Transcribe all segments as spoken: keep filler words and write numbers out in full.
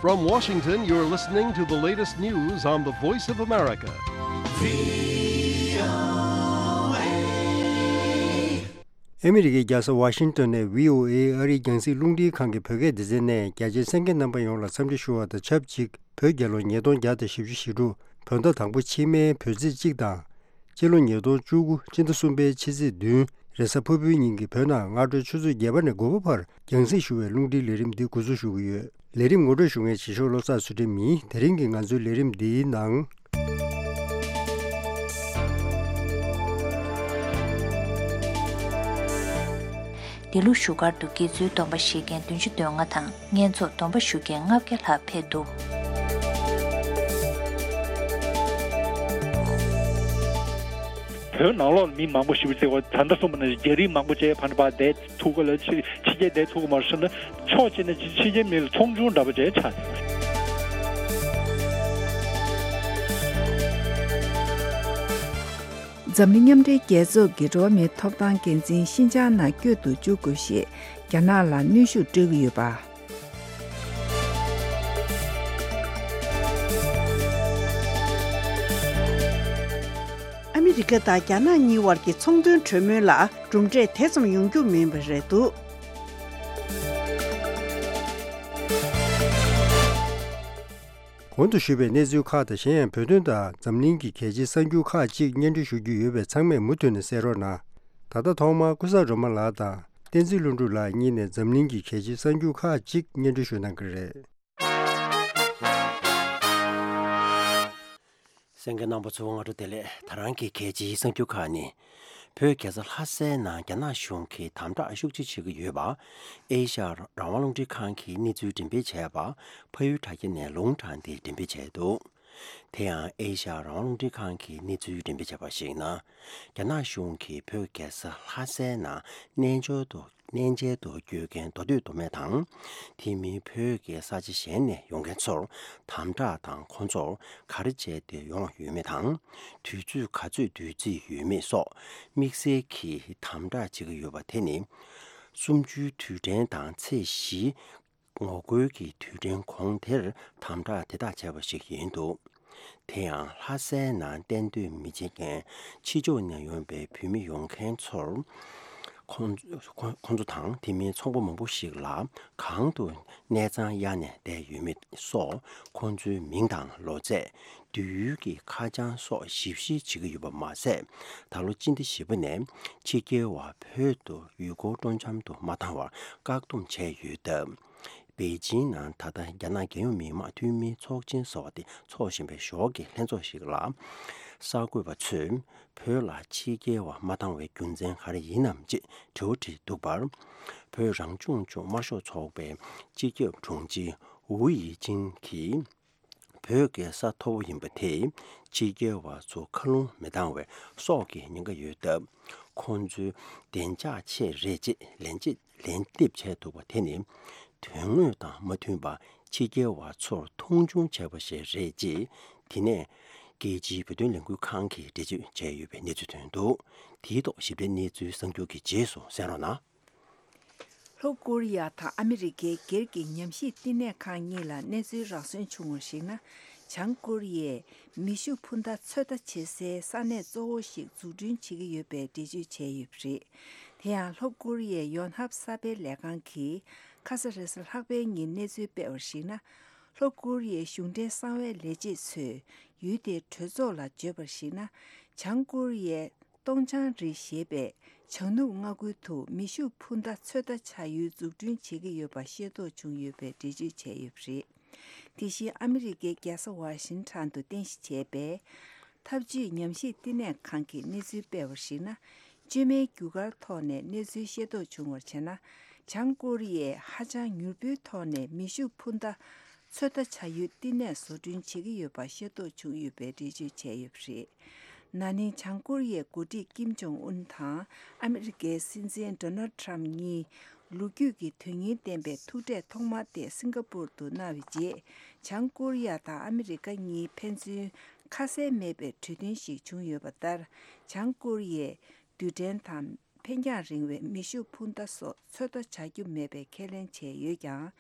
From Washington, you're listening to the latest news on the Voice of America. ཨ་མི་རི་ཀའི་རྒྱལ་ས་ཝ་ཤིང་ཏོན་ནས་ཝི་ཨོ་ཨེ་ཨ་རིའི་རྒྱང་སྲིང་རླུང་འཕྲིན་ཁང་གི་བོད་སྐད་སྡེ་ཚན་ནས་རྒྱ་ཆེའི་གསན་མཁན་རྣམ་པ་ཡོངས་ལ་འཚམས་འདྲི་ཞུ་བ་དང་ཆབས་ཅིག་བོད་རྒྱལ་ལོ་ཉིས་སྟོང་བརྒྱ་དང་བཞི་བཅུ་ཞེ་དྲུག་བོད་ཟླ་དང་པོ་ཕྱི་མའི་བོད་ཚེས་གཅིག་དང་། སྤྱི་ལོ་ཉིས་སྟོང་བཅུ་དགུ་སྤྱི་ཟླ་གསུམ་པའི་ཕྱི་ཚེས་བདུན་རེས་གཟའ་ཕུར་བུའི་ཉིན་གྱི་བོད་ནང་སྔ་དྲོའི་ཆུ་ཚོད་བརྒྱད་པ་ནས་དགུ་པ་བར་རྒྱང་སྲིང་ཞུ་བའི་རླུང་འཕྲིན་ལས་རིམ་འདི་འགོ་འཛུགས་ཞུ་གི་ཡོད། ལས་རིམ་ངོ་སྤྲོད་ཞུ་མཁན་བྱེད་ཤོག་བློ་བཟང་ཚུལ་ཁྲིམས་ཡིན། དེ་རིང་གི་ང་ཚོའི་ལས་རིམ་འདིའི་ནང་། འདི་ལོ་བཞུགས་སྒར་དུ་དགེ་ཚུལ་སྡོམ་པ་བཞེས་མཁན་བདུན་ཅུ་དོན་ལྔ་དང་། བསྙེན་རྫོགས་སྡོམ་པ་ཞུ་མཁན་ལྔ་བརྒྱ་ལྷག་ཕེབས་འདུག་བོད་ནང་ལོགས་ལ་མི་མང་པོ་ཞིག་བརྩི་བ་ད་ལྟ་གསུངས་པ་ནང་བཞིན་རྒྱ་རིགས་མང་པོ་བྱས་ཕ་ནི་པ་བསྡད་ཐུབ་ག་ལ་ཕྱི་ཕྱི་རྒྱལ་བསྡད་ཐུབ་ག་མ་རེད་ཟེར་ན། ཕྱོགས་གཅིག་ནས་ཕྱི་རྒྱལ་མི་ལ་ཚོང་ཆུང་འདྲ་པོ་བྱས་ཆགས་ཡོད། འཛམ་གླིང་མཉམ་འབྲེལ་རྒྱལ་ཚོགས་ཀྱི་འགྲོ་བ་མིའི་ཐོབ་ཐང་འགན་འཛིན་ཤིན་ཅང་ནང་བསྐྱོད་དུ་འཇུག་དགོས་ཞེས་རྒྱ་ནག་ལ་གནོན་ཤུགས་སྤྲོད་ཀྱི་ཡོད་པ། ཨ་མི་རི་ཀ་དང་རྒྱ་ནག་གཉིས་བར་གྱི་ཚོང་དོན་གྲོས་མོལ་ལ་གྲུབ་འབྲས་དེ་ཙམ་ཡོང་རྒྱུ་མིན་པ་རེད་འདུག་གོང་དུ་ཞུས་པའི་གནས་ཚུལ་ཁག་དང་གཞན་ཡང་བོད་དོན་དང་འཛམ་གླིང་གི་གལ་ཆེའི་གསར་འགྱུར་ཁག་ཅིག་སྙན་སྒྲོན་ཞུ་རྒྱུ་ཡོད་པས་ཚང་མས་མུ་མཐུད་ནས་གསན་རོགས་གནང་། ད་ལྟ་ཐོག་མར་ཀུན་བཟང་སྒྲོལ་མ་ལགས་དང་བསྟན་འཛིན་ལྷུན་གྲུབ་ལགས་གཉིས་ནས་འཛམ་གླིང་གི་གལ་ཆེའི་གསར་འགྱུར་ཁག་ཅིག་སྙན་སྒྲོན་ཞུ་གནང་གི་རེད། གསན་མཁན་རྣམ་པ་ཚོ་སྔ་དྲོ་བདེ་ལེགས། ད་རང་གི་གལ་ཆེའི་གསར་འགྱུར་ཁག་ནི། བོད་རྒྱལ་ས་ལྷ་སའི་ནང་རྒྱ་ནག་གཞུང་གིས་དམ་དྲག་ཤུགས་ཆེ་བྱེད་ཀྱི་ཡོད་པ། ཨེ་ཤ་ཡ་རང་དབང་རླུང་འཕྲིན་ཁང་གིས་གནས་ཚུལ་འགྲེམས་སྤེལ་བྱས་པ། ཕ་ཡུལ་དྲ་རྒྱ་ནས་ལུང་དྲངས་ཏེ་འགྲེམས་སྤེལ་བྱས་འདུག་དེ་ཡང་ཨེ་ཤ་ཡ་རང་དབང་རླུང་འཕྲིན་ཁང་གིས་གནས་ཚུལ་འགྲེམས་སྤེལ་བྱས་པར་གཞིགས་ན། རྒྱ་ནག་གཞུང་གིས་བོད་རྒྱལ་ས་ལྷ་སའི་ནང་གནས་མཆེད་དུ་གནས་མཆེད་དུ་སྐྱོད་མཁན་མདོ་སྟོད་མདོ་སྨད་དང་། དེ་མིན་བོད་ཀྱི་ས་ཆ་གཞན་ནས་ཡོང་མཁན་ཚོར་དམ་དྲག་དང་ཁོང་ཚོར་ག་རེ་བྱས་ཏེ་ཡོང་ཡོད་མེད་དང་། དུས་ཚོད་ག་ཚོད་བསྡུ་རྩིས་ཡོད་མེད་སོགས་དམིགས་བསལ་གྱིས་དམ་དྲག་བྱེད་ཀྱི་ཡོད་པ་དེ་ནི། གསུམ་བཅུའི་དུས་དྲན་དང་ཚེས་བཞི་ངོ་རྒོལ་གྱི་དུས་དྲན་གོང་དེར་དམ་དྲག་དེ་དག་བྱས་པ་ཞིག་ཡིན་འདུག་དེ་ཡང་ལྷ་སའི་ནང་གཏན་སྡོད་མི་བྱེད་མཁན་ཕྱི་ཕྱོགས་ནས་ཡོང་པའི་བོད་མི་ཡོང་མཁན་ཚོར་ཁོང་ཁོང་ཁོང་ཚོ་དང་དེ་མིན་ཚོང་པ་མང་པོ་ཞིག་ལ་གང་དུ་གནས་ཚང་གཡར་ནས་བསྡད་ཡོད་མེད་སོགས་ཁོང་ཚོའི་མིང་དང་ལོ་ཚད། སྡོད་ཡུལ་གྱི་ཁ་བྱང་སོགས་ཞིབ་བཤེར་བྱེད་ཀྱི་ཡོད་པ་མ་ཟད། ད་ལོ་སྤྱི་ཟླ་བཞི་པ་ནས་ཕྱི་རྒྱལ་བ་བོད་དུ་ཡུལ་སྐོར་སྤྲོ་འཆམ་དུ་མ་བཏང་བར་བཀག་སྡོམ་བྱས་ཡོད་སྟབས། པེ་ཅིང་ནང་ད་ལྟ་རྒྱ་ནག་རྒྱལ་ཡོངས་མི་དམངས་འཐུས་མིའི་ཚོགས་ཆེན་ཟེར་བ་དེ་འཚོགས་བཞིན་པའི་ཞོར་གྱི་ལྷན་ཚོགས་ཤིག་ལ། གསར་འགོད་པ་ཚོས་བོད་ལ་ཕྱི་རྒྱལ་བ་མ་བཏང་བའི་རྒྱུ་མཚན་ག་རེ་ཡིན་ནམ་ཅེས་དྲི་བ་དྲིས་འདུག་པར། བོད་རང་སྐྱོང་ལྗོངས་དམར་ཤོག་ཚོགས་པའི་སྤྱི་ཁྱབ་དྲུང་ཆེ་ཝུའུ་ཡི་ཅིན་གྱིས། བོད་ཀྱི་ས་མཐོ་བོ་ཡིན་པ་དེས་ཕྱི་རྒྱལ་བ་ཚོ་མཁའ་རླུང་མི་འདང་བའི་སྲོག་གི་ཉེན་ཁ་ཡོད་སྟབས། ཁོང་ཚོའི་བདེ་འཇགས་ཆེད་རེད་ཅེས་ལན་ཅེས་ལན་འདེབས་བྱས་འདུག་པ་དེ་ནི། དོན་དངོས་དང་མ་མཐུན་པར་ཕྱི་རྒྱལ་བ་ཚོར་མཐོང་ཆུང་བྱས་པ་ཞིག་རེད་ཅེས། དེ་ནས་རྒྱལ་སྤྱིའི་བོད་དོན་ལས་འགུལ་ཁང་གིས་འགྲེལ་བརྗོད་བྱས་ཡོད་པའི་གནས་ཚུལ་ཐོན་འདུག་དེའི་ཐོག་ཞིབ་ཕྲའི་གནས་ཚུལ་གསར་འགྱུར་གྱི་རྗེས་སུ་གསན་རོགས་གནང་། ལྷོ་ཀོ་རི་ཡ་དང་ཨ་མི་རི་ཀའི་སྒེར་གྱི་ཉམས་ཞིབ་བསྟི་གནས་ཁང་གཉིས་ལ་གནས་ཚུལ་རག་སོན་བྱུང་བར་གཞིགས་ན། བྱང་ཀོ་རི་ཡས་མེ་ཤུགས་འཕུར་མདའ་ཚོད་ལྟ་བྱེད་སའི་ས་གནས་གཙོ་བོ་ཞིག་འཛུགས་སྐྲུན་བྱེད་ཀྱི་ཡོད་པའི་འགྲེལ་བརྗོད་བྱས་ཡོད་པ་རེད། དེ་ཡང་ལྷོ་ཀོ་རི་ཡའི་ཡོན་ཧབ་གསར་སྤེལ་ལས་ཁང་གིས་ཁ་ས་རེས་གཟའ་ལྷག་པའི་ཉིན་གནས་ཚུལ་སྤེལ་བར་གཞིགས་ན། ལྷོ་ཀོ་རི་ཡའི་གཞུང་འབྲེལ་གསང་བའི་ལས་བྱེད་ཚོས་ཡུལ་དེའི་གྲོས་ཚོགས་ལ་བརྗོད་པར་གཞིགས་ན། བྱང་ཀོ་རི་ཡའི་ཏོང་ཆང་རི་ཞེས་པའི་བྱང་ནུབ་མངའ་ཁུལ་དུ་མེ་ཤུགས་འཕུར་མདའ་ཚོད་ལྟ་བྱ་ཡུལ་འཛུགས་སྐྲུན་བྱེད་ཀྱི་ཡོད་པ་ཤེས་རྟོགས་བྱུང་ཡོད་པའི་འགྲེལ་བརྗོད་བྱས་ཡོད་པ་རེད། དེ་བཞིན་ཨ་མི་རི་ཀའི་རྒྱལ་ས་ཝ་ཤིང་ཊོན་དུ་རྟེན་གཞི་བྱས་པའི་འཐབ་ཇུས་ཉམས་ཞིབ་བསྟི་གནས་ཁང་གིས་གནས་ཚུལ་སྤེལ་བར་གཞིགས་ན། བཅོས་མའི་རྒྱུ་སྐར་ཐོག་ནས་གནས་ཚུལ་ཤེས་རྟོགས་བྱུང་བར་བྱས་ན། བྱང་ཀོ་རི་ཡས་ཧ་ཅང་མྱུར་པོའི་ཐོག་ནས་མེ་ཤུགས་འཕུར་མདའ་ཚོད་ལྟ་བྱ་ཡུལ་བསྟི་གནས་བཟོ་སྐྲུན་བྱེད་ཀྱི་ཡོད་པ་ཤེས་རྟོགས་བྱུང་ཡོད་པའི་འགྲེལ་བརྗོད་བྱས་ཡོད་པ་རེད། ན་ནིང་བྱང་ཀོ་རི་ཡའི་འགོ་ཁྲིད་ཀིམ་ཇོང་ཨུན་དང་ཨ་མི་རི་ཀའི་སྲིད་འཛིན་ཌོ་ནལ་ཊམ་གཉིས་ལོ་རྒྱུས་ཀྱི་དོན་སྙིང་ལྡན་པའི་ཐུག་འཕྲད་ཐོག་མ་དེ་སིང་ག་པུར་དུ་གནང་བའི་རྗེས། བྱང་ཀོ་རི་ཡ་དང་ཨ་མི་རི་ཀ་གཉིས་ཕན་ཚུན་ཁ་གསལ་མེད་པའི་གྲོས་མཐུན་ཞིག་བྱུང་ཡོད་པ་ལྟར། བྱང་ཀོ་རི་ཡས་རྡུལ་ཕྲན་དང་ འཕེན་རྒྱང་རིང་བའི་མེ་ཤུགས་འཕུར་མདའ་སོགས་ཚོད་ལྟ་བྱ་རྒྱུ་མེད་པའི་ཁས་ལེན་བྱས་ཡོད་ཀྱང་།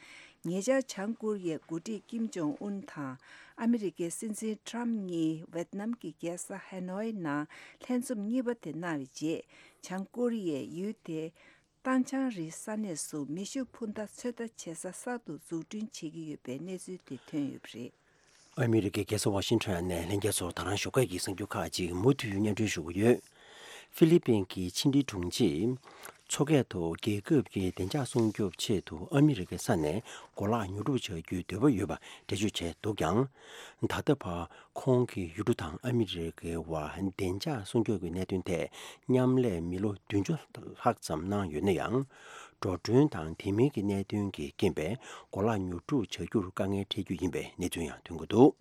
ཉེ་ཆར་བྱང་ཀོ་རི་ཡའི་འགོ་ཁྲིད་ཀིམ་ཇོང་ཨུན་དང་ཨ་མི་རི་ཀའི་སྲིད་འཛིན་ཊྲམ་གཉིས་ཝེད་ནམ་གྱི་རྒྱལ་ས་ཧ་ནོའི་ནང་ལྷན་འཛོམས་གཉིས་པ་དེ་གནང་བའི་རྗེས། བྱང་ཀོ་རི་ཡས་ཡུལ་དེའི་ཏང་ཆང་རིའི་ས་གནས་སུ་མེ་ཤུགས་འཕུར་མདའ་ཚོད་ལྟ་བྱེད་ས་གསར་དུ་འཛུགས་སྐྲུན་བྱེད་ཀྱི་ཡོད་པའི་གནས་ཚུལ་དེ་ཐོན་ཡོད་པ་རེད། ཨ་མི་རི་ཀའི་རྒྱལ་ས་ཝ་ཤིང་ཊོན་ནས་ལྷན་རྒྱས་ཚོར་ད་རང་ཞོགས་ཀས་ཀྱི་གསར་འགྱུར་ཁག་ཅིག་མུ་མཐུད་སྙན་སྒྲོན་ཞུ་གི་ཡོད། ཧྥི་ལི་པིན་གྱི་ཕྱི་འབྲེལ་དྲུང་ཆེས། མཚོ་སྐད་དུ་རྒྱལ་ཁབ་ཀྱི་བདེ་འཇགས་སྲུང་སྐྱོབ་ཆེད་དུ་ཨ་མི་རི་ཀའི་ས་ནས་གོ་ལག་ཉོ་སྒྲུབ་བྱ་རྒྱུའི་འདོད་པ་ཡོད་པ་འགྲེལ་བརྗོད་བྱས་འདུག་ཀྱང་། ད་ལྟ་བར་ཁོང་གིས་ཡུལ་གྲུ་དང་ཨ་མི་རི་ཀའི་དབར་བདེ་འཇགས་སྲུང་སྐྱོབ་ཀྱི་གནད་དོན་ཐད་མཉམ་ལས་མི་ལོ་བདུན་ཅུ་ལྷག་ཙམ་གནང་ཡོད་ན་ཡང་། འགྲོ་གྲོན་དང་དེ་མིན་གྱི་གནད་དོན་གྱི་རྐྱེན་པས་གོ་ལག་ཉོ་སྒྲུབ་བྱ་རྒྱུར་དཀའ་ངལ་འཕྲད་རྒྱུ་ཡིན་པའི་གནས་ཚུལ་ཡང་ཐོན་གྱི་འདུག་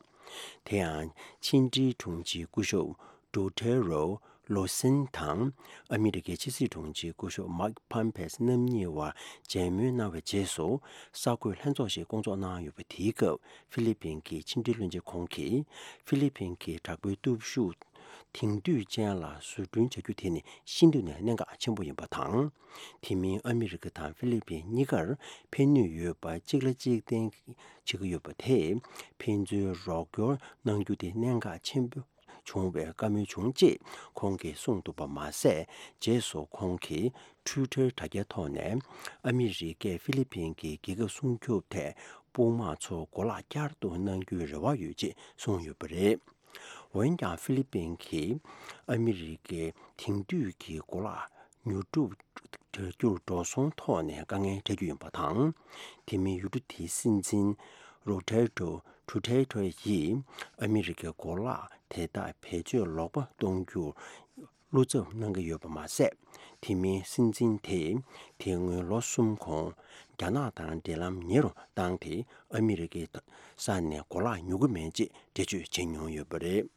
དེ་ཡང་ཕྱི་འབྲེལ་དྲུང་ཆེ་སྐུ་ཞབས་ཌོ་ཐེ་རོ་ལོ་སིན་དང་ཨ་མི་རི་ཀའི་ཕྱི་སྲིད་དྲུང་ཆེ་སྐུ་ཞབས་མཱིག་ཕམ་པེས་རྣམ་གཉིས་བར་མཇལ་མོལ་གནང་བའི་རྗེས་སུ། གསར་འགོད་ལྷན་ཚོགས་ཤིག་བསྐོང་ཚོགས་གནང་ཡོད་པ་དེའི་སྐབས་ཧྥི་ལི་པིན་གྱི་ཕྱི་འབྲེལ་བློན་ཆེན་ཁོང་གིས་ཧྥི་ལི་པིན་གྱི་དྲག་པོའི་སྟོབས་ཤུགས་དེང་དུས་ཅན་ལ་བཟོ་སྐྲུན་བྱ་རྒྱུ་དེ་ནི་ཤིན་ཏུ་ནས་གནད་འགག་ཆེན་པོ་ཡིན་པ་དང་། དེ་མིན་ཨ་མི་རི་ཀ་དང་ཧྥི་ལི་པིན་གཉིས་ཀར་ཕན་ནུས་ཡོད་པ་གཅིག་ལ་གཅིག་བརྟེན་བྱེད་ཀྱི་ཡོད་པ་དེས་ཕན་ཚུན་རོགས་སྐྱོར་གནང་རྒྱུ་དེ་གནད་འགག་ཆེན་པོ་བྱུང་བའི་བཀའ་མོལ་བྱུང་ཅེས་ཁོང་གིས་གསུངས་འདུག་པ་མ་ཟད། རྗེས་སུ་ཁོང་གིས་ཊུའི་ཊར་དྲ་རྒྱའི་ཐོག་ནས་ཨ་མི་རི་ཀས་ཧྥི་ལི་པིན་གྱི་རྒྱལ་ཁབ་སྲུང་སྐྱོབ་ཐད་དཔུང་དམག་ཚོ་གོ་ལག་བསྐྱར་དུ་གནང་རྒྱུའི་རེ་བ་ཡོད་ཅེས་གསུངས་ཡོད་པ་རེད། འོན་ཀྱང་ཧྥི་ལི་པིན་གྱིས་ཨ་མི་རི་ཀའི་དེང་དུས་ཀྱི་གོ་ལག་ཉོ་སྒྲུབ་བྱ་རྒྱུར་འགྲོ་སོང་ཐོག་ནས་དཀའ་ངལ་འཕྲད་རྒྱུ་ཡིན་པ་དང་། དེ་མིན་ཡུལ་གྲུ་དེའི་སྲིད་འཛིན་རོ་བྷར་ཏོ་ཌུ་ཏེར་ཏེ་ཡིས་ཨ་མི་རི་ཀའི་གོ་ལག་དེ་དག་བེད་སྤྱོད་ལོག་པ་གཏོང་རྒྱུར་བློ་འཚབ་གནང་གི་ཡོད་པ་མ་ཟད། དེ་མིན་སྲིད་འཛིན་དེས་དེ་སྔོན་ལོ་གསུམ་གོང་རྒྱ་ནག་དང་འབྲེལ་ལམ་ཉེ་རུ་བཏང་སྟེ་ཨ་མི་རི་ཀའི་ས་ནས་གོ་ལག་ཉོ་གི་མེད་ཅེས་འགྲེལ་བརྗོད་བྱེད་མྱོང་ཡོད་པ་རེད།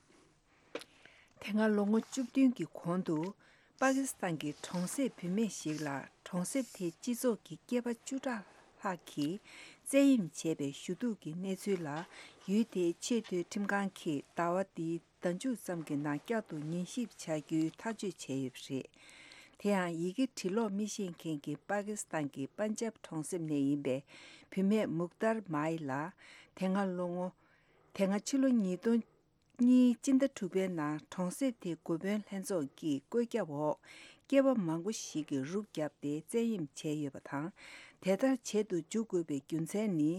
དེ་སྔ་ལོ་ངོ་བཅུ་བདུན་གྱི་གོང་དུ། པ་ཀི་སི་ཐན་གྱི་གྲོང་གསེབ་བུད་མེད་ཞིག་ལ་གྲོང་གསེབ་དེའི་སྤྱི་ཚོགས་ཀྱི་སྐྱེས་པ་བཅུ་ཕྲག་ལྷག་གིས་བཙན་གཡེམ་བྱས་པའི་ཞུ་གཏུག་གི་གནས་ཚུལ་ལ། ཡུལ་དེའི་ཆེས་མཐོའི་ཁྲིམས་ཁང་གིས་ཟླ་བ་འདིའི་ཟླ་མཇུག་ཙམ་གྱི་ནང་བསྐྱར་དུ་ཉན་ཞིབ་བྱ་རྒྱུའི་ཐག་གཅོད་བྱས་ཡོད་པ་རེད། དེ་ཡང་ཡི་གེ་འབྲི་ཀློག་མི་ཤེས་མཁན་གྱི་པ་ཀི་སི་ཐན་གྱི་པན་ཇབ་གྲོང་གསེབ་ནས་ཡིན་པའི་བུད་མེད་མུག་ཏར་མཱི་ལ། དེ་སྔ་ལོ་ངོ། དེ་སྔ་ཕྱི་ལོ་ཉིས་སྟོང་གཉིས་སྤྱི་ཟླ་དྲུག་པའི་ནང་གྲོང་གསེབ་དེའི་འགོ་དཔོན་ལྷན་ཚོགས་ཀྱིས་བཀོད་ཁྱབ་འོག་སྐྱེས་པ་མང་པོ་ཞིག་གིས་རུབ་བརྒྱབ་སྟེ་བཙན་གཡེམ་བྱས་ཡོད་པ་དང་། དེ་ལྟར་བྱེད་དུ་འཇུག་དགོས་པའི་རྒྱུ་མཚན་ནི།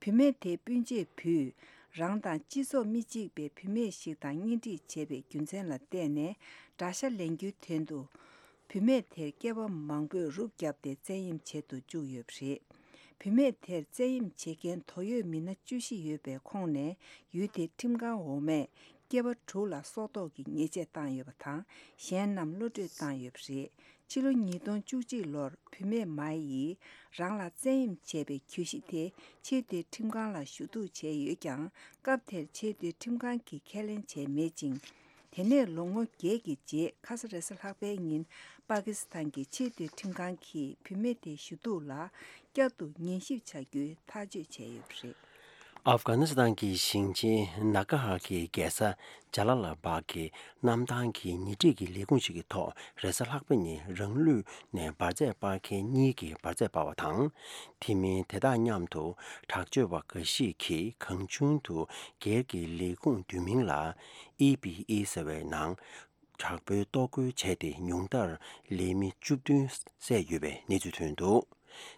བུད་མེད་དེའི་སྤུན་མཆེད་བུས་རང་དང་སྤྱི་ཚོགས་མི་གཅིག་པའི་བུད་མེད་ཞིག་དང་གཉེན་སྒྲིག་བྱས་པའི་རྒྱུ་མཚན་ལ་བརྟེན་ནས་དགྲ་ཤ་ལེན་རྒྱུའི་དོན་དུ། བུད་མེད་དེར་སྐྱེས་པ་མང་པོས་རུབ་བརྒྱབ་སྟེ་བཙན་གཡེམ་བྱེད་དུ་བཅུག་ཡོད་པ་རེད། བུད་མེད་དེར་བཙན་གཡེམ་བྱེད་མཁན་དོ་ཡོད་མི་སྣ་བཅུ་བཞི་ཡོད་པའི་ཁོངས་ནས་ཡུལ་དེའི་ཁྲིམས་ཁང་འོག་མས་སྐྱེས་པ་དྲུག་ལ་སྲོག་ཐོག་གི་ཉེས་ཆད་བཏང་ཡོད་པ་དང་། གཞན་རྣམས་གློད་བཀྲོལ་བཏང་ཡོད་པ་རེད། ཕྱི་ལོ་ཉིས་སྟོང་བཅུ་གཅིག་ལོར་བུད་མེད་མཱི་ཡིས་རང་ལ་བཙན་གཡེམ་བྱས་པའི་གྱོད་གཞི་དེ་ཆེས་མཐོའི་ཁྲིམས་ཁང་ལ་ཞུ་གཏུག་བྱས་ཡོད་ཀྱང་། སྐབས་དེར་ཆེས་མཐོའི་ཁྲིམས་ཁང་གིས་ཁས་ལེན་བྱས་མེད་ཅིང་། དེ་ནས་ལོ་ངོ་བརྒྱད་ཀྱི་རྗེས་ཁ་ས་རེས་གཟའ་ལྷག་པའི་ཉིན་པ་ཀི་སི་ཐན་གྱི་ཆེས་མཐོའི་ཁྲིམས་ཁང་གིས་བུད་མེད་དེའི་ཞུ་གཏུག་ལ་བསྐྱར་དུ་ཉན་ཞིབ་བྱ་རྒྱུའི་ཐག་གཅོད་བྱས་ཡོད་པ་རེད། ཨབ་གྷ་ནི་སི་ཐན་གྱི་ཞིང་ཆེན་ནཱ་གྷ་ཧར་གྱི་རྒྱལ་ས་ཇ་ལ་ལ་བྷག་གི་གནམ་ཐང་གི་ཉེ་འཁྲིས་ཀྱི་ལས་ཁུངས་ཤིག་གི་ཐོག་རེས་གཟའ་ལྷག་པ་ཉིན་རང་ལུས་ནས་འབར་རྫས་སྤར་མཁན་གཉིས་ཀྱིས་འབར་རྫས་སྤར་བ་དང་། དེ་མིན་དེ་དང་མཉམ་དུ་དྲག་སྤྱོད་པ་འགའ་ཞིག་གིས་གང་བྱུང་དུ་སྒེར་གྱི་ལས་ཁུངས་བསྡུས་མིང་ལ་ཨི་བི་ཨི་ཟེར་བའི་ནང་དྲག་པོའི་གཏོར་རྒོལ་བྱས་ཏེ་ཉུང་མཐར་ལས་མི་བཅུ་བདུན་བསད་ཡོད་པའི་གནས་ཚུལ་ཐོན་འདུག་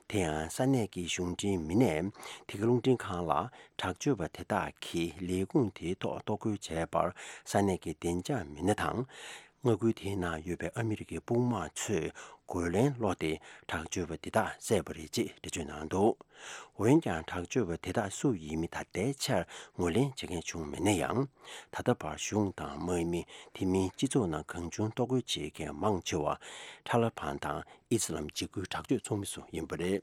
དེ་ཡང་ས་གནས་ཀྱི་གཞུང་འབྲེལ་མི་སྣས་དེ་ག་རླུང་འཕྲིན་ཁང་ལ་དྲག་སྤྱོད་པ་དེ་དག་གིས་ལས་ཁུངས་དེའི་ཐོག་གཏོར་རྒོལ་བྱས་པར་ས་གནས་ཀྱི་བདེ་འཇགས་མི་སྣ་དང་། མངའ་ཁུལ་དེའི་ནང་ཡོད་པའི་ཨ་མི་རི་ཀའི་དཔུང་དམག་ཚོས་རྒོལ་ལན་སློག་སྟེ་དྲག་སྤྱོད་པ་འདི་དག་བསད་པ་རེད་ཅེས་འགྲེལ་བརྗོད་གནང་འདུག་འོན་ཀྱང་དྲག་སྤྱོད་པ་དེ་དག་སུ་ཡིན་མིན་ད་ལྟའི་ཆར་ངོས་ལེན་བྱེད་མཁན་བྱུང་མེད་ན་ཡང་། ད་ལྟ་བར་གཞུང་དང་དམག་མི་དེ་མིན་སྤྱི་ཚོགས་ནང་གང་བྱུང་གཏོར་རྒོལ་བྱེད་མཁན་མང་ཆེ་བ་ཐ་ལི་བན་དང་ཨི་སི་ལམ་འཇིགས་སྐུལ་དྲག་སྤྱོད་ཚོགས་མི་ཚོ་ཡིན་པ་རེད།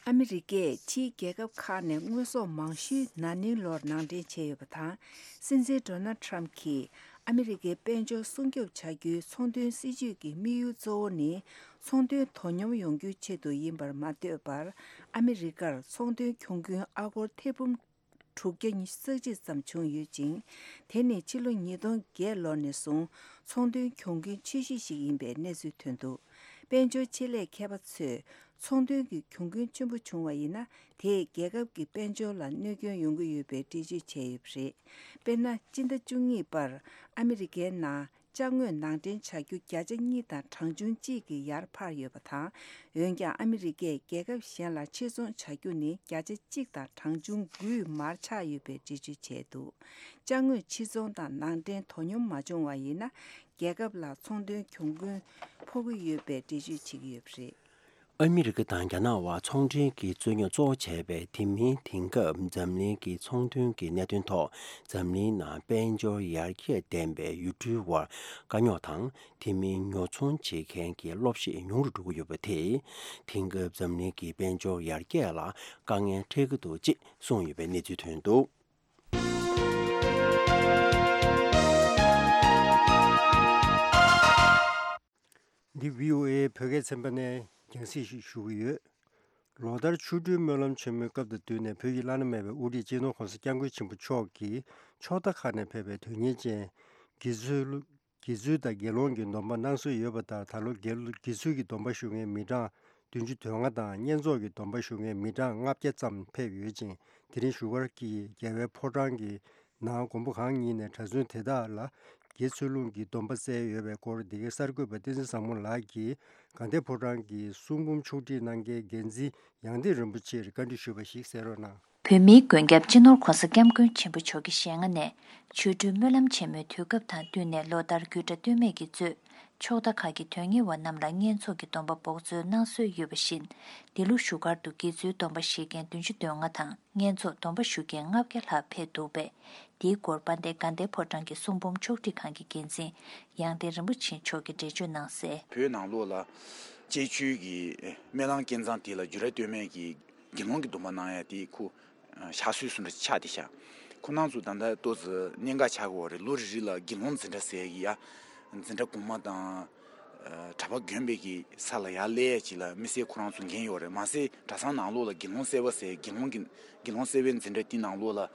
ཨ་མི་རི་ཀས་ཕྱིའི་རྒྱལ་ཁབ་ཁག་ནས་དངོས་ཟོག་མང་ཤོས་ན་ནིང་ལོར་ནང་འདྲེན་བྱས་ཡོད་པ་དང་། སྲིད་འཛིན་ཌོ་ནལ་ཊྲམ་གྱིས་ཨ་མི་རི་ཀའི་དཔལ་འབྱོར་སྲུང་སྐྱོབ་བྱ་རྒྱུའི་ཚོང་དོན་སྲིད་ཇུས་ཀྱི་དམིགས་ཡུལ་གཙོ་བོ་ནི། ཚོང་དོན་དོ་སྙོམས་ཡོང་རྒྱུའི་ཆེད་དུ་ཡིན་པར་མ་ལྟོས་པར། ཨ་མི་རི་ཀར་ཚོང་དོན་གྱོང་གུན་ཨ་སྒོར་ཐེར་འབུམ་ དྲུག་བརྒྱ་ཉི་ཤུ་རྩ་གཅིག་ཙམ་བྱུང་ཡོད་ཅིང་། དེ་ནི་ཕྱི་ལོ་ཉིས་སྟོང་བརྒྱད་ལོ་ནས་བཟུང་ཚོང་དོན་གྱོང་གུན་ཆེ་ཤོས་ཤིག་ཡིན་པའི་གནས་ཚུལ་ཐོན་འདུག་དཔལ་འབྱོར་ཆེད་ལས་མཁས་པ་ཚོས། ཚོང་དོན་གྱི་གྱོང་གུན་ཆེན་པོ་བྱུང་བ་ཡིན་ན། དེས་རྒྱལ་ཁབ་ཀྱི་དཔལ་འབྱོར་ལ་གནོད་སྐྱོན་ཡོང་གི་ཡོད་པའི་འགྲེལ་བརྗོད་བྱས་ཡོད་པ་རེད། དཔེར་ན། སྤྱི་ཟླ་བཅུ་གཉིས་པར་ཨ་མི་རི་ཀའི་ནང་ཅ་དངོས་ནང་འདྲེན་བྱ་རྒྱུ་བརྒྱ་ཆ་གཉིས་དང་གྲངས་ཆུང་གཅིག་གིས་ཡར་འཕར་ཡོད་པ་དང་། འོན་ཀྱང་། ཨ་མི་རི་ཀས་རྒྱལ་ཁབ་གཞན་ལ་ཕྱིར་ཚོང་བྱ་རྒྱུ་ནི་བརྒྱ་ཆ་གཅིག་དང་གྲངས་ཆུང་དགུས་མར་ཆག་ཡོད་པའི་འགྲེལ་བརྗོད་བྱས་འདུག་ཅ་དངོས་ཕྱིར་ཚོང་དང་ནང་འདྲེན་དོ་སྙོམས་མ་བྱུང་བ་ཡིན་ན། རྒྱལ་ཁབ་ལ་ཚོང་དོན་གྱོང་གུན་ཕོག་གི་ཡོད་པའི་འགྲེལ་བརྗོད་བྱེད་ཀྱི་ཡོད་པ་རེད། ཨ་མི་རི་ཀ་དང་རྒྱ་ནག་དབར་ཚོང་འབྲེལ་གྱི་རྩོད་རྙོག་གཙོ་བོ་བྱས་པའི་དེ་མིན། དེང་སྐབས་འཛམ་གླིང་གི་ཚོང་དོན་གྱི་གནད་དོན་ཐོག་འཛམ་གླིང་ནང་དཔལ་འབྱོར་ཡར་རྒྱས་ལྡན་པའི་ཡུལ་གྲུའི་དབར་དཀའ་རྙོག་དང་། དེ་མིན། ཉོ་ཚོང་བྱེད་མཁན་གྱི་གློག་ཤེད་ཉུང་རུ་འགྲོ་གི་ཡོད་པ་དེས། དེང་སྐབས་འཛམ་གླིང་གི་དཔལ་འབྱོར་ཡར་རྒྱས་ལ་དཀའ་ངལ་འཕྲད་ཀྱི་འདུག་ཅེས་གསུངས་ཡོད་པའི་གནས་ཚུལ་ཐོན་འདུག་འདི་བྷི་ཨོ་ཨེ་བོད་སྐད་ཚན་པ་ནས་རྒྱང་སྲིང་ཞིག་ཞུ་གི་ཡོད། ལོ་ལྟར་ཆོ་འཕྲུལ་སྨོན་ལམ་ཆེན་མོའི་སྐབས་དང་བསྟུན་ནས་བོད་ཀྱི་བླ་ན་མེད་པའི་དབུ་ཁྲིད་སྤྱི་ནོར་༸གོང་ས་༸སྐྱབས་མགོན་ཆེན་པོ་མཆོག་གིས་ཕྱོགས་མཐའ་ཁག་ནས་ཕེབས་པའི་དོན་གཉེར་ཅན་དགེ་ཚུལ་དགེ་ཚུལ་དང་དགེ་སློང་གི་སྡོམ་པ་གནང་སྲོལ་ཡོད་པ་ལྟར། ད་ལོ་དགེ་དགེ་ཚུལ་གྱི་སྡོམ་པ་ཞུ་མཁན་མི་གྲངས་བདུན་ཅུ་དོན་ལྔ་དང་། བསྙེན་རྫོགས་ཀྱི་སྡོམ་པ་ཞུ་མཁན་མི་གྲངས་ལྔ་བརྒྱ་ཙམ་ཕེབས་ཡོད་ཅིང་། དེ་རིང་བཞུགས་སྒར་གྱི་རྒྱལ་བའི་ཕོ་བྲང་གི་ནང་མགོན་པོ་གང་ཉིད་ནས་གྲྭ་བཙུན་དེ་དག་ལ་དགེ་ཚུལ་སློང་གི་སྡོམ་པ་བསྩལ་ཡོད་པའི་སྐོར། འདི་གའི་གསར་འགོད་པ་བསྟན་འཛིན་བཟང་མོ་ལགས་ཀྱིས་དགའ་ལྡན་ཕོ་བྲང་གི་གསུང་འབུམ་ཕྱོགས་སྒྲིག་གནང་མཁན་འགན་འཛིན་ཡང་སྟེང་རིན་པོ་ཆེར་བཀའ་འདྲི་ཞུས་པ་ཞིག་གསན་རོགས་གནང་། བོད་མིའི་མགོན་སྐྱབས་སྤྱི་ནོར་༸གོང་ས་༸སྐྱབས་མགོན་ཆེན་པོ་མཆོག་གི་ཞལ་སྔ་ནས། ཆོ་འཕྲུལ་སྨོན་ལམ་ཆེན་མོའི་དུས་སྐབས་དང་བསྟུན་ནས། ལོ་ལྟར་རྒྱུད་གྲྭ་སྟོད་སྨད་ཀྱིས་གཙོས་ཕྱོགས་མཐའ་ཁག་གི་དོན་གཉེར་བ་རྣམས་ལ་བསྙེན་རྫོགས་ཀྱི་སྡོམ་པ་འབོགས་སྩོལ་གནང་སྲོལ་ཡོད་པ་བཞིན། འདི་ལོ་བཞུགས་སྒར་དུ་དགེ་ཚུལ་སྡོམ་པ་བཞེས་མཁན་བདུན་ཅུ་དོན་ལྔ་དང་། བསྙེན་རྫོགས་སྡོམ་པ་ཞུ་མཁན་ལྔ་བརྒྱ་ལྷག་ཕེབས་འདུག་པས། འདིའི་སྐོར་དཔལ་ལྡན་དགའ་ལྡན་ཕོ་བྲང་གི་གསུང་འབུམ་ཕྱོགས་སྒྲིག་ཁང་གི་འགན་འཛིན་ཡང་སྟེང་རིན་པོ་ཆེ་མཆོག་གིས་འགྲེལ་བརྗོད་གནང་གསལ། བོད་ནང་ལོགས་ལ་བཅས་ཆོས་ཀྱི་སྨོན་ལམ་སྐལ་བཟང་དེ་ལ་རྒྱུད་གྲྭ་སྟོད་སྨད་ཀྱི་དགེ་སློང་གི་སྡོམ་པ་གནང་ཡ་དེ་ཁོ་ཕྱག་སྲོལ་བཟོ་འདྲ་ཆགས་བསྡད་ཤག་ཁོ་རང་ཚོ་ད་ལྟ་ཏོག་ཙམ་གནད་འགག་ཆགས་ཀྱི་ཡོད་རེད། ལོ་རེ་རེ་ལ་དགེ་སློང་འཛིན་གྲྭ་ཟེར་གྱི་ཡ། འཛིན་གྲྭ་གོང་མ་དང་། ཨ། གྲྭ་པ་དགོན་པའི་གི་ས་ལ་ཡར་སླེབས་ཡ་ཅིག་ལ་དམིགས་བསལ་ཁོ་རང་ཚོ་འགན་ཡོད་རེད། མ་ཟད་གྲྭ་ཚང་ནང་ལོགས་ལ་དགེ་སློང་གསར་པ་ཟེར། དགེ་སློང་གི་དགེ་སློང་གསར་པའི་འཛིན་གྲྭ་དེ་ནང་ལོགས་ལ།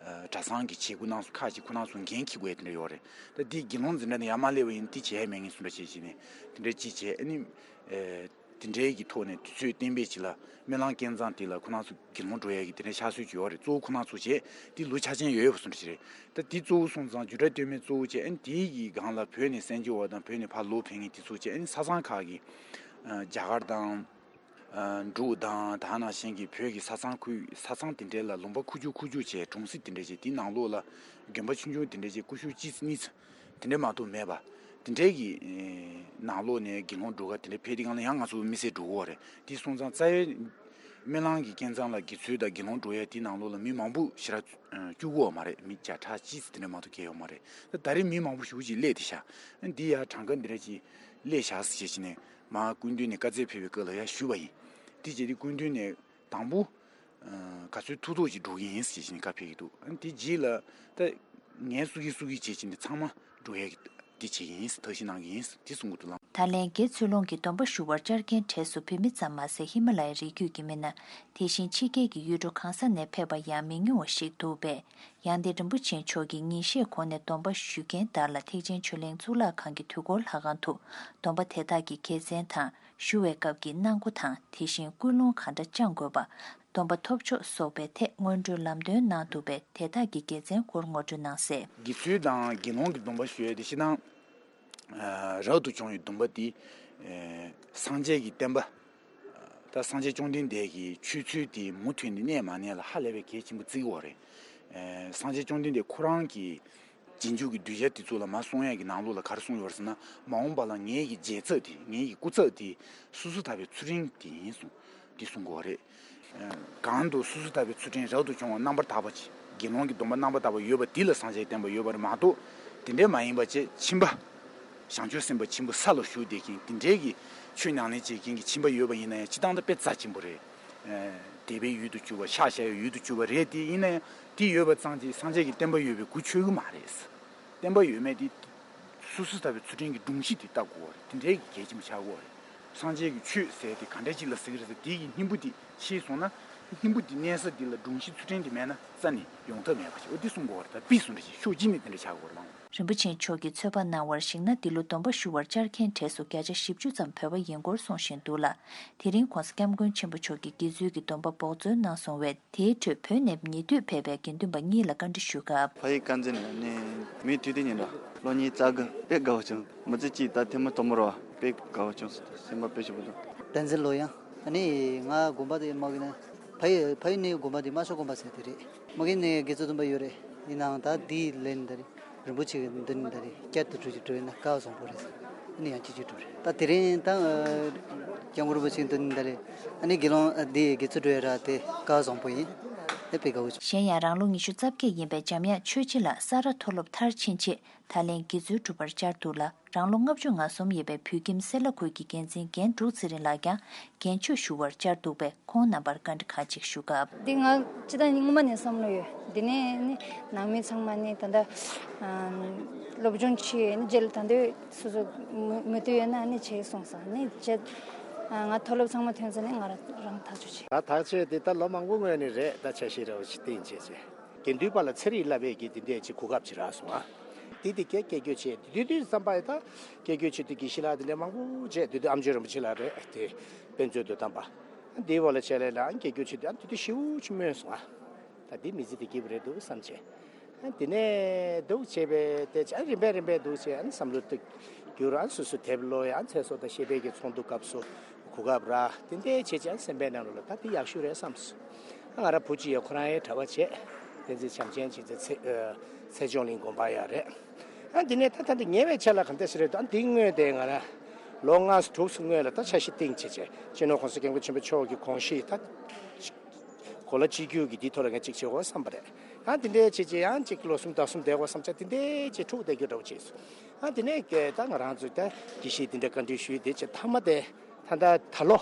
ཨ། གྲྭ་ཚང་གི་བྱེད་སྒོ་གནང་སྲོལ་ཁག་ཅིག་ཁོ་རང་ཚོ་འགན་འཁྱེར་དགོས་ཡ་དེ་འདྲ་ཡོད་རེད། ད་དེ་དགེ་སློང་འཛིན་གྲྭ་ནས་ཡར་མར་སླེབས་པ་ཡིན་ན་དེ་བྱས་ཡ་མེད་ངེས་བཟོ་འདྲ་བྱས་བྱས་ནས་དེ་འདྲ་ཅིག་བྱས། ཨ་ནི། ཨ། དེ་འདྲའི་གི་ཐོག་ནས་དུས་ཚོད་གཏན་འབེབས་ཅིག་ལ་སྨོན་ལམ་སྐལ་བཟང་དེ་ལ་ཁོ་རང་ཚོ་དགེ་སློང་འགྲོ་ཡ་གི་དེ་འདྲའི་ཕྱག་སྲོལ་ཅིག་ཡོད་རེད། གཙོ་བོ་ཁོ་རང་ཚོ་བྱས་དེ་ལོ་འཆར་ཅན་ཡོད་ཡོད་པ་བཟོ་འདྲ་ཅིག་རེད། ད་དེ་གཙོ་བོ་སོང་ཙང་རྒྱུད་གྲྭ་སྟོད་སྨད་གཙོ་བོ་བྱས། ཨ་ནི་དེའི་གི་སྒང་ལ་བོད་ནས་གསན་རྒྱུ་བ་དང་བོད་ནས་ཕར་ལོག་ཕེབས་མཁན་དེ་ཚོ་བྱས། ཨ་ནི་ས་མཚམས་ཁག་གི། ཨ། རྒྱ་གར་དང་། ཨ། འབྲུག་དང་། ད་ནང་བཞིན་གྱི་བོད་ཀྱི་ས་མཚམས་ཁུལ། ས་མཚམས་དེ་འདྲའི་ལ་ལུང་པ་ཁུག་ཀྱོག་ཁུག་ཀྱོག་བྱས། གྲོང་གསེབ་དེ་འདྲ་བྱས། དེའི་ནང་ལོགས་ལ་དགོན་པ་ཆུང་ཆུང་དེ་འདྲ་བྱས། སྐུ་ཞབས་གཅིག་གཉིས་དེ་འདྲ་མ་གཏོགས་མེད་པ། དེ་འདྲའི་གི། ཨེ། ནང་ལོགས་ནས་དགེ་སློང་འགྲོ་ག་དེ་འདྲ་ཕེབས་དུས་སྒང་ལ་ཡང་ང་ཚོ་དམིགས་བསལ་འགྲོ་གི་ཡོད་རེད། དེ་སོང་ཙང་རྩ་བའི་སྨོན་ལམ་གྱི་སྐལ་བཟང་ལ་དགེ་ཚུལ་དང་དགེ་སློང་འགྲོ་ཡ་དེའི་ནང་ལོགས་ལ་མི་མང་པོ་ཞེ་དྲག་བཅུག་གི་ཡོད་མ་རེད། མི་བརྒྱ་ཕྲག་གཅིག་དེ་འདྲ་མ་གཏོགས་བསྐྱལ་ཡོད་མ་རེད། ད་ད་རེས་མི་མང་པོ་ཞེ་པོ་ཅིག་སླེབས་བསྡད་ཤག་འདི་ཡ་གྲངས་ཀ་འདི་འདྲ་ཅིག་སླེབས་ཤག་ཟེར་བྱས་ནས་མར་སྐུ་མདུན་ནས་བཀའ་སྩལ་ཕེབས་པའི་སྐབས་ལ་ཡར་ཞུས་པ་ཡིན། དེ་བྱས་དུས་སྐུ་མདུན་ནས་དང་པོ། ཨ། ག་ཚོད་ཐུབ་ཐུབ་ཅིག་འགྲོ་གི་ཡིན་ཟེར་བྱས་ནས་བཀའ་ཕེབས་ཀྱི་འདུག་ཨ་ནི་དེ་རྗེས་ལ་ད་ངལ་གསོ་གི་གསོ་གི་བྱས་བྱས་ནས་ཚང་མ་འགྲོ་ཡ་གི་འདི་བྱེད་ཀྱི་ཡིན། ཐབས་ཤེས་གནང་གི་ཡིན་དེ་གསུང་གི་འདུག་ལགས། ད་ལན་དགེ་ཚུལ་སློང་གི་སྡོམ་པ་ཞུ་བར་བཅར་མཁན་གྲས་སུ་བོད་མི་ཙམ་མ་ཟད། ཧི་མ་ལ་ཡའི་རི་རྒྱུད་ཀྱི་མི་སྣ། དེ་བཞིན་ཕྱི་རྒྱལ་གྱི་ཡུལ་གྲུ་གང་ས་ནས་ཕེབས་པ་ཡང་མི་ཉུང་བ་ཞིག་འདུག་པས། ཡང་སྟེང་རིན་པོ་ཆེ་མཆོག་གིས་ཉིན་ཤས་གོང་ནས་སྡོམ་པ་ཞུ་མཁན་དག་ལ་ཐེག་ཆེན་ཆོས་གླིང་གཙུག་ལག་ཁང་གི་དུས་འཁོར་ལྷ་ཁང་དུ་སྡོམ་པ་དེ་དག་གི་དགེ་མཚན་དང་། ཞུ་བའི་སྐབས་ཀྱི་གནང་སྒོ་དང་། དེ་བཞིན་ཀུན་སློང་གང་འདྲ་བཅངས་དགོས་པ། སྡོམ་པ་ཐོབ་ཆོག་སོགས་པའི་ཐད་སྔོན་འགྲོའི་ལམ་སྟོན་གནང་འདུག་པས། དེ་དག་གི་དགེ་མཚན་སྐོར་ངོ་སྤྲོད་གནང་གསལ། དགེ་ཚུལ་དང་དགེ་སློང་གི་སྡོམ་པ་ཞུ་ཡས་དེ་སྤྱིར་བཏང་། ཨ། རབ་ཏུ་བྱུང་བའི་སྡོམ་པ་དེ། ཨ། སངས་རྒྱས་ཀྱི་བསྟན་པ། ད་སངས་རྒྱས་བཅོམ་ལྡན་འདས་ཀྱི་ཆོས་ཚུལ་དེ་མུ་མཐུད་ནས་གནས་མ་གནས་ལ་ཧ་ལས་པའི་གལ་ཆེན་པོ་བརྩི་གི་ཡོད་རེད། ཨ། སངས་རྒྱས་བཅོམ་ལྡན་འདས་ཁོ་རང་གི་རྗེས་འཇུག་གི་གདུལ་བྱ་དེ་ཚོ་ལ་མར་གསུང་ཡས་ཀྱི་ནང་ལོགས་ལ་ག་རེ་གསུངས་ཡོད་རེད་ཟེར་ན། མ་འོངས་པ་ལ་ངེད་ཀྱི་རྗེས་ཚབ་དེ། ངེད་ཀྱི་སྐུ་ཚབ་དེ་སོ་སོ་ཐར་པའི་ཚུལ་ཁྲིམས་དེ་ཡིན་གསུངས། འདི་གསུང་གི་ཡོད་རེད། ཨ། གང་དུ་སོ་སོ་ཐར་པའི་ཚུལ་ཁྲིམས་རབ་ཏུ་བྱུང་བ་རྣམ་པར་དག་པ་ཅིག་དགེ་སློང་གི་སྡོམ་པ་རྣམ་པར་དག་པ་ཡོད་པ་དེ་ལ་སངས་རྒྱས་བསྟན་པ་ཡོད་པ་རེད་མ་གཏོགས། དེ་འདྲའི་མ་ཡིན་པ་བྱས་ཁྱིམ་པ། བྱང་ཆུབ་སེམས་དཔའ་ཆེན་པོ་ས་ལ་བཞུགས་བསྡད་མཁན་དེ་འདྲའི་གི་ཆོས་ཉམས་ལེན་བྱེད་མཁན་གྱི་ཁྱིམ་པ་ཡོད་པ་ཡིན་ན་ཡང་སྤྱིར་བཏང་ད་དཔེ་རྩ་ཆེན་པོ་རེད། ཨ། དད་པའི་ཡུལ་དུ་གྱུར་པ། ཕྱག་བྱ་བའི་ཡུལ་དུ་གྱུར་པ་རེད། དེ་ཡིན་ན་ཡང་དེ་ཡོད་པ་ཙམ་གྱིས་སངས་རྒྱས་ཀྱི་བསྟན་པ་ཡོད་པའི་གུ་ཆོད་ཀྱི་མ་རེད། བསྟན་པ་ཡོད་མེད་དེ་སོ་སོ་ཐར་པའི་ཚུལ་ཁྲིམས་ཀྱི་སྒྲོམ་གཞི་དེ་བལྟ་དགོས་པ་རེད། དེ་འདྲའི་གི་གལ་ཆེན་པོ་ཆགས་ཀྱི་ཡོད་རེད། སངས་རྒྱས་ཀྱི་ཆོས་ཟེར་དེ་ག་འདྲ་ཅིག་ལ་ཟེར་གི་རེད་ཟེར། དེ་གི་སྙིང་པོ་དེ་ཤེས་སོང་ན། སྙིང་པོ་དེ་གནས་ས་དེ་ལ་སྒྲོམ་གཞི་ཚུལ་ཁྲིམས་དེ་མེད་ན་རྩ་ནས་ཡོང་ཐབས་མེད་པ་ཞིག་འོ་དེ་གསུང་དགོས་པ་རེད། ད་པི་སུ་འདྲ་ཞིག་ཕྱོགས་གཅིག་ནས་དེ་འདྲ་ཆགས་དགོས་རེད་མ་འོངས། རིན་པོ་ཆེ་མཆོག་གིས་ཚོད་དཔག་གནང་བར་གཞིགས་ན། འདི་ལོ་སྡོམ་པ་ཞུ་བར་བཅར་མཁན་གྲས་སུ་བརྒྱ་ཆ་བཞི་བཅུ་ཙམ་བོད་པ་ཡིན་སྐོར་གསུངས་བཞིན་འདུག་ལ། དེ་རིང་༸གོང་ས་༸སྐྱབས་མགོན་ཆེན་པོ་མཆོག་གིས་དགེ་ཚུལ་གྱི་སྡོམ་པ་འབོག་འཚོལ་གནང་སོང་བས། དེའི་ཁྲོད་བོད་ནས་ཉེ་དུས་ཕེབས་པའི་དགེ་འདུན་པ་གཉིས་ལ་བཀའ་འདྲི་ཞུ་སྐབས། ཕ་ཡུལ་དཀར་མཛེས་ནས་ནི་མི་དུས་དེ་ཉིན་ར་ལོ་གཉིས་རྩ་དགུ། དཔེ་དགའ་བོ་བྱུང་། མི་ཚེ་གཅིག་ད་ཐེངས་མ་དང་པོ་ར་བ། དཔེ་དགའ་བོ་བྱུང་སོང་། སེམས་པ་དཔེ་ཞིག་པོ་འདུག་བསྟན་འཛིན་ལོ་ཡང་། ཨ་ནི་ང་དགོན་པ་དེ་མ་གི་ན། ཕ་ཡུལ་ཕ་ཡུལ་ནས་དགོན་པ་དེ་རྨ་ཆུ་དགོན་པ་ཟེར་དེ་རེད། མ་གི་ནས་དགེ་ཚུལ་སྡོམ་པ་ཡོད་རེད། ཡིན་ནའང་ད་དེའི་ལན་ད་རེད། རིན་པོ་ཆེ་གི་མདུན་ད་རེད། བསྐྱར་དུ་འགྲོ་ཅིག་འགྲོ་ཡིན་ན་སྐལ་བ་བཟང་པོ་རེད། ཨ་ནི་ཡང་གཅིག་གཅིག་འགྲོ་རེད། ད་དེ་རིང་ད་སྐྱབས་མགོན་རིན་པོ་ཆེ་གི་མདུན་ད་རེད། ཨ་ནི་དགེ་སློང་འདི་དགེ་ཚུལ་འགྲོ་ཡ་ར་དེ་སྐལ་བ་བཟང་པོ་ཡིན། དེ་དཔེ་དགའ་བོ་བྱུང་། གཞན་ཡང་རང་ལོ་ཉི་ཤུ་རྩ་བརྒྱད་ཡིན་པའི་འཇམ་དབྱངས་ཆོས་རྗེ་ལགས་ས་རཱ་མཐོ་སློབ་མཐར་ཕྱིན་རྗེས་ད་ལན་དགེ་ཚུལ་སྒྲུབ་པར་བཅར་འདུག་ལ། རང་ལོ་ལྔ་བཅུ་ང་གསུམ་ཡིན་པའི་བོད་ཁྱིམ་སེ་ལ་ཁུལ་གྱི་འགན་འཛིན་རྒན་འབྲུག་ཚེ་རིང་ལགས་ཀྱང་རྒན་ཆོས་ཞུ་བར་བཅར་འདུག་པས། ཁོང་རྣམ་པར་བཀའ་འདྲི་ཁག་ཅིག་ཞུ་སྐབས། འདི་ང་སྤྱི་བཏང་སྔོན་མ་ནས་བསམ་བློ་ཡོད། འདི་ནས་ནི་ནང་མི་ཚང་མ་ནི་ད་ལྟ་སློབ་སྦྱོང་བྱས་ནི་རྗེས་ལ་ད་འདོད་སོ་སོ་མོས་མོས་འདུན་ཡོད་ན་ནི་བྱེད་གསུངས་སོང་། ནི་རྗེས་ང་མཐོ་སློབ་ཚང་མ་ཐོན་ཚེ་ནི་ང་རང་རང་ཐག་གཅོད་བྱས། ད་ཐག་གཅོད་འདི་ད་ལོ་མང་པོ་སྔོན་ནས་རེད། ད་འཆར་གཞི་རེ་བ་ཞིག་བཏིང་བྱས་བྱས། དགེ་འདུན་པ་ལ་ཚེ་རིང་བསླབ་པའི་གི་དེ་འདྲས་ཀྱི་གོ་སྐབས་ཅིག་རག་སོང་ཨ། དེ་དེ་སྐད་སྐད་སྐྱོད་བྱས། དེ་དུས་དུས་བསམ་པ་ཡི་ད་སྐད་སྐྱོད་བྱེད་དུས་དགེ་བཤེས་ལགས་དེ་འདྲས་མང་པོ་བྱས། དེ་དུས་ཨམ་ཆོས་རིན་པོ་ཆེ་ལགས་རེད། དེ་དཔེ་མཛོད་དུ་བཏང་པ། དེའི་འོག་ལ་བྱས་ལས་ལ་སྐད་སྐྱོད་བྱེད་དུས་ཨ་དེ་དུས་ཞེ་པོ་ཅིག་སྨོན་སོང་ཨ། ད་དེ་མི་ཚེ་དེ་སྐྱིད་པོ་རེད་འདུག་བསམ་བྱས། ཨ་དེ་ནས་འདུག་བྱས་པས་དེ་ཨ་རིམ་པས་རིམ་པས་འདུག་བྱས། ཨ་བསམ་བློ་ཏིག་འགྱུར། ཨ་སོ་སོ་དེབ་ཀློག་ཡ། ཨ་ཚེ་སྲོག་དང་བཤད་པའི་གི་ཚོགས་འདུ་སྐབས་སུ་གོ་སྐབས་རག་དེ་འདྲས་བྱས་བྱས། ཨ་སེམས་པའི་ནང་ལོགས་ལ་ད་དེ་ཡག་ཤོས་རེད་བསམ་སོང་། ང་རང་བུ་གཅིག་ཡོད། ཁོ་རང་ཡང་གྲྭ་པ་བྱས། བསྟན་འཛིན་བྱམས་ཆེན་བྱས་ཚེ་ཚེ་ཨ་ཚེ་ཆུང་གླིང་དགོན་པ་ཡོད་རེད། ཨ་འདི་ནས་ད་ད་འདི་ཉེ་བའི་ཆར་ལ་ག་འདྲ་ཞིག་རེད་འདུག་ཨ་འདི་སྔོན་དེ་ང་རང་ལོ་ལྔ་དྲུག་སྔོན་ལ་ད་འཆར་གཞི་བཏིང་བྱས་བྱས། སྤྱི་ནོར་༸གོང་ས་༸སྐྱབས་མགོན་ཆེན་པོ་མཆོག་གི་དགོངས་གཞི་ད་གོ་ལ་གཅིག་གྱུར་གྱི་འདིའི་ཐོག་ལ་ངས་གཅིག་བྱེད་དགོས་བསམ་པ་རེད། ཨ་འདི་འདྲའི་བྱས་བྱས་ཡང་གཅིག་ལོ་གསུམ་ཟླ་གསུམ་བསྡད་དགོས་བསམ་བྱས། འདི་འདྲའི་བྱས་འཁྲུག་བསྡད་རྒྱུ་འདྲ་བོ་བྱས་སོང་། ཨ་འདི་ནས་ད་ང་རང་ཚོས་ད་དགེ་བཤེས་འདི་འདྲ་བཀའ་འདྲི་ཞུས། དེ་བྱས་མཐའ་མ་དེ་ད་ད་ད་ལོ།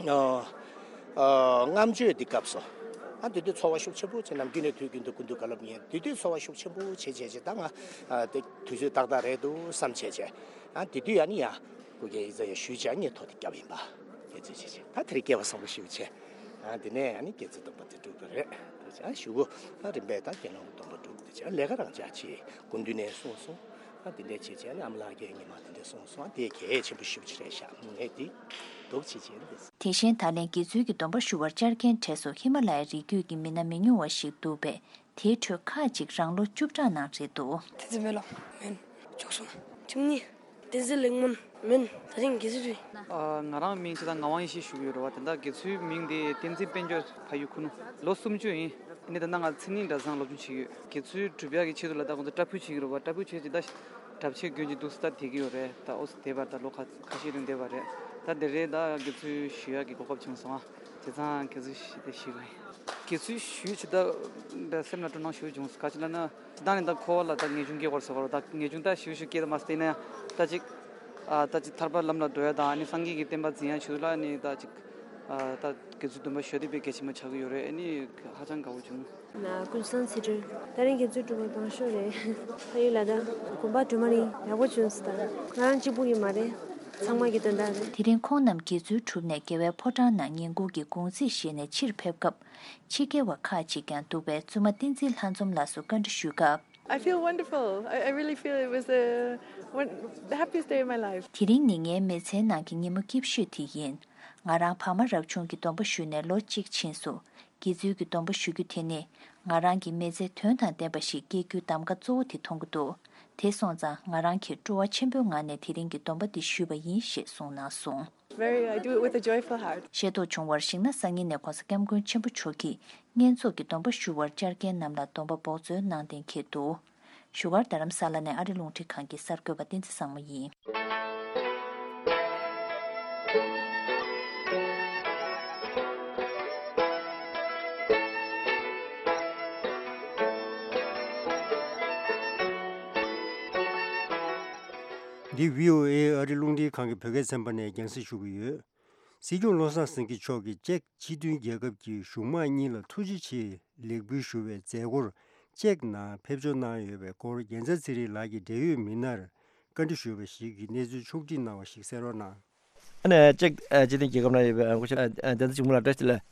ཨ་ཨ་ལྔ་མཆོད་འདི་སྐབས་སུ། ཨ་དེ་དུས་ཚོར་བ་ཤུགས་ཆེན་པོ་བྱས། ནམ་རྒྱུན་ནས་དུས་རྒྱུན་དུ་སྐུ་མདུན་བཀའ་སློབ་ཉན། དེ་དུས་ཚོར་བ་ཤུགས་ཆེན་པོ་བྱས་བྱས་བྱས། ད་ང་ཨ་དེ་དུས་ཚོད་ཏག་ཏག་རེད་འདུག་བསམ་བྱས་བྱས། ཨ་དེ་དུས་ཡང་ནི་ཡང་སྐུ་སྒེར་ཡིག་ཚང་ཡང་ཞུས་བྱས། ཨ་ངས་ཐོ་དེ་བརྒྱབ་ཡིན་པ། དེ་ཚོད་བྱས་བྱས། ད་དེ་རིང་སྐལ་བ་བཟང་པོ་ཞེ་པོ་བྱས། ཨ་དེ་ནས་ཨ་ནི་དགེ་ཚུལ་སྡོམ་པ་དེ་སྒྲུབ་པ་རེད། དེ་བྱས་ཨ་གཞུག་གུ་ཨ་རིམ་པས་ད་དགེ་སློང་གི་སྡོམ་པ་སྒྲུབ། དེ་བྱས་ཨ་ལས་ཀ་རང་འཇགས་བྱས། སྐུ་མདུན་ནས་གསུངས་སོང་། ཨ་དེ་འདྲས་བྱས་བྱས་ཨ་ནི་ཨ་མ་ལགས་ཀྱིས་ཉི་མ་དེ་འདྲས་གསུངས་སོང་། ཨ་དེ་གལ་ཆེན་པོ་ཞེ་པོ་ཅིག་རེད་ཤག་ངས་དེ་འདུག་བྱས་བྱས་ཨ་ནི་དེ། དེ་བཞིན་ད་ལན་དགེ་ཚུལ་གྱི་སྡོམ་པ་ཞུ་བར་བཅར་མཁན་གྲས་སུ་ཧི་མ་ལ་ཡའི་རི་རྒྱུད་ཀྱི་མི་སྣ་མི་ཉུང་བ་ཞིག་འདུག་པས། དེའི་ཁྲོད་ཁག་ཅིག་རང་ལོ་བཅུ་ཕྲག་ནང་རེད་འདུག་བསྟན་འཛིན་སྨོན་ལམ་མིན། མཆོག་གསུམ། བཅུ་གཉིས། བསྟན་འཛིན་ལེགས་སྨོན་མིན། ད་རིང་དགེ་ཚུལ་ཁྲི། ཨ། ང་རང་མིང་ཆེ་ད་ངག་དབང་ཡེ་ཤེས་ཞུ་གི་ཡོད་རེད་བ། དེ་འདྲ་དགེ་ཚུལ་མིང་དེ་བསྟན་འཛིན་དཔལ་འབྱོར་ཕ་ཡུལ་ཁུ་ནུ། ལོ་སུམ་ཅུ་ཡིན། ཨ་ནི་ད་ལྟ་ང་མཚན་ཉིད་གྲྭ་ཚང་སློབ་སྦྱོང་བྱེད་ཀྱི་ཡོད། དགེ་ཚུལ་སྒྲུབ་ཡག་གི་ཆེད་དུ་ལ་ད་ཁོང་ཚོ་སྐྲ་ཕུད་བྱེད་ཀྱི་རེད་བ། སྐྲ་ཕུད་བྱས་ཅིག་ད་གྲྭ་ཆས་གྱོན་ཅིག་འདུག་སེ་ད་བསྡད་ཀྱི་ཡོད་རེད། ད་ཨོ་སི་བསྡད་པར་ད་ལོ་ཁ་ཁ་ཤས་རིང་བསྡད་པ་རེད། ད་དེ་རེད། ད་དགེ་ཚུལ་ཞུ་ཡག་གི་གོ་སྐབས་བྱུང་སོང་ཨ། བྱས་ཙང་དགེ་ཚུལ་ཞུ་དེ་ཞུ་གི་ཡིན། དགེ་ཚུལ་ཞུས་ཆེ་ད་སེམས་ལ་སྤྲོ་སྣང་ཞེ་པོ་བྱུང་སོང་། ག་ཅི་ལབ་ན། ད་ནི་ད་འཁོར་བ་ལ་ད་ངེས་འབྱུང་སྐྱེ་བར་སོགས་པ་ད་ངེས་འབྱུང་ད་ཞུ་ཞུ་སྐྱེ་ད་མ་སྟེ་ན་ཡང་ད་ཅིག་ཨ་ད་ཅིག་ཐར་པ་ལམ་ལ་འགྲོ་ཡ་དང་། ཨ་ནི་སངས་རྒྱས་ཀྱི་བསྟན་པ་འཛིན་ཡ་ཆེད་དུ་ལ་ནི་ད་ཅིག་ཨ་ད་དགེ་ཚུལ་སྡོམ་པ་ཞུ་དེ་དཔེ་གལ་ཆེན་པོ་ཆགས་ཀྱི་ཡོད་རེད། ཨ་ནི་ཧ་ཅང་དགའ་བོ་བྱུང་། ན་ཀུན་བཟང་ཚེ་སྒྲོལ། ད་རིང་དགེ་ཚུལ་སྒྲུབ་པ་དང་ཤོག་རེད། ཕ་ཡུལ་ལ་ད་དགོན་པ་འགྲོ་མ་རིང་ཡག་པོ་བྱུང་སོང་། ད་ང་རང་གཅིག་པུ་ཡིན་མ་རེད། ཚང་མ་གི་དོན་དག་རེད། དེ་རིང་ཁོང་རྣམས་དགེ་ཚུལ་གྲུབ་ནས་རྒྱལ་བའི་ཕོ་བྲང་ནང་ཉིན་གུང་གི་གུང་ཚིགས་བཞེས་ནས་ཕྱིར་ཕེབས་སྐབས། ཕྱི་རྒྱལ་བ་ཁག་ཅིག་ཀྱང་འདུག་པས། བཙུན་མ་བསྟན་འཛིན་ལྷ་འཛོམས་ལགས་སུ་བཀའ་འདྲི་ཞུས་སྐབས། I feel wonderful. I, I really feel it was the one, the happiest day of my life. དེ་རིང་ནི་ངའི་མི་ཚེའི་ནང་གི་ཉིན་མོ་སྐྱིད་ཤོས་དེ་ཡིན། ང་རང་བར་མ་རབ་བྱུང་གི་སྡོམ་པ་ཞུས་ནས་ལོ་གཅིག་ཕྱིན་སོང་། དགེ་ཚུལ་གྱི་སྡོམ་པ་ཞུ་རྒྱུ་དེ་ནི་ང་རང་གི་མི་ཚེ་དོན་དང་ལྡན་པ་ཞིག་སྐྱེལ་རྒྱུའི་གདམ་ག་གཙོ་བོ་དེ་མཐོང་གི་འདུག་དེ་སོང་ཙང་ང་རང་གིས་སྤྲོ་བ་ཆེན་པོའི་ངང་ནས་དེ་རིང་གི་སྡོམ་པ་འདི་ཞུས་པ་ཡིན་ཞེས་གསུངས་གནང་སོང་། Very, I do it with a joyful heart. ཤེས་རྟོགས་བྱུང་བར་གཞིགས་ན། སང་ཉིན་ནས་༸གོང་ས་༸སྐྱབས་མགོན་ཆེན་པོ་མཆོག་གིས་བསྙེན་རྫོགས་ཀྱི་སྡོམ་པ་ཞུ་བར་བཅར་མཁན་རྣམས་ལ་སྡོམ་པ་འབོགས་ཚོད་གནང་གཏན་འཁེལ་འདུག་བཞུགས་སྒར་རྡ་རམ་ས་ལ་ནས་ཨ་རི་རླུང་འཕྲིན་ཁང་གི་གསར་འགོད་པ་བསྟན་འཛིན་བཟང་མོ་ཡིན། འདི་བྷི་ཨོ་ཨེ་ཨ་རི་རླུང་འཕྲིན་ཁང་གི་བོད་སྐད་ཚན་པ་ནས་རྒྱང་སྲིང་ཞུ་གི་ཡོད། སྲིད་སྐྱོང་བློ་བཟང་སེང་གེ་མཆོག་གིས་ཅེཀ་སྤྱི་མཐུན་རྒྱལ་ཁབ་ཀྱི་གཞུང་དམངས་གཉིས་ལ་ཐུགས་རྗེ་ཆེའི་ལེགས་འབུལ་ཞུ་བའི་མཛད་སྒོར་ཅེཀ་ནང་ཕེབས་འབྱོར་གནང་ཡོད་པའི་སྐོར་རྒྱལ་མཚན་ཚེ་རིང་ལགས་ཀྱིས་འབྲེལ་ཡོད་མི་སྣར་བཀའ་འདྲི་ཞུས་པ་ཞིག་གི་གནས་ཚུལ་ཕྱོགས་བསྒྲིགས་གནང་བ་ཞིག་གསན་རོགས་གནང་། ཨ་ནི་ཅེཀ་ཨ་སྤྱི་མཐུན་རྒྱལ་ཁབ་ནང་ཡོད་པའི་ཨ་སྐུ་ཞབས་ཨ་ཨ་བསྟན་འཛིན་ཆོས་འཕེལ་ལགས། བཀྲ་ཤིས་བདེ་ལེགས།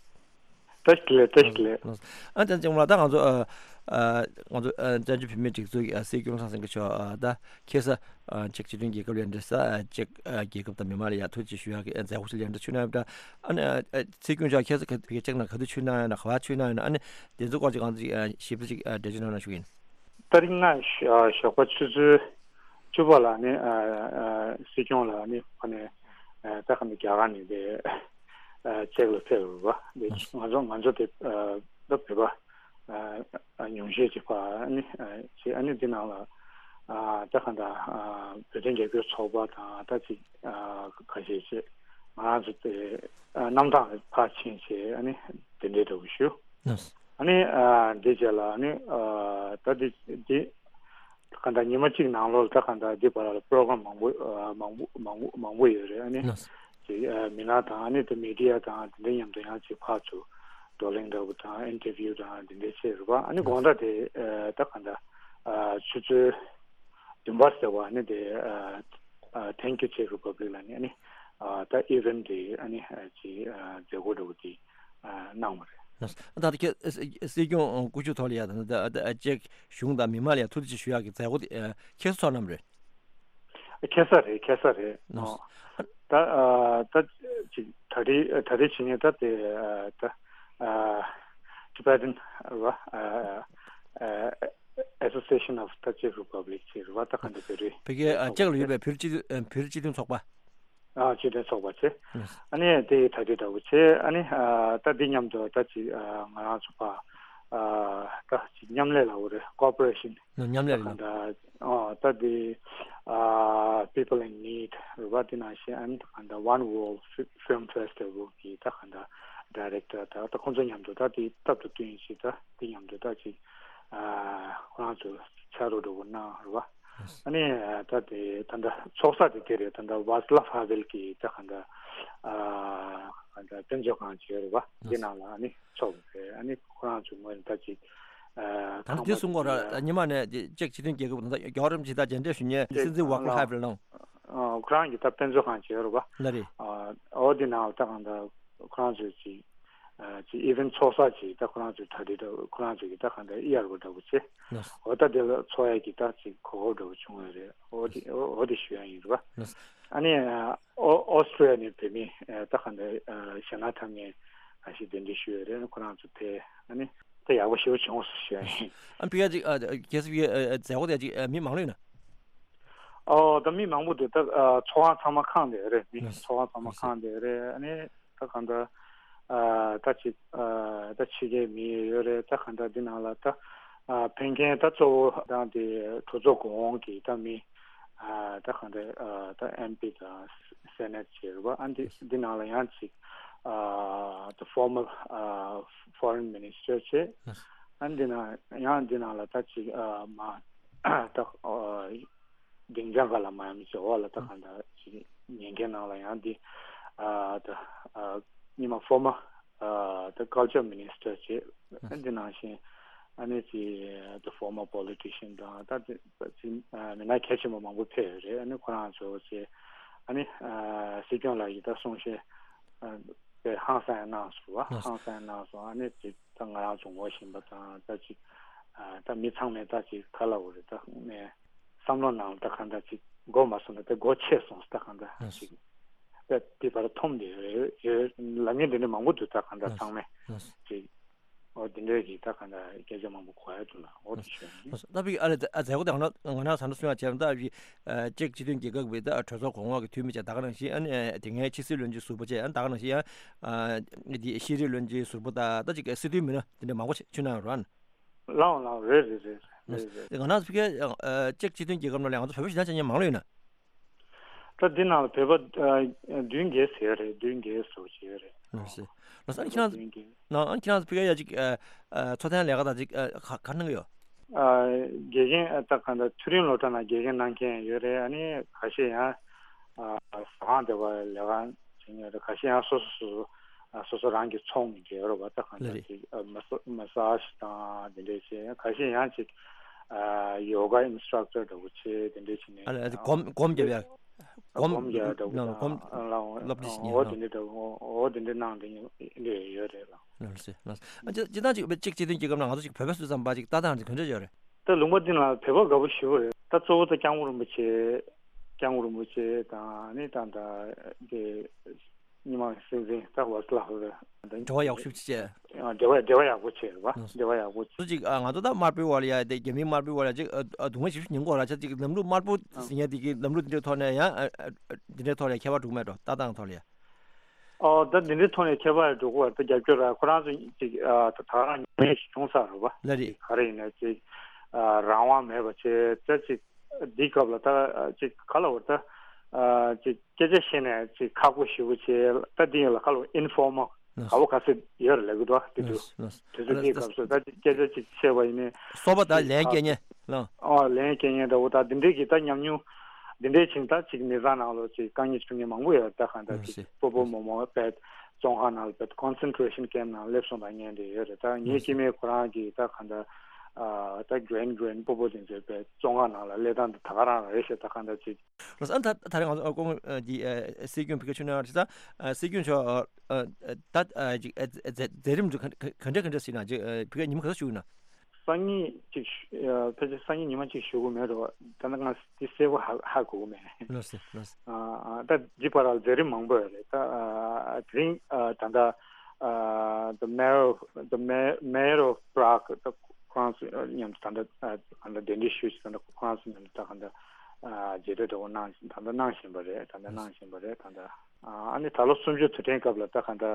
བཀྲ་ཤིས་བདེ་ལེགས། བཀྲ་ཤིས་བདེ་ལེགས། ཨ་བསྟན་འཛིན་ཆོས་འཕེལ་ལགས། ད་ང་ཚོ་ཨ་ཨ་ང་ཚོ་ཨ་བཙན་བྱོལ་བོད་མིའི་སྒྲིག་འཛུགས་ཀྱི་ཨ་སྲིད་སྐྱོང་ཚེ་རིང་སྐྱབས་མགོན་མཆོག་ཨ་ད་ཁ་སང་ཨ་ཅེཀ་སྤྱི་མཐུན་རྒྱལ་ཁབ་ལ་འབྲེལ་ས་ཨ་ཅེཀ་ཨ་རྒྱལ་ཁབ་དང་མི་མང་ལ་ཡ་ཐུགས་རྗེ་ཆེ་ཞུ་ཡག་གི་ཨ་མཛད་སྒོ་ཞིག་ལ་ཡ་འདྲ་ཆུ་ནང་ཡོད་པ་འདྲ། ཨ་ནི་ཨ་ཨ་སྲིད་སྐྱོང་མཆོག་ཁ་སང་ག་ཅེཀ་ནང་ག་དུས་ཆུ་ནང་ཡོད་ན་ག་པར་ཆུ་ནང་ཡོད་ན། ཨ་ནི་དེ་ཚོ་སྐོར་ཅིག་གང་ཅིག་ཨ་ཞིབ་ཕྲ་ཅིག་ཨ་འགྲེལ་བརྗོད་གནང་རོགས་ཞུ་གི་ཡིན། ད་རིང་ང་ཞོགས་པ་ཆུ་ཚོད་བཅུ་པ་ལ་ནི་ཨ་ཨ་སྲིད་སྐྱོང་ལ་ནི་ཁོ་ནས་ཨ་ད་ག་ནི་རྒྱ་གར་ནས་དེ་ཨ་ཅེག་ལ་ཕེབས་རེད་པ། དེ་ང་ཚོ་ང་ཚོ་དེ་ཨ་ད་བོད་པ་ཨ་ཨ་ཉུང་ཤས་ཅིག་ཕ་ཨ་ནི་ཨ་ཅེ་ཨ་ནི་འདི་ནང་ལ་ཨ་ད་ག་ད་ཨ་བོད་དོན་རྒྱབ་སྐྱོར་ཚོགས་པ་དང་ད་ཅིག་ཨ་ཁ་ཤས་ཅིག་ང་རང་ཚོ་དེ་ཨ་གནམ་ཐང་ལ་ཕར་ཕྱིན་བྱས་ཨ་ནི་དེ་འདྲའི་འདྲ་པོ་ཞུ། ཨ་ནི་ཨ་འདི་རྗེས་ལ་ཨ་ནི་ཨ་ད་འདི་འདི་ག་འདྲ་ཉི་མ་གཅིག་ནང་ལོགས་ད་ག་འདྲ་འདི་བར་ལ་པྲོ་གྷ་རམ་མང་པོ་ཨ་མང་པོ་མང་པོ་མང་པོ་ཡོད་རེད། ཨ་ནི་ཅིག་ཨ་མི་སྣ་དང་ཨ་ནི་དེ་མི་ཌི་ཡ་དང་དེ་འདྲ་མཉམ་དུ་ཡང་ཅིག་ཕར་ཚུར་བགྲོ་གླེང་འདྲ་པོ་དང་ཨིན་ཊར་བིའུ་དང་དེ་འདྲ་བྱས་རེད་པ། ཨ་ནི་དགོང་དག་དེ་ཨ་ད་ག་འདྲ་ཨ་ཆུ་ཚོད་བདུན་པ་ཟེར་བ་ཨ་ནི་དེ་ཨ་ཨ་Thank You Czech Republic ལ་ནི་ཨ་ནི་ཨ་ད་ཨི་ཝེན་ཊི་དེ་ཨ་ནི་ཨ་ཅིག་ཨ་མཛད་སྒོ་འདྲ་པོ་དེ་ཨ་གནང་བ་རེད། ད་ལྟ་ཁྱེད་སྲིད་སྐྱོང་སྐུ་ཞབས་ཐོག་ལ་ཡ་ད་ལྟ་ཅེཀ་གཞུང་དང་མི་མང་ལ་ཡ་ཐུགས་རྗེ་ཆེ་ཞུ་ཡག་གི་མཛད་སྒོ་དེ་ཁྱེད་ཚོ་ཚོགས་གནང་བ་རེད། ཁ་སང་རེད། ཁ་སང་རེད། ད་ཨ་ད་ཅིག་ད་རེས་ད་རེས་བྱེད་མཁན་ད་དེ་ཨ་ད་ཨ་Tibetan རེད་པ། ཨ་ཨ་Association of the Czech Republic ཅེས་རེད་པ། ད་ག་འདྲ་བོད་རིགས་བོད་ཀྱི་ཨ་ཅེག་ལ་ཡོད་པའི་བོད་སྤྱི་བོད་སྤྱི་མཐུན་ཚོགས་པ། ཨ་སྤྱི་མཐུན་ཚོགས་པ་ཚེ། ཨ་ནི་དེ་ད་དེ་འདྲ་བོ་ཚེ། ཨ་ནི་ཨ་ད་འདི་མཉམ་དུ་ད་ཅིག་ཨ་ང་རང་ཚོ་ཕ་ཨ་ད་ཅིག་མཉམ་ལས་ལ་འོ་རེད། ཀོ་པ་རེ་ཤན་མཉམ་ལས་རེད། ད་ཨ་ད་དེ་ཨ་People in Need རེད་པ། དེ་ནང་བཞིན་ཨ་ནི་ད་ག་འདྲ་One World Film Festival གི་ད་ག་འདྲ་ཌའི་རེག་ཊར་ད་ད་ཁོང་ཚོ་མཉམ་དུ་ད་དེ་སྟབས་དུ་བསྟུན་ཞིག་ད་དེ་མཉམ་དུ་ད་ཅིག་ཨ་ཁོ་རང་ཚོ་ཕྱག་རོགས་འདྲ་བོ་གནང་རེད་པ། ཨ་ནི་ད་དེ་ད་ལྟ་ཚོགས་ས་དེ་དེ་རེད། ད་ལྟ་ཝཱ་སི་ལབ་ཧ་ཝེལ་གྱི་ད་ག་འདྲ་ཨ་ག་འདྲ་དཔེ་མཛོད་ཁང་ཅིག་ཡོད་རེད་པ། འདི་ནང་ལ་ཨ་ནི་ཚོགས་རེད། ཨ་ནི་ཁོ་རང་ཚོའི་ངོས་ནས་ད་ཅིག་ཨ་ད་ལྟ་ཁང་དེ་པ་གསུང་གོ་ར་ཉི་མ་ནས་ཅེག་སྤྱི་མཐུན་རྒྱལ་ཁབ་ད་ལྟ་རྒྱལ་བ་རིན་པོ་ཆེ་ད་མཇལ་འཕྲད་ཞུ་མཁན་སྲིད་འཛིན་ཝཱ་ཀར་ཧ་ཝེལ་ནང་། ཨ་ཁོ་རང་གི་ད་དཔེ་མཛོད་ཁང་ཅིག་ཡོད་རེད་པ། ལ་རེད། ཨ་འོ་འདི་ནང་ལ་ད་ག་འདྲ་ཁོ་རང་ཚོའི་ཅིག་ཨ་ཅིག་ཨི་ཝེན་ཊི་ཚོགས་ས་ཅིག་ད་ཁོ་རང་ཚོའི་གྲ་སྒྲིག་འདྲ་ཁོ་རང་ཚོ་གི་ད་ག་འདྲ་ཨི་ཨར་བ་འདྲ་བོ་ཅིག་ལགས། འོ་ད་དེ་ལ་ཚོགས་ཡ་གི་ད་ཅིག་གོ་སྐབས་འདྲ་བོ་བྱུང་བ་རེད། འོ་དེ་འོ་འོ་དེ་ཞུ་ཡ་ཡིན་རེད་པ། ལགས། ཨ་ནི་ཨ་ཨོ་ཨོ་སི་ཊེ་ལི་ཡ་ནས་བོད་མི་ཨ་ད་ག་འདྲ་ཨ་གཞན་དག་ཐམས་ཅད་ཨ་ཞིག་གདན་འདྲེན་ཞུས་ཡོད་རེད། ཁོ་རང་ཚོ་ཕེབས་ཨ་ནི་ད་ཡག་པོ་ཞེ་པོ་བྱུང་སོང་ཞུ་ཡ་ཡིན། ཨ་ཕི་ཡ་ཅིག་ཨ་ཁྱེད་ཚོ་ཕི་ཡ་ཨ་མཛད་སྒོ་དེ་ཅིག་ཨ་མི་མང་ལོས་ན། ཨོ་ད་མི་མང་པོ་འདུག་ད་ཨ་ཚོགས་ཁང་ཚང་མ་ཁེངས་བསྡད་ཡོད་རེད། མི་ལགས་ཚོགས་ཁང་ཚང་མ་ལགས་ཁེངས་བསྡད་ཡོད་རེད། ཨ་ནི་ད་གང་ལྟར་ཨ་ད་ཅིག་ཨ་ད་ཕྱི་རྒྱལ་མི་ཡོད་རེད། ད་གང་ལྟར་འདི་ནང་ལ་ད་ཨ་ཕེབས་མཁན་ད་གཙོ་བོ་ད་འདི་གྲོས་ཚོགས་གོང་འོག་གི་ད་མི་ཨ་ད་གང་ལྟར་ཨ་ད་ཨེམ་པི་དང་སེ་ནེ་ཊི་ཅིག་རེད་པ། ཨ་འདི་འདི་ནང་ལ་ཡང་ཅིག་ཨ་ད་ཕོར་མར་ཨ་ཕོ་རེན་མི་ནིས་ཊར་བྱས། ཨ་འདི་ནང་ཡང་འདི་ནང་ལ་ད་ཅིག་ཨ་མ་ད་ཨ་སྡིངས་ཆ་འགའ་ལ་མ་ཡང་མི་བྱེད་འོག་ལ་ད་གང་ལྟར་ཅིག་ཉན་མཁན་ནང་ལ་ཡང་འདི་ཨ་ད་ཨ་ཉི་མ་ཕོར་མར་ཨ་ད་ཀལ་ཅར་མི་ནིས་ཊར་བྱས། ཨ་འདི་ནང་བཞིན་ཨ་ནི་ཅིག་ད་ཕོར་མར་པོ་ལི་ཊི་ཤན་དང་ད་དེ་ཅིག་ཨ་མི་སྣ་གལ་ཆེན་པོ་མང་པོ་ཕེབས་ཡོད་རེད། ཨ་ནི་ཁོ་རང་ཚོ་ཅིག་ཨ་ནི་ཨ་སྲིད་སྐྱོང་ལགས་ཀྱིས་ད་གསུང་བཤད་ཨ་དཔེ་ཧང་སང་ཡང་གནང་སོང་བ། ཧང་སང་ཡང་གནང་སོང་། ཨ་ནི་ཅིག་ད་ང་རང་ཚོ་ངོ་ཤེས་པ་དང་ད་ཅིག་ཨ་ད་མི་ཚང་མས་ད་ཅིག་ག་ལབ་དགོས་རེད། ད་ནས་བསམ་བློ་ནང་ལ་ད་གང་ལྟར་ཅིག་མགོ་མ་ཚོས་ན་ད་མགོ་ཆེ་སོང་། ད་གང་ལྟར་ཅིག་ད་དེ་བར་འཐོམ་བསྡད་ཡོད་ཡོད་ལབ་མཁན་དེ་འདྲ་མང་པོ་འདུག་ད་གང་ལྟར་ཚང་མས་ཅིག་འོ་དེ་འདྲའི་གི་ད་གང་ལྟར་སྐད་ཆ་མང་པོ་གོ་ཡ་འདུག་ལ། འོ་དེ་ཞུ་ཡ་ཡིན། ད་ཕི་ཨ་ལ་ཨ་མཛད་སྒོ་དེ་ང་ན་ང་ན་ཟ་འདྲ་གསུང་ཡ་བྱས་ན་ད་ཕི་ཅེཀ་སྤྱི་མཐུན་རྒྱལ་ཁབ་ཀྱི་ད་གྲོས་ཚོགས་གོང་འོག་གི་འཐུས་མི་བྱས་ད་ག་ནང་བཞིན་ཨ་ནི་དེ་སྔའི་ཕྱི་སྲིད་བློན་ཆེན་ཟུར་པ་བྱས་ཨ་ནི་ད་ག་ནང་བཞིན་ཡང་དེ་ཤེས་རིག་བློན་ཆེན་ཟུར་པ་ད་ད་ཅིག་སྲིད་དོན་མི་སྣ་དེ་འདྲ་མང་པོ་ཞིག་ཕྱིན་གནང་ཡོད་རེད། ལའོ་ལའོ་རེད་རེད་རེད་རེད་རེད། ང་རང་ཚོ་ཕ་གིའི་ཅེཀ་སྤྱི་མཐུན་རྒྱལ་ཁབ་ནང་ལ་ང་ཚོ་བོད་པ་ཞེ་དྲག་ཅན་མང་ལོས་ཡོད་ན། ད་འདི་ནང་ལ་བོད་པ་བདུན་བརྒྱད་ཟེར་ཡོད་རེད། བདུན་བརྒྱད་ཟེར་བ་ཅིག་ཡོད་རེད། ལགས་སེ། ལགས་སེ། ཨ་ནི་ཁྱེད་རང་བདུན་བརྒྱད། ཨ་ནི་ཁྱེད་རང་ཚོ་ཕ་གིའི་ཡ་ཅིག་ཚོགས་ཐེངས་ལས་ཀ་དང་ཅིག་ག་ག་གནང་གི་ཡོད། དགེ་རྒན་ད་ག་འདྲ་མཐོ་རིམ་སློབ་གྲྭ་ནང་དགེ་རྒན་གནང་མཁན་ཡོད་རེད། ཨ་ནི་ཁ་ཤས་ཡང་ཟ་ཁང་དེ་བ་ལས་ཀ་བྱེད་མཁན་རེད། ཁ་ཤས་ཡང་སོ་སོ་སོ་སོ་སོ་རང་གི་ཚོང་གི་འབྲེལ་ཡོད་རེད་པ། ད་གང་ལྟར་ཅིག་མ་སཱ་མ་སཱ་ཇི་དང་དེ་འདྲས་བྱས། ཁ་ཤས་ཡང་ཅིག་ཡོ་ག་ཨིན་སི་ཊྲག་ཊར་འདྲ་བོ་བྱས་དེ་འདྲས་བྱས་ནས་ཨ་ལ་སྒོམ་སྒོམ་རྒྱབ་ཡ། སྒོམ་སྒོམ་རྒྱག་འདྲ་བོ་ལ་དང་སྒོམ་ལ་སློབ་ཁྲིད་བྱེད་མཁན་འོ་ལ། དེ་འདྲ་འདྲ་བོ་འོ་དེ་འདྲ་གནང་དེ་འདྲ་ཡོད་རེད་ལ། ལགས་སེ་ལགས་སེ། ཨ་ཅི་ཅི་ལྟར་ཅིག་ཅིག་སྤྱི་མཐུན་རྒྱལ་ཁབ་ནང་ང་ཚོ་ཅིག་བོད་པ་སུ་ཙམ་པ་ཅིག་ལྟ་སྟངས་དེ་ག་འདྲ་ཡོད་རེད། ད་ལུང་པ་འདི་ལ་བོད་པ་དགའ་པོ་ཞེ་པོ་རེད། ད་གཙོ་བོ་ད་སྐྱབས་མགོན་རིན་པོ་ཆེ། སྐྱབས་མགོན་རིན་པོ་ཆེ་དང་ནི་ད་ད་དེ་རྙིང་མ་སྲིད་འཛིན་ད་ཝ་སི་ལ་ཧུ་རེད། འབྲེལ་བ་ཡག་ཤོས་ཅིག་བྱས། འབྲེལ་བ་འབྲེལ་བ་ཡག་པོ་བྱས་རེད་བ། ལགས་སོ། འབྲེལ་བ་ཡག་པོ་བྱས། ང་ཚོ་ད་དམར་པོའི་བར་ལ་ཡ་དེ་རྒྱ་མིའི་དམར་པོའི་བར་ལ་ཅིག་སྡུག་བསྔལ་ཞིག་མྱོང་གི་ཡོད་ར། ཆ་ཅིག་ལམ་ལུགས་དམར་པོ་ཟེར་མཁན་དེ་གི་ལམ་ལུགས་དེ་འདྲའི་ཐོག་ནས་ཡང་དེ་འདྲའི་ཐོག་ལ་ཁྱད་པར་འགྲོ་གི་མེད་འགྲོ། ལྟ་སྟངས་ཐོག་ལ་ཡ། ཨོ་ད་འདི་འདྲའི་ཐོག་ནས་ཁྱད་པར་འགྲོ་གི་ཡོད་རེད། ད་རྒྱབ་སྐྱོར་ར་ཁོ་རང་ཚོ་ཅིག་ད་ད་རང་ཉམས་ལེན་ཞིག་བྱུང་ཚར་རེད་བ། ལ་རེད། ག་རེ་ཡིན་ན་ཅིག་རང་དབང་མེད་པ་བྱས་ད་ཅིག་འདིའི་སྐབས་ལ་ད་ཅིག་ག་ལ་བར་ད་ཅིག་སྐད་ཆ་བཤད་ནས་ཅིག་ཁག་པོ་ཞེ་པོ་བྱས། ད་འདི་ཡིན་ལ་ག་ལ་ཨིན་ཕོར་མལ་ག་བ་ག་ཚོད་ཡོད་རེད་ལབ་གི་འདུག་བ། དེ་དུས་དེ་ཚོ་དེའི་སྐབས་སུ་ད་ཅིག་སྐད་ཆ་ཅིག་བཤད་པ་ཡིན་ནའི་སོ་པ་ད་ཅིག་ལན་སྐྱེལ་མཁན་ལ། ཨོ་ལན་སྐྱེལ་མཁན་འདྲ་བོ་ད་འདི་འདྲའི་གི་ད་ཉམས་མྱོང་འདི་འདྲའི་ཅིག་ད་ཅིག་མི་ཚང་ནང་ལོགས་ཅིག་དཀའ་ངལ་བྱུང་མཁན་མང་པོ་ཡོད་རེད། ད་གང་ལྟར་ཅིག་སྤོ་བོ་རྨོ་མོ་བས་བཙོན་ཁང་ནང་ལ་བས་ཀོན་སེན་ཊྲེ་ཤན་ཀེམ་ནང་སླེབས་སོང་ད་ཉན་འདྲ་ཡོད་རེད། ད་ངའི་སྐྱེ་དམན་ཁོ་རང་གི་ད་གང་ལྟར། ཨ་ད་གྲོན་གྲོན་སྤོ་བོ་དེ་ཚོའི་བས་བཙོན་ཁང་ནང་ལ་སླེབས་སྟངས་དེ་ད་ག་རང་རེད་ཤག་ད་གང་འདྲ་ཅིག་ལགས་སོ། ཨ་ད་ད་རེས་ང་ཚོ་ཨ་ཁོང་ཨ་འདི་ཨ་སྲིད་སྐྱོང་བི་ཀ་ཆུ་ནང་རེད་ས། ཨ་སྲིད་སྐྱོང་མཆོག་ཨ་ཨ་ད་ཨ་ཅིག་ཨ་མཛད་མཛད་རིམ་དུ་ག་ག་ག་འདྲ་ག་འདྲ་ཟིན་ན་ཅིག་ཨ་བི་ཀ་ཉི་མ་ག་ཚོད་བཞུགས་ན། སང་ཉིན་ཅིག་ཨ་ཕལ་ཆེར་སང་ཉིན་ཉི་མ་ཅིག་བཞུགས་གི་མེད་འགྲོ། ད་ནི་ང་འདི་གསལ་པོ་ཧ་ཧ་གོ་གི་མེད། ལགས་སོ་ལགས་སོ། ཨ་ཨ་ད་འདི་བར་ལ་མཛད་རིམ་མང་པོ་ཡོད་རེད། ད་ཨ་དེ་རིང་ཨ་ད་ལྟ་ཨ་the mayor of the mayor mayor of Prague ད་ཁོ་རང་ཚོ་མཉམ་དུ་ད་ལྟ་ཨ་གང་ལྟར་གདན་འདྲེན་ཞུས་ཤིག་ད་ལྟ་ཁོ་རང་ཚོ་མཉམ་དུ་ད་གང་ལྟར་ཨ་མཇལ་འཕྲད་འདྲ་བོ་གནང་ད་ལྟ་གནང་བཞིན་པ་རེད། ད་ལྟ་གནང་བཞིན་པ་རེད། ད་ལྟ་ཨ་ཨ་ནི་ད་ལོ་གསུམ་བཅུ་དུས་དྲན་སྐབས་ལ་ད་གང་ལྟར་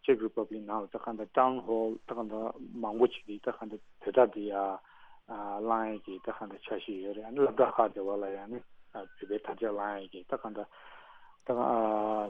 ཨ་Czech Republic ནང་ལ་ད་གང་ལྟར་town hall ད་གང་ལྟར་མང་པོ་ཅིག་གིས་ད་གང་ལྟར་བོད་དར་འདི་ཡ་ཨ་བསླང་ཡས་ཀྱི་ད་གང་ལྟར་འཆར་གཞི་ཡོད་རེད། ཨ་ནི་སློབ་གྲྭ་ཁག་དེ་བ་ལ་ཡང་ནི་ཨ་བོད་པའི་དར་ཆ་བསླང་ཡས་ཀྱི་ད་གང་ལྟར། ད་ཨ་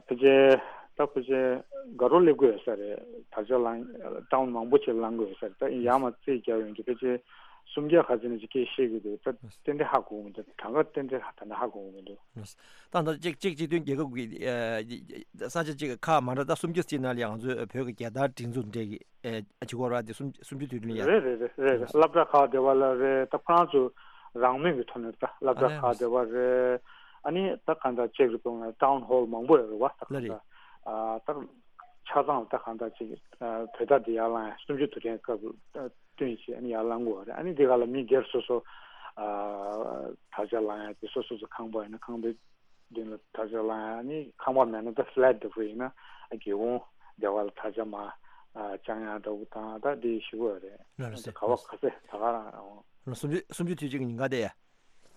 ཕལ་ཆེར་ད་ཕལ་ཆེར་དགའ་རོགས་སླེབས་དགོས་ཡོད་ས་རེད། དར་ཆ་བསླང་town མང་པོ་ཅིག་བསླང་དགོས་ཡོད་ས་རེད། ད་ཡར་མར་རྩིས་རྒྱག་ཡོང་དུས་ཕལ་ཆེར་སུམ་བརྒྱ་ཁ་ཚིག་ནས་ཅིག་སྐད་བཤད་གི་འདུག་ད་ཏན་ཏན་ཧ་གོ་གི་མི་འདུག་གྲངས་ཀ་ཏན་ཏན་ད་ནི་ཧ་གོ་གི་མི་འདུག་ད་ལྟ་ཅེཀ་ཅེཀ་སྤྱི་མཐུན་རྒྱལ་ཁབ་ཀྱི་ཨ་ས་ཆ་ཅིག་ཁག་མ་འདྲ་ད་སུམ་བརྒྱ་ཙམ་ནང་ལ་ང་ཚོའི་བོད་ཀྱི་རྒྱལ་དར་སྒྲེང་འཛུགས་འདྲ་གི་ཨ་ཅིག་གོ་ར་དེ་སུམ་སུམ་ཅུ་དུས་དྲན་ཡ། རེད་རེད་རེད་རེད། སློབ་གྲྭ་ཁག་དེ་བ་ལ་རེད། ད་ཁོ་རང་ཚོ་རང་མོས་ཀྱི་ཐོག་ནས་ད་སློབ་གྲྭ་ཁག་དེ་བ་རེད། ཨ་ནི་ད་གང་ལྟར་ཅེཀ་རི་པབ་ལིག་ནང་town hall མང་པོ་ཡོད་རེད་བ། ད་གང་ལྟར་ཨ་ད་ཆ་ཚང་ད་གང་ལྟར་ཅིག་ཨ་བོད་ཟླ་འདི་ཡར་ལངས་ཡ་སུམ་ཅུ་དུས་དྲན་སྐབས་བསྟུན་བྱས་ཨ་ནི་ཡར་ལངས་དགོས་རེད། ཨ་ནི་འདི་ག་ལ་མི་སྒེར་སོ་སོ་ཨ་དར་ཆ་ལངས་ཡ་དེ་སོ་སོ་སོ་ཁང་པ་ཡིན་ན་ཁང་པའི་མདུན་ལ་དར་ཆ་ལངས་ཡ། ཨ་ནི་ཁང་པ་མེད་ན་ད་flat འདྲ་པོ་ཡིན་ན་ཨ་སྒེའུ་ཁུང་སྡེ་བ་ལ་དར་ཆ་མར་ཨ་བཅང་ཡ་འདྲ་པོ་དང་ད་འདི་ཞུ་དགོས་རེད། ལགས་སོ། ག་བ་ག་ཚད་ད་ག་རང་། ལགས་སོ། སུམ་ཅུ་སུམ་ཅུ་དུས་གཅིག་གི་ཉིན་ག་དེ་ཡ།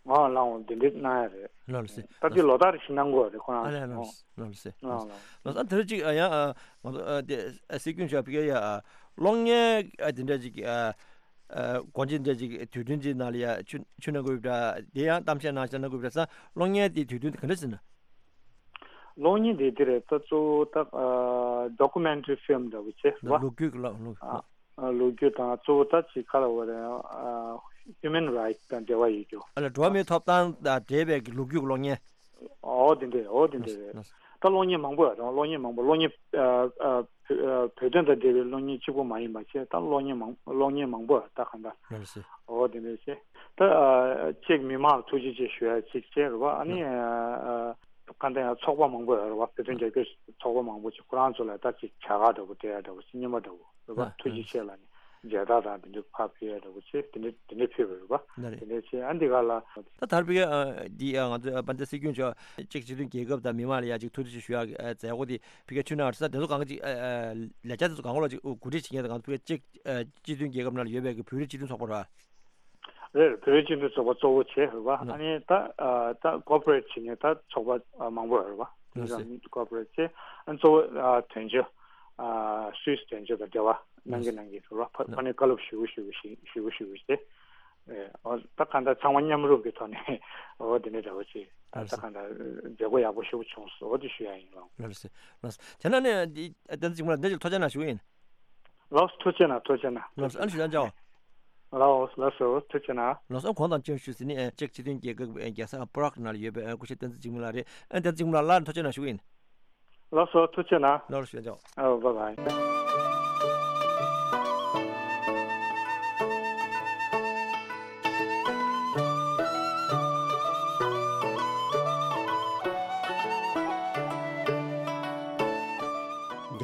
ང་ལའང་འདི་འདྲས་གནང་ཡ་རེད། ལགས་སོ། ད་དེ་ལོ་ལྟར་ཞིག་གནང་དགོས་རེད་ཁོ་རང་ཨ་ལས། ལགས་སོ་ལགས་སོ། ལགས་སོ། ཨ་དེ་རིང་གཅིག་ཨ་ཡང་ཨ་ང་ཚོ་ཨ་དེ་ཨ་སྲིད་སྐྱོང་མཆོག་ཕ་གིར་ཡ་ཨ་གློག་བརྙན་ཨ་དེ་འདྲ་ཅིག་ཨ་ཨ་སྒོ་འབྱེད་འདྲ་ཅིག་དུས་སྟོན་ཅིག་ནང་ལ་ཡ་ཆུ་ཆུ་གནང་དགོས་ཡོད་པ་འདྲ། དེ་ཡང་གཏམ་བཤད་གནང་བཤད་གནང་དགོས་པ་འདྲ་ས། གློག་བརྙན་དེ་དུས་སྟོན་དེ་ག་འདྲ་ཟེར་ན། གློག་བརྙན་དེ་དེ་རེད། ད་གཙོ་བོ་ད་ཨ་documentary film འདྲ་པོ་བྱས་རེད་བ། ལོ་རྒྱུས་ཀྱི་གློག་ལོ། ཨ། ལོ་རྒྱུས་དང་གཙོ་བོ་ད་ཅིག་ག་ལ་བ་རེད། ཨ་human rights དང་འབྲེལ་བ་ཡོད་རྒྱུ། ཨ་ལ་འགྲོ་བ་མིའི་ཐོབ་ཐང་དང་འབྲེལ་བའི་གི་ལོ་རྒྱུས་ཀློག་མཁན། ཨོ་དེ་འདྲས་ཨོ་དེ་འདྲས་རེད། ད་གློག་བརྙན་མང་པོ་ཡོད་རེད། གློག་བརྙན་མང་པོ་གློག་བརྙན་ཨ་ཨ་བོད་དོན་དང་འབྲེལ་བའི་གློག་བརྙན་གཅིག་པོ་མ་ཡིན་པ་བྱས་ད་གློག་བརྙན་མང་གློག་བརྙན་མང་པོ་ད་གང་ལྟར་ཨོ་དེ་འདྲས་བྱས་ད་ཨ་ཅིག་མི་མང་ལ་ཐུགས་རྗེ་ཆེ་ཞུ་ཡ་ཅིག་བྱས་རེད་བ། ཨ་ནི་ཨ་གང་ལྟར་ཡང་ཚོགས་པ་མང་པོ་ཡོད་རེད་བ། བོད་དོན་རྒྱབ་སྐྱོར་ཚོགས་པ་མང་པོ་ཅིག་ཁོ་རང་ཚོ་ལ་ད་ཅིག་བྱ་དགའ་འདྲ་པོ་སྤྲད་ཡ་འདྲ་པོ་ཅིག་རྔན་པ་འདྲ་པོ། རེད་པ། ཨ་ཐུགས་རྗེ་ཆེ་ལ་ནི་མཇལ་དར་དང་དེ་འདྲ་ཕར་ཕུལ་ཡ་འདྲ་པོ་བྱས་དེ་འདྲ་དེ་འདྲ་ཕུལ་བ་རེད་པ། ལགས་རེད། དེ་འདྲ་བྱས་ཨ་འདི་ག་ལ། ད་དར་བའི་ཨ་འདི་ཨ་ང་ཚོ་ཨ་དཔལ་ལྡན་སྲིད་སྐྱོང་མཆོག་ཅེཀ་སྤྱི་མཐུན་རྒྱལ་ཁབ་དང་མི་མང་ལ་ཡ་ཅིག་ཐུགས་རྗེ་ཆེ་ཞུ་ཡ་མཛད་སྒོ་དེ་ཕ་གིར་ཆུ་ནང་ས་དེ་ཚོ་གང་ག་ཅིག་ཨ་ཨ་ལས་འཆར་དེ་ཚོ་གང་ག་ལ་ཅིག་གོ་སྒྲིག་བྱེད་མཁན་དང་ང་ཚོ་ཕ་གིར་ཅེཀ་ཨ་སྤྱི་མཐུན་རྒྱལ་ཁབ་ནང་ལ་ཡོད་པའི་གི་བོད་རིགས་སྤྱི་མཐུན་ཚོགས་པ་རེད་པ། རེད། བོད་རིགས་སྤྱི་མཐུན་ཚོགས་པ་གཙོ་བོ་བྱས་རེད་པ། ལགས། ཨ་ནི་ད་ཨ་ད་ཀོ་པ་རེ་ཊི་བྱེད་མཁན་ད་ཚོགས་པ་ཨ་མང་པོ་ཡོད་རེད་པ། ལགས་སོ། ཀོ་པ་རེ་ཊི་བྱས་ཨ་གཙོ་བོ་ཨ་དོན་གཅོད་ཨ་སུད་སི་དོན་གཅོད་དང་འབྲེལ་བ་གནང་གི་ལགས་སོ། གནང་གི་རེད་པ། ཕ་ལགས་སོ། ཕ་ནས་བཀའ་སློབ་ཞུ་ཞུ་ཞུ་ཞུ་ཞུ་ཞུ་བྱས་ཨེ་ཨོ་ད་གང་ལྟར་ཚང་མ་མཉམ་རུབ་ཀྱི་ཐོག་ནས་ཨོ་དེ་འདྲ་འདྲ་པོ་བྱས་ད་ལགས་ད་སོ། གང་ལྟར་མཛད་སྒོ་ཡག་པོ་ཞེ་པོ་བྱུང་སོང་ཨོ་དེ་ཞུ་ཡ་ཡིན་ལགས། ལགས་སོ། ལགས་སོ། དེ་ན་ནས་འདི་བསྟན་འཛིན་གཅིག་མ་ལ་འདི་ཅིག་ཐུགས་རྗེ་གནང་ཞུ་གི་ཡིན། ལགས་སོ། ཐུགས་རྗེ་གནང་། ཐུགས་རྗེ་གནང་། ལགས་སོ། ཨ་ནི་ཞུ་ཡ་འཇགས། ལགས་སོ། ལགས་སོ། ཐུགས་རྗེ་གནང་། ལགས་སོ། ཨ་གོང་དང་ཅི་ཞུ་ཟིན་ནི་ཨ་ཅེཀ་སྤྱི་མཐུན་རྒྱལ་ཁབ་ཨ་རྒྱལ་ས་པ་རག་ནང་ལ་ཡོད་པའི་ཨ་སྐུ་ཞབས་བསྟན་འཛིན་འཇིགས་མེད་ལགས་རེད། ཨ་བསྟན་འཛིན་འཇིགས་མེད་ལགས་ལ་ཐུགས་རྗེ་གནང་ཞུ་གི་ཡིན། ལགས་སོ། ཐུགས་རྗེ་གནང་། ལགས་སོ། ཞུ་ཡ་འཇགས། ཨ་བྷའི་བྷའི།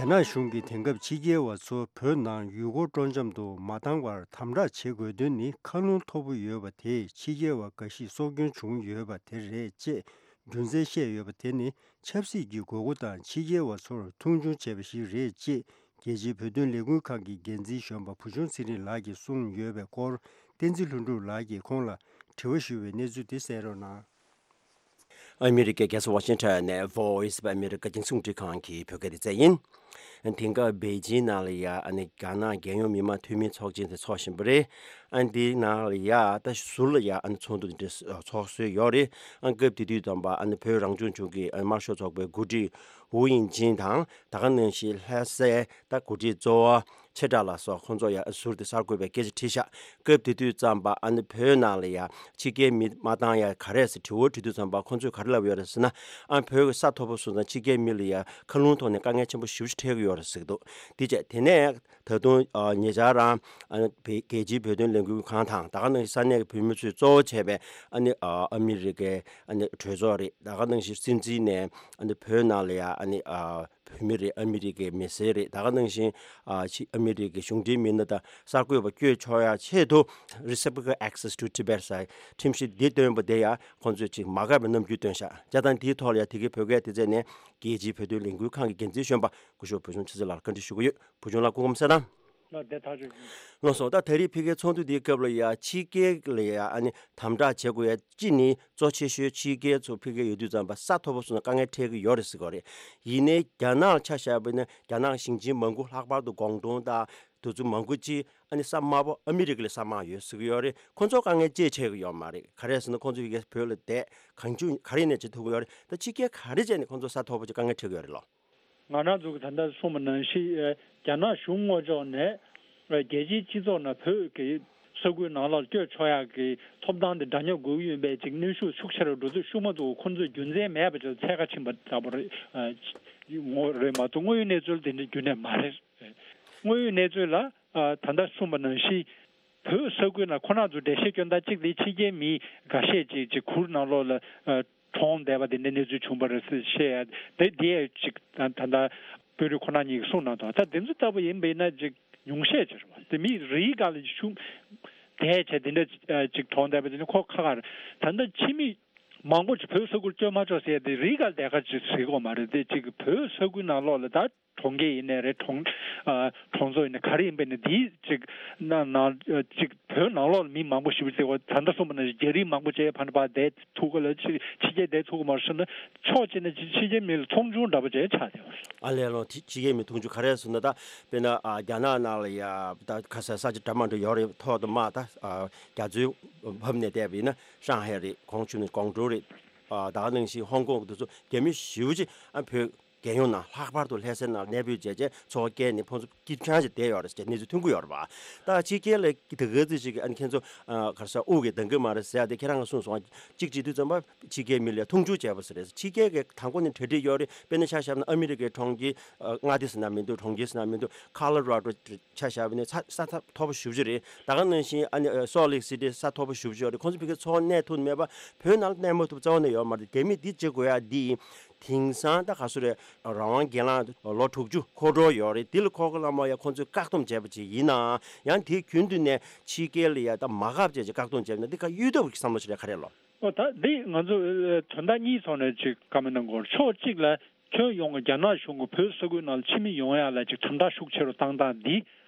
རྒྱ་ནག་གཞུང་གིས་དེང་སྐབས་ཕྱི་རྒྱལ་བ་ཚོ་བོད་ནང་ཡུལ་སྐོར་སྤྲོ་འཆམ་དུ་མ་བཏང་བར་དམ་དྲག་བྱེད་དགོས་དོན་ནི་ཁ་ལོང་མཐོ་པོ་ཡོད་པ་དེས་ཕྱི་རྒྱལ་བ་འགའ་ཞིག་སྲོག་སྐྱོན་བྱུང་ཡོད་པ་དེ་རེད་ཅེས་རྒྱུ་མཚན་བཤད་ཡོད་པ་དེ་ནི་ཆབ་སྲིད་ཀྱི་དགོས་མཁོ་དང་ཕྱི་རྒྱལ་བ་ཚོར་མཐོང་ཆུང་བྱས་པ་ཞིག་རེད་ཅེས་རྒྱལ་སྤྱིའི་བོད་དོན་ལས་འགུལ་ཁང་གི་འགན་འཛིན་གཞོན་པ་བུ་ཆུང་ཚེ་རིང་ལགས་ཀྱིས་གསུངས་ཡོད་པའི་སྐོར། བསྟན་འཛིན་ལྷུན་གྲུབ་ལགས་ཀྱིས་ཁོང་ལ་དྲི་བ་ཞུས་པའི་གནས་ཚུལ་དེ་གསན་རོགས་གནང་། ཨ་མི་རི་ཀའི་རྒྱལ་ས་ཝ་ཤིང་ཊོན་ནས་Voice of America་རྒྱང་སྲིང་རླུང་འཕྲིན་ཁང་གི་བོད་སྐད་སྡེ་ཚན་ཡིན། དེང་སྐབས་པེ་ཅིང་ནང་ལ་ཡ་ཨ་ནི་རྒྱ་ནག་རྒྱལ་ཡོངས་མི་དམངས་འཐུས་མི་ཚོགས་ཆེན་དེ་ཚོགས་བཞིན་པ་རེད། ཨ་འདིའི་ནང་ལ་ཡ་ད་ཟུར་ལ་ཡ་ཨ་ནི་ཚོགས་འདུ་འདི་འདྲ་ཚོགས་སྲོལ་ཡོད་རེད། ཨ་སྐབས་དེ་དུས་ཙམ་པ་ཨ་ནི་བོད་རང་སྐྱོང་ལྗོངས་ཀྱི་ཨ་ནི་དམར་ཤོག་ཚོགས་པའི་འགོ་ཁྲིད་ཝུ་དབྱིང་ཅིན་དང་ད་ག་ནང་བཞིན་ལྷ་སའི་ད་འགོ་ཁྲིད་གཙོ་བོ་ཆེ་དགྲ་ལ་སོགས་ཁོང་ཚོ་ཡང་ཟུར་དུ་གསར་འགོད་པའི་སྐད་ཆ་དྲིས་ཤག་སྐབས་དེ་དུས་ཙམ་པ་ཨ་ནི་བོད་ནང་ལ་ཡང་ཕྱི་རྒྱལ་མི་མ་བཏང་ཡ་ག་རེ་ཟེར་དྲི་བ་དྲི་དུས་ཙམ་པ་ཁོང་ཚོས་ག་རེ་ལབ་ཡོད་རེད་ཟེར་ན། ཨ་བོད་ཀྱི་ས་མཐོ་པོ་སོང་ཙང་ཕྱི་རྒྱལ་མི་ལ་ཡང་མཁའ་རླུང་ཐོག་ནས་དཀའ་ངལ་ཆེན་པོ་ཞེ་པོ་ཅིག་འཕྲད་ཀྱི་ཡོད་རེད་ཟེར་གྱི་འདུག་དེ་བྱས་དེ་ནས་ད་དུང་ཨ་ཉེ་ཆར་རང་ཨ་ནི་བེ་རྒྱལ་སྤྱིའི་བོད་དོན་ལས་འགུལ་ཁང་དང་ད་ག་ནང་བཞིན་ས་གནས་ཀྱི་བོད་མི་ཚོས་གཙོ་བོ་བྱས་པའི་ཨ་ནི་ཨ་ཨ་མི་རི་ཀའི་ཨ་ནི་གྲོས་ཚོགས་རེད། ད་ག་ནང་བཞིན་སྲིད་འཛིན་ནས་ཨ་ནི་བོད་ནང་ལ་ཡང་ཨ་ནི་ཨ། བོད་མི་རེད། ཨ་མི་རི་ཀའི་མི་སེར་རེད། ད་ག་ནང་བཞིན་ཨ་ཕྱི་ཨ་མི་རི་ཀའི་གཞུང་འབྲེལ་མི་སྣ་དང་གསར་འགོད་པ་བསྐྱོད་ཆོག་ཡ་ཆེད་དུ་Reciprocal Access to Tibet ཟེར་ཁྲིམས་གཞི་འདི་བཏོན་པ་དེ་ཡང་ཁོང་ཚོས་ཅིག་མ་དགའ་བའི་རྣམ་འགྱུར་བཏོན་ཤག་བྱས་ཙང་དེའི་ཐོག་ལ་ཡང་དེ་གའི་བོད་སྐད་སྡེ་ཚན་ནས་རྒྱལ་སྤྱིའི་བོད་དོན་ལས་འགུལ་ཁང་གི་འགན་འཛིན་གཞོན་པ་སྐུ་ཞབས་བུ་ཆུང་ཆུ་ཚེ་ལགས་ལ་བཀའ་འདྲི་ཞུ་གི་ཡོད། བུ་ཆུང་ལགས་སྐུ་ཁམས་བཟང་། ལགས་དེ་ཐག་ཆོད་ཡིན། ལགས་སོ། ད་ད་རེས་ཕ་གིའི་ཚོགས་འདུ་འདིའི་སྐབས་ལ་ཡ་ཕྱི་རྒྱལ་ལ་ཡ་ཨ་ནི་དམ་དྲག་བྱེད་དགོས་ཡ་གཅིག་ནི་གཙོ་ཆེ་ཤོས་ཕྱི་རྒྱལ་ཚོ་ཕ་གིར་ཡོད་དུས་ཙམ་པ་ས་མཐོ་པོ་སོང་ན་དཀའ་ངལ་འཕྲད་ཀྱི་ཡོད་རེད་ཟེར་གྱི་ཡོད་རེད། ཡིན་ནའི་རྒྱ་ནག་ལ་ཆ་བཞག་པ་ཡིན་ན་རྒྱ་ནག་ཞིང་ཆེན་མང་པོ་ལྷག་པར་དུ་ཀོང་ཏུང་དང་དེ་ཚོ་མང་པོ་ཅིག་ཨ་ནི་ས་དམའ་པོ་ཨ་མི་རི་ཀ་ལས་ས་དམའ་ཡོད་ཟེར་གྱི་ཡོད་རེད། ཁོ་ཚོ་དཀའ་ངལ་ཅི་འཕྲད་ཀྱི་ཡོད་མ་རེད། ག་རེ་ཟེར་ན་ཁོ་ཚོ་ཕ་གིར་བོད་ལ་བསྡད་གང་བྱུང་ག་རེ་ནས་བྱེད་ཐུབ་ཀྱི་ཡོད་རེད། ད་ཕྱི་རྒྱལ་ག་རེ་བྱས་ནས་ཁོ་ཚོ་ས་མཐོ་པོ་ཅིག་དཀའ་ངལ་འཕྲད་ཀྱི་ཡོད་རེད་ལོ། ང་རང་ཚོ་གི་ད་ལྟ་གསུངས་པ་ནང་བཞིན་ཨེ་རྒྱ་ནག་གཞུང་ངོས་ཕྱོགས་ནས་ཨེ་རྒྱལ་སྤྱིའི་སྤྱི་ཚོགས་ནང་བོད་ཀྱི་ས་ཁུལ་ནང་ལོགས་བསྐྱོད་ཆོག་ཡག་གི་ཐོབ་ཐང་དེ་འདྲ་མཉམ་དགོས་ཀྱི་ཡོད་པའི་ཅིག་གནོན་ཤུགས་ཤུགས་ཆེ་རུ་འགྲོ་དུས་ཤུགས་མ་ཐུག་ཁོང་ཚོས་རྒྱུ་མཚན་མེད་པ་ཅིག་ལ་འཚོལ་ག་ཕྱིན་པ་ལྟ་བུ་རེད། ཨེ་ངོ་རེད་མ་གཏོགས་དངོས་ཡོད་གནས་ཚུལ་དེ་འདྲ་རྒྱུན་ནས་མ་རེད། དངོས་ཡོད་གནས་ཚུལ་ལ་ཨེ་ད་ལྟ་གསུངས་པ་ནང་བཞིན་བོད་ས་ཁུལ་ནང་ཁོ་རང་ཚོ་འགྲེལ་བཤད་སྐྱོན་སྟངས་གཅིག་དེ་ཕྱི་རྒྱལ་མི་འགའ་ཤས་ཅིག་ཅིག་གུར་ནང་ལོགས་ལ་ཨེ་གྲོངས་བསྡད་པ་དེ་འདྲའི་གནས་ཚུལ་བྱུང་བ་རེད་ཟེར་བཤད་ཡ་དེ་དེ་ཡང་ཅིག་ད་ད་ལྟ་དཔོན་རིགས་ཁོ་རང་གཉིས་ཀྱིས་གསུངས་གནང་འདུག་ད་དེ་ཚོ་ལྟ་བུ་ཡིན་པ་ཡིན་ན་ཅིག་ཉུང་ཤས་ཅིག་རེད་བ། དེ་མི་རེ་རེ་ག་ལ་ཅིག་ཤུགས་དེ་བྱས་དེ་འདྲ་ཅིག་གྲོངས་བསྡད་པ་དེ་ནི་ཁོ་ཁག་ཁག་རེད། ད་ལྟ་ཕྱི་མི་མང་པོ་ཅིག་བོད་ས་ཁུལ་བསྐྱོད་མ་ཆོག་ཟེར་ཡ་དེ་རེ་རེ་ག་ལ་དེ་ག་ཅིག་ཟེར་གི་ཡོད་མ་རེད། དེ་ཅིག་བོད་ས་ཁུལ་ནང་ལོགས་ལ་ད་གྲོང་ཁྱེར་ཡིན་ནའི་རེད། གྲོང་ཨ་གྲོང་ཚོ་ཡིན་ནའི་ག་རེ་ཡིན་པ་ཡིན་ནའི་འདིའི་ཅིག་ནང་ནང་ཨ་ཅིག་བོད་ནང་ལོགས་ལ་མི་མང་པོ་ཞེ་པོ་ཅིག་ད་ལྟ་གསུངས་པ་ནང་བཞིན་རྒྱ་རིགས་མང་པོ་ཅིག་ཕར་ཕར་བསྡད་ཐུབ་གི་ལ་ཕྱི་ཕྱི་རྒྱལ་བསྡད་ཐུབ་གི་མ་རེད་ཟེར་ན་ཕྱོགས་གཅིག་ནས་ཕྱི་ཕྱི་རྒྱལ་མི་ལ་མཐོང་ཆུང་འདྲ་པོ་ཅིག་ཆགས་བསྡད་པ་རེད། ཨ་ལས་ལོ། ཕྱི་ཕྱི་རྒྱལ་མི་མཐོང་ཆུང་ག་རེ་ཟེར་ན་ད་དཔེར་ན་ཨ་རྒྱ་ནག་ནང་ལ་ཡ་ད་ག་ས་ས་ཆ་འདྲ་མ་འདྲ་ཡོད་རེད། ཐོག་ཏུ་མ་ད་ཨ་རྒྱ་མཚོའི་བབས་ནས་བསྡད་པ་ཡིན་ན་ཧྲང་ཧའེ་རེད། གོང་ཆུ་ནས་ཀོང་ཀྲོའུ་རེད། ཨ་ད་ག་ནང་བཞིན་ཧོང་ཀོང་དེ་ཚོ་རྒྱ་མི་ཞེ་པོ་ཅིག་ཨ་བོད་རྒྱལ་ཡོངས་ནང་ལྷག་པར་དུ་ལྷ་སའི་ནང་གནས་སྤོས་བྱས་རྗེས་འཚོ་བ་སྐྱེལ་ནས་ཕོ་ཚོ་སྐྱིད་ཆང་ཞིག་བསྡད་ཡོད་རེད་ཅེས་གནས་ཚུལ་ཐོན་གྱི་ཡོད་རེད་པ། ད་ཕྱི་རྒྱལ་ལ་དེ་ག་ཚོད་ཅིག་གིས་ཨ་ནི་ཁྱེད་ཚོ་ཨ་ག་རེ་ཟེར་དབུགས་ཀྱིས་འདང་གི་མ་རེད་ཟེར་ཡ་དེ་ཁྱེད་རང་གིས་གསུངས་སོང་། གཅིག་བྱེད་དུས་ཙམ་པ་ཕྱི་རྒྱལ་མི་ལ་མཐོང་ཆུང་བྱས་པ་ཟེར་རེད། ཕྱི་རྒྱལ་གྱི་མཐའ་འཁོར་ནས་གྲ་སྒྲིག་ཡོད་རེད། དཔེར་ན་ཆ་བཞག་ན་ཨ་མི་རི་ཀའི་གྲོང་ཁྱེར་ཨ་མངའ་སྡེ་ཟེར་ན་མི་འདུག་གྲོང་ཁྱེར་ཟེར་ན་མི་འདུག་ཁ་ལོ་ར་ཌོ་ཆ་བཞག་པ་ཡིན་ན་ས་ས་མཐོ་པོ་ཞེ་པོ་ཅིག་རེད། ད་ག་ནང་བཞིན་ཨ་ནི་སོལ་ལེག་སི་ཊི་ས་མཐོ་པོ་ཞེ་པོ་ཅིག་ཡོད་རེད། ཁོང་ཚོ་ཕ་གིར་འཚོ་བ་གནས་ཐུབ་མེད་པ། བོད་ནང་ལ་གནས་མ་ཐུབ་རྩ་བ་ནས་ཡོད་མ་རེད། རྒྱ་མིས་འདི་བྱེད་དགོས་ཡ་འདི་ཡིན། དེང་སང་ད་ག་ཚོད་རེད། རང་དབང་སྒེར་ལངས་ལོ་དྲུག་ཅུ་འཁོར་འགྲོ་ཡོད་རེད། འདི་ལ་ཁོ་གི་བླ་མ་ཡ་ཁོང་ཚོས་བཀག་སྡོམ་བྱས་པ་ཅིག་ཡིན་ནའང་ཡང་དེའི་རྒྱུན་དུ་ནས་ཕྱི་རྒྱལ་ལ་ཡ་ད་མ་འགག་བྱས་ཅིག་བཀག་སྡོམ་བྱས་པ་ན་འདི་ག་གཡོལ་ཐབས་ཀྱི་བསམ་བློ་ཞིག་རེད། ག་རེ་ལོ། ཨོ་ད་འདི་ང་ཚོ་ཨ་དོན་དག་གཉིས་ཐོག་ནས་ཅིག་བཀའ་མོལ་གནང་དགོས། ཕྱོགས་གཅིག་ལ་ཁྱོན་ཡོངས་ཀྱི་རྒྱ་ནག་གཞུང་གིས་བོད་ས་ཁུལ་ནང་ལ་ཕྱི་མི་ཡོང་ཡ་ལ་ཅིག་དམ་དྲག་ཤུགས་ཆེ་རུ་བཏང་སྟངས་འདི་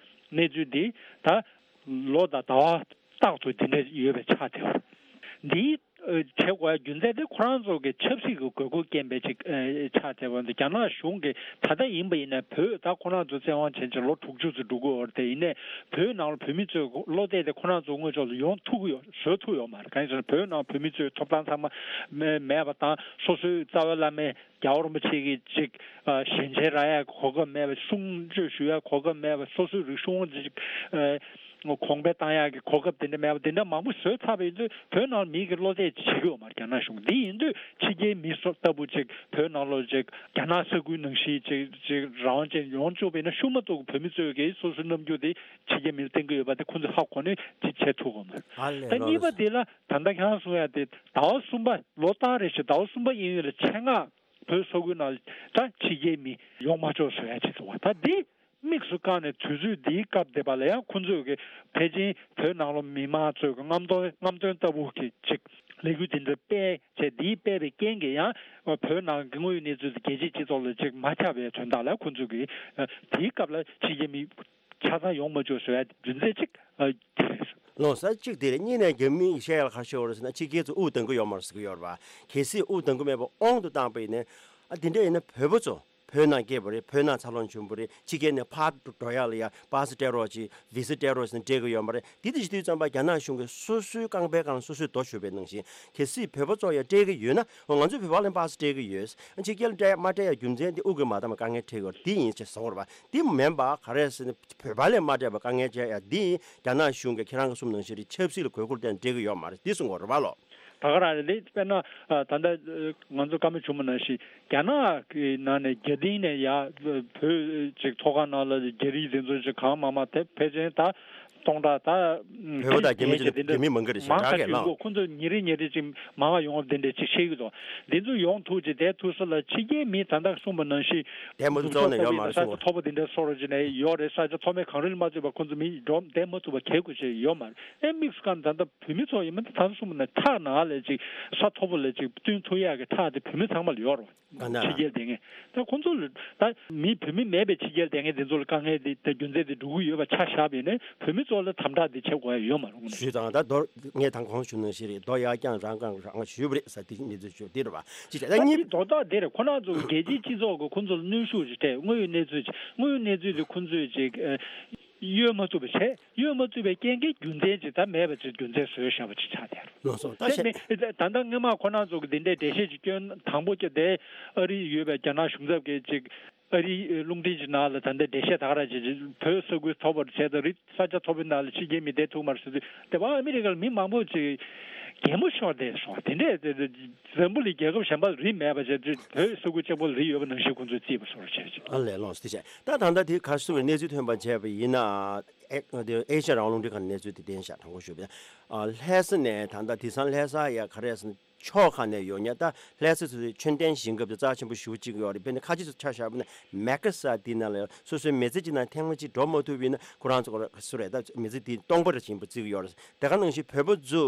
གནས་ཚུལ་འདི་ད་ལོ་དང་ཟླ་བ་རྟག་ཏུ་འདི་འདྲ་ཡོད་པའི་ཆ་དེ་འདི་ཨ་བྱེད་དགོས་ཡ་རྒྱུ་མཚན་དེ་ཁོ་རང་ཚོ་གི་ཆབ་སྲིད་ཀྱི་དགོས་མཁོ་རྐྱེན་པས་ཅིག་ཨ་ཆ་དེ་བ་འདི་རྒྱ་ནག་གཞུང་གིས་ད་ལྟ་ཡིན་པ་ཡིན་ན་བོད་ད་ཁོ་རང་ཚོ་བཙན་དབང་བྱས་ཅིག་ལོ་དྲུག་ཅུ་ཙམ་འགྲོ་གི་ཡོད་རེད། དེ་ཡིན་ནའི་བོད་ནང་ལ་བོད་མི་ཚོས་བློ་གཏད་དེ་ཁོ་རང་ཚོ་དངོས་ཕྱོགས་ལ་ཡོང་ཐུབ་ཀྱི་ཡོད་བཟོ་ཐུབ་ཡོད་མ་རེད། གང་ཡིན་ཟེར་ན་བོད་ནང་བོད་མི་ཚོའི་ཐོབ་ཐང་ཚང་མ་མེད་མེད་པ་དང་སོ་སོའི་རྩ་བའི་བླ་མའི་རྒྱལ་བ་རིན་པོ་ཆེ་གི་ཅིག་ཨ་ཞལ་མཇལ་རག་ཡ་གོ་སྐབས་མེད་པ། གསུང་ཆོས་ཞུ་ཡ་གོ་སྐབས་མེད་པ། སོ་སོའི་རིག་གཞུང་ཅིག་ཨ་གོང་འཕེལ་བཏང་ཡ་གི་གོ་སྐབས་དེ་འདྲ་མེད་པ། དེ་འདྲ་མང་པོ་བཟོས་ཚར་བ་ཡིན་དུས་བོད་ནང་མི་གི་བློ་གཏད་ཅིག་བྱེད་ཀྱི་ཡོད་མ་རེད་རྒྱ་ནག་གཞུང་གིས། དེ་ཡིན་དུས་ཕྱི་རྒྱལ་མི་སོགས་ལྟ་བུ་ཅིག་བོད་ནང་ལོགས་ཅིག་རྒྱ་ནག་ས་ཁུལ་ནང་བཞིན་ཅིག་ཅིག་རང་དབང་ཅན་ཡོང་བཅུག་པ་ཡིན་ན་ཤུགས་མ་གཏོགས་བོད་མི་ཚོས་གི་སོ་སོའི་རྣམ་འགྱུར་དེ་ཕྱི་རྒྱལ་མི་ལ་བསྟན་གི་ཡོད་པ་དེ་ཁོང་ཚོས་ཧ་གོ་ནས་ཅིག་བྱེད་ཐུབ་ཀྱི་ཡོད་མ་རེད། ཨ་ལས་ད་ལོ་གཉིས་པ་ལགས། དེ་ལ་ད་ལྟ་ཁྱེད་རང་གསུང་ཡ་དེ་ཟླ་བ་གསུམ་པ་ལོ་ལྟར་རེ་བཞིན་ཟླ་བ་གསུམ་པ་དབྱིན་ཡུལ་ལ་ཆེད་མངགས་ བོད་ས་ཁུལ་ནང་ད་ཕྱི་རྒྱལ་མི་ཡོང་མ་ཆོག་བཟོ་ཡ་ཅིག་འདུག་བ། ད་འདི་དམིགས་སུ་བཀར་ནས་དུས་ཚོད་འདིའི་སྐབས་དེ་པ་ལ་ཡང་ཁོང་ཚོས་ཀྱི་ཕལ་ཆེར་བོད་ནང་ལོགས་མི་མང་ཚོས་ཀྱི་རྔམ་སྟོན་རྔམ་སྟོན་ལྟ་བུ་གི་ཅིག་ལས་འགུལ་འདི་འདྲ་སྤེལ་བྱས། འདིའི་སྤེལ་བའི་རྐྱེན་གྱིས་ཡང་བོད་ནང་གི་དངོས་ཡོད་གནས་ཚུལ་དེ་རྒྱལ་སྤྱིའི་སྤྱི་ཚོགས་ལ་ཅིག་མ་ཁྱབ་པའི་དོན་དག་ལ་ཁོང་ཚོས་ཀྱི་དེའི་སྐབས་ལ་ཕྱི་རྒྱལ་མི་ཆ་ཚང་ཡོང་མ་བཅུག་བཟོ་ཡ་རྒྱུ་མཚན་གཅིག་ཨ། དེ་རེད། ལོ་གསར་གཅིག་དེ་རེད། གཉིས་ནས་རྒྱ་མི་བཤད་ཡ་ལ་ཁ་ཤོར་བ་རེད་ཟེར་ན། ཕྱི་རྒྱལ་ཚོ་དབུགས་གཏོང་གི་ཡོད་མ་རེད་ཟེར་གི་ཡོད་རེད་བ། གལ་སྲིད་དབུགས་གཏོང་གི་མེད་པ་དབང་དུ་བཏང་པ་ཡིན་ན། ཨ། དེ་འདྲ་ཡིན་ན་བོད་པ་ཚོ་བོད་ནང་སྐྱེས་པ་རེད། བོད་ནང་འཚར་ལོངས་བྱུང་བ་རེད། ཕྱི་རྒྱལ་ནས་ཕར་འགྲོ་ཡ་ལ་ཡ་པ་སི་སྤྲད་རོགས་གྱིས། བི་ཟ་སྤྲད་རོགས་ཟེར་ནས་སྤྲད་གི་ཡོད་མ་རེད། དེ་དེ་བྱེད་དུས་ཙམ་པ་རྒྱ་ནག་གཞུང་གིས་སོ་སོའི་རྐང་པའི་སྒང་ལ་སོ་སོས་རྡོ་གཞུ་བའི་ནང་བཞིན། གལ་སྲིད་བོད་པ་ཚོ་ཡ་སྤྲད་གི་ཡོད་ན། འོ། ང་ཚོས་བོད་པ་ལ་པ་སི་སྤྲད་གི་ཡོད། ཕྱི་རྒྱལ་ལ་སྤྲད་ཡ་མ་སྤྲད་ཡ་རྒྱུ་མཚན་དེ་དབུགས་ཀྱིས་མ་འདང་བའི་དཀའ་ངལ་འཕྲད་ཡོད་རེད། དེ་ཡིན་ཅེས་ཟེར་བ་རེད་བ། དེ་མིན་པ་ག་རེ་ཟེར་ན། བོད་པ་ལ་མ་སྤྲད་པ་དཀའ་ངལ་འཕྲད་ཡ་འདི་རྒྱ་ནག་གཞུང་གིས་ཁྱེད་རང་གིས་གསུངས་ནང་བཞིན་རེད། ཆབ་སྲིད་ལ་དགོས་མཁོར་བརྟེན་སྤྲད་གི་ཡོད་མ་རེད། འདི་གསུང་གི་ཡོད་རེད་བ་ལོ། ད་ག་རང་རེད། དཔེར་ན་ད་ལྟ་ང་ཚོ་བཀའ་མོལ་བྱུང་བ་ནང་བཞིན་རྒྱ་ནག་གི་ནང་ནས་རྒྱ་གཏིང་ནས་ཡ་བོད་ཅིག་ཚོགས་ཁང་ནང་ལ་རྒྱ་རིགས་དེ་ཚོ་ཅིག་གང་མང་མང་དེ་ཕལ་ཆེར་ད་སྟོང་ཕྲག་ད་བོད་པ་དང་རྒྱ་མི་ཅིག་དེ་འདྲ་རྒྱ་མི་མང་གི་རེད་ཤག་མང་དྲགས་ཀྱི་ཡོང་གི། ཁོང་ཚོ་ཉིན་རེ་ཉིན་རེ་ཅིག་མང་བ་ཡོང་བ་དེ་འདྲ་ཅིག་བཤད་ཀྱི་འདུག། དེ་ཚོ་ཡོང་ཐུབ་ཅིག་བསྡད་ཐུབ་ས་ལ་ཕྱི་རྒྱལ་མི་ད་ལྟ་གསུངས་པ་ནང་བཞིན་བསྡད་མ་ཐུབ་རྩ་བ་ནས་ཡོད་མ་རེད་གསུངས་པ། ས་ཆ་མཐོ་པོ་དེ་འདྲ་སོགས་རེ་ཅིག་ནས་ཡོད་རེད། ས་ཆ་མཐོ་དམན་གངས་རི་ལ་མ་ཚུད་པ་ཁོང་ཚོ་མི་འགྲོ་བསྡད་མ་ཐུབ་པ་གལ་དགོས་ཆེ་ཡོད་མ་རེད། ཨེ་དམིགས་སུ་བཀར་ནས་ད་ལྟ་བོད་མི་ཚོ་ཡིན་མིན་ད་ལྟ་གསུངས་པ་ནང་ཐག་ནང་ལ་ཅིག་ས་མཐོ་པོ་ལ་ཅིག་བསྟུན་ཐུབ་ཡག་གི་ཐག་དེ་བོད་མི་ཚང་མ་ལ་ཡོད་རེད། ག་ན། ཕྱི་རྒྱལ་དེ་ངས་ད་ཁོང་ཚོ་ལ་ད་མི་བོད་མི་མེད་པའི་ཕྱི་རྒྱལ་དེ་ངས་དེ་ཚོ་ལ་དཀའ་ངལ་དེ་ད་རྒྱུ་མཚན་དེ་འགྲོ་གི་ཡོད་པ་ཆ་བཞག་པ་ཡིན་ན་བོད་མི་ཚོ་ལ་དམ་དྲག་དེ་བྱེད་དགོས་ཡ་ཡོད་མ་རེད། དངོས་གནས། ཞུས་དང་། ད་མདོར་ངས་དང་གོང་ཞུས་ནང་བཞིན་རེད། མདོ་ཡར་རྐྱང་རང་རྐང་རང་ཞུས་པ་རེད་ཟེར། དེ་གནས་ཚུལ་ཞུ་དེ་རེད་བ། ཅི་བྱས་ད་ད་གཉིས། དེ་མདོ་དག་དེ་རེད། ཁོ་རང་ཚོ་རྒྱལ་སྤྱིའི་སྤྱི་ཚོགས་ཀྱི་ཁོང་ཚོ་ལ་གནོན་ཤུགས་ཅིག་སྤྲད། དངོས་ཡོད་གནས་ཚུལ་ཅིག་དངོས་ཡོད་གནས་ཚུལ་དེ་ཁོང་ཚོས་ཅིག་ཨ། གཡོལ་མ་ཐུབ་པ་བྱས། གཡོལ་མ་ཐུབ་པའི་རྐྱེན་གྱིས་རྒྱུ་མཚན་ཅིག་ད་མེད་པ་ཅིག་རྒྱུ་མཚན་བཟོས་བཞག་པ་ཅིག་ཆགས་བསྡད་རེད། ལགས་སོ། ད་དེ་བཤད། ནི་ད་ལྟ་སྔོན་མ་ཁོ་རང་ཚོ་གི་འདི་འདྲའི་འགྲེལ་བཤད་ཅིག་སྐྱོན། དང་པོ་ཅིག་དེ་ཨ་རི་ཡོད་པའི་རྒྱ་ནག་གཞུང་ཚབ་ཀྱིས་ཅིག་ཨ་རིའི་རླུང་འཕྲིན་གྱི་ནང་ལ་ད་ལྟ་འགྲེལ་བཤད་ད་ག་རང་བྱེད་ཅིག་བོད་ས་ཁུལ་མཐོ་པོར་བྱས་ཙང་རི་ས་ཆ་མཐོ་པོའི་ནང་ལ་ཕྱི་རྒྱལ་མི་བསྡད་ཐུབ་མ་རེད་ཟེར་དུས། དེ་བ་ཨ་མི་རི་ཀར་མི་མང་པོ་ཅིག་གད་མོ་ཤོར་བསྡད་སོང་། དེ་འདྲས་དེ་འཛམ་བུ་གླིང་རྒྱལ་ཁབ་གཞན་པ་རི་མེད་པ་བྱས་དུས་བོད་ས་ཁུལ་གཅིག་པོ་ལ་རི་ཡོད་པ་ནང་བཞིན་ཁོང་ཚོས་བརྩིས་པ་བཟོ་འདྲ་བྱས་ཅིག། ཨ་ལས། ལགས་སོ། དེ་བྱས། ད་ད་ལྟ་དེ་ག་རེ་ཟེར་དགོས་རེད། གནས་ཚུལ་ཐོན་པ་བྱས་པ་ཡིན་ན། ཨེ། དེ་ཨེ་ཤ་ཡ་རང་དབང་རླུང་འཕྲིན་ཁང་ནས་གནས་ཚུལ་དེ་བསྟན་ཤག། དྲང་པོ་ཞུས་པ་ཡིན་ན། ཨ། ལྷ་ས་ནས་ད་ལྟ་དེང་སང་ལྷ་ས་ཡ་ག་རེ་ཟེར་ན། ཕྱོགས་ཁག་ནས་ཡོད་མཁན། ད་ལྷ་ས་ཚོ་དེ་ཆོས་ལྡན་ཞིང་ཁམས་དེ་རྩ་ཆེན་པོ་ཞེ་པོ་ཅིག་ཡོད་རེད། དཔེར་ན་ཁ་ཆེ་ཚོ་ཆ་བཞག་པ་ན་མེ་ཀ་ས་དེ་ནང་ལ་སོ་སོའི་མི་ཚེ་གཅིག་ནང་ཐེངས་མ་གཅིག་འགྲོ་མ་ཐུབ་པ་ཡིན་ན་ཁོ་རང་ཚོ་སུ་རེད། ད་མི་ཚེ་དེ་སྟོང་པ་རེད་ཅིག་ཡིན་པ་བརྩི་གི་ཡོད་རེད། དེ་ག་ནང་བཞིན་བོད་པ་ཚོ་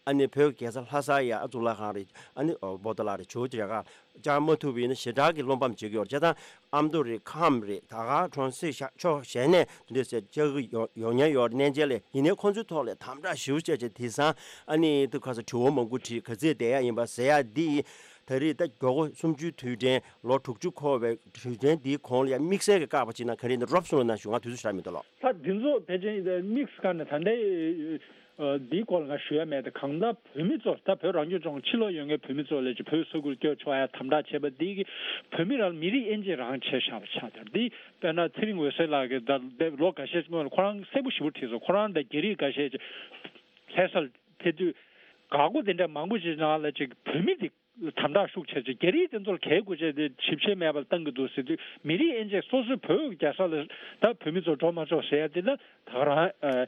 ཨ་ནི་བོད་རྒྱལ་ས་ལྷ་ས་ཡ་ཨ་གཙུག་ལག་ཁང་རེད། ཨ་ནི་ཨོ་པོ་ཏཱ་ལ་རེད། ཇོ་བོ་རྗེ་ཁ་བཅར་མ་ཐུབ་པ་ཡིན་ན་ཞེ་དྲག་གི་བློ་ཕམ་བྱེད་ཀྱི་ཡོད་རེད། བྱས་ཙང་ཨ་མདོ་རེད། ཁམས་རེད། ད་ག་གྲོང་གསེབ་ཤ་ཕྱོགས་གཞན་ནས་དེ་འདྲ་ཟེར་བཅར་གི་ཡོང་ཡོང་མཁན་ཡོད་རེད། གནས་མཇལ་ལ། ཡིན་ནའི་ཁོང་ཚོའི་ཐོག་ལ་དམ་དྲག་ཞེ་པོ་བྱས་བྱས། དེང་སང་ཨ་ནི་དེ་ག་ས་དྲི་བ་མང་པོ་དྲིས། ག་ཚོད་བསྡད་ཡ་ཡིན་པ་ཟེར་ཡ་འདི་ད་རེས་ད་མགྱོགས་པོ་གསུམ་བཅུའི་དུས་དྲན། ལོ་དྲུག་ཅུ་འཁོར་བའི་དུས་དྲན་འདིའི་གོང་ལ་ཡ་དམིགས་བསལ་གྱི་བཀག་པ་ཅིག་ན་ག་རེ་ཡིན་ན། རོབ་གསུངས་རོགས་གནང་ཞུ། ང་དུས་ཚོད་ཞེ་དྲག་མི་འདུག་ལགས། ད་འདི་ཚོ་ཕལ་ཆེར་དམིགས་སུ་བཀར་ནས་ད་ལྟའི་ཨ་འདིའི་སྐོར་ལ་ང་ཞུ་ཡ་མེད་དེ། གང་ལྟར་བོད་མི་ཚོ། ད་བོད་རང་སྐྱོང་ལྗོངས་ཕྱི་ལོགས་ཡོད་མཁན་བོད་མི་ཚོ་ལ་ཅིག་བོད་ས་ཁུལ་སྐྱོད་ཆོག་ཡ་དམ་དྲག་བྱས་པ་འདི་གིས་བོད་མི་རང་མི་རིགས་དབྱེ་འབྱེད་རང་བྱས་བཞག་པ་ཆགས་དེ། འདི་དཔེར་ན་ཚེ་རིང་འོད་ཟེར་ལགས་ཀྱིས་ད་ལོ་འགའ་ཤས་སྔོན་ལ་ཁོ་རང་གསལ་པོ་ཞེ་པོ་བྲིས་སོང་། ཁོ་རང་དང་རྒྱ་རིགས་འགའ་ཤས་ཅིག་ལྷ་ས་ལ་ཕེབས་དུས། འགག་སྒོ་དེ་འདྲ་མང་པོ་ཞིག་ནང་ལ་ཅིག་བོད་མི་དེ་དམ་དྲག་ཤུགས་ཆེ་ཆེ། རྒྱ་རིགས་དེ་ཚོར་གལ་དགོས་ཆེ་དེ་ཞིབ་བཤེར་མེད་པར་བཏང་གི་འདུག་ཟེར་དུས། མི་རིགས་དབྱེ་འབྱེད། སོ་སོའི་བོད་རྒྱལ་ས་ལ་ད་བོད་མི་ཚོ་འགྲོ་མ་ཆོག་ཟེར་ཡ་དེ་ལ་ད་ག་རང་ཨ་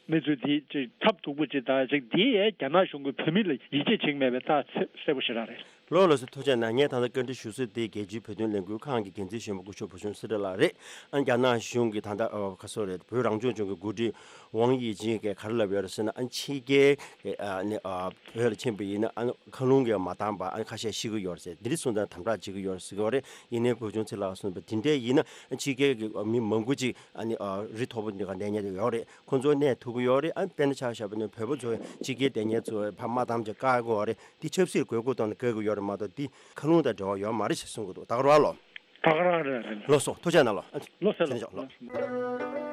གནས་ཚུལ་དེ་ཅིག་ཐབས་སྡུག་པོ་ཅིག་དང་ཅིག་དེ་ཡང་རྒྱ་ནག་གཞུང་གིས་བོད་མི་ལ་ཡིད་ཆེས་བྱེད་ཀྱི་མེད་པའི་རྟགས་གསལ་པོ་ཞེ་དྲག་རེད། ལགས་ལགས་སོ། ཐུགས་རྗེ་གནང་། ངས་ད་ལྟ་བཀའ་འདྲི་ཞུ་ས་དེ་རྒྱལ་སྤྱིའི་བོད་དོན་ལས་འགུལ་ཁང་གི་འགན་འཛིན་གཞོན་པ་སྐུ་ཞབས་བུ་ཆུང་ཚེ་རིང་ལགས་རེད། ཨ། རྒྱ་ནག་གཞུང་གིས་ད་ལྟ་ཨ་ག་སོ་རེད། བོད་རང་སྐྱོང་ལྗོངས་ཀྱི་འགོ་ཁྲིད་ཝང་དབྱི་ཅིན་གྱིས་ག་རེ་ལབ་ཡོད་རེད་ཟེར་ན། ཨ། ཕྱི་རྒྱལ་གྱི་ཨ་ནི་ཨ་བོད་ལ་ཕྱིན་པ་ཡིན་ན་ཨ་མཁའ་རླུང་གིས་མ་བཏང་བ་ཨ་ཁ་ཤས་ཤི་གི་ཡོད་རེད་ཟེར། འདི་འདྲ་གསུངས་དང་དམ་དྲག་བྱེད་ཀྱི་ཡོད་རེད་ཟེར་གྱི་ཡོད་རེད། ཡིན་ནའི་བུ་ཆུང་ཚེ་རིང་ལགས་གསུངས་པ་དེ་འདྲ་ཡིན་ན། ཨ། ཕྱི་རྒྱལ་གྱི་མི་མང་པོ་ཅིག་ཨ་ནི་ཨ་རི་མཐོ་པོ་འདི་ག་གནས་མཁན་དེ་ཡོད་རེད། ཁོང་ཚོ་གནས་ཐུབ་ཀྱི་ཡོད་རེད། ཨ། དཔེར་ན་ཆ་བཞག་པ་ན་བོད་པ་ཚོ་ཕྱི་རྒྱལ་བསྡད་མཁན་ཚོ་ཕར་མ་བཏང་བྱས་བཀག་གི་ཡོད་རེད། འདི་ཆབ་སྲིད་དགོས་མཁོ་བཏང་ནས་བཀག་གི་ཡོད་རེད་མ་གཏོགས། འདི་མཁའ་རླུང་དང་འབྲེལ་བ་ཡོད་མ་རེད་ཞེས་གསུང་གི་འདུག། ད་ག་རང་ལོ། ད་ག་རང་རེད། རེད། ལགས་སོ། ཐུགས་རྗེ་གནང་ལགས། ལགས་སོ། ལགས་སོ། ལགས་སོ།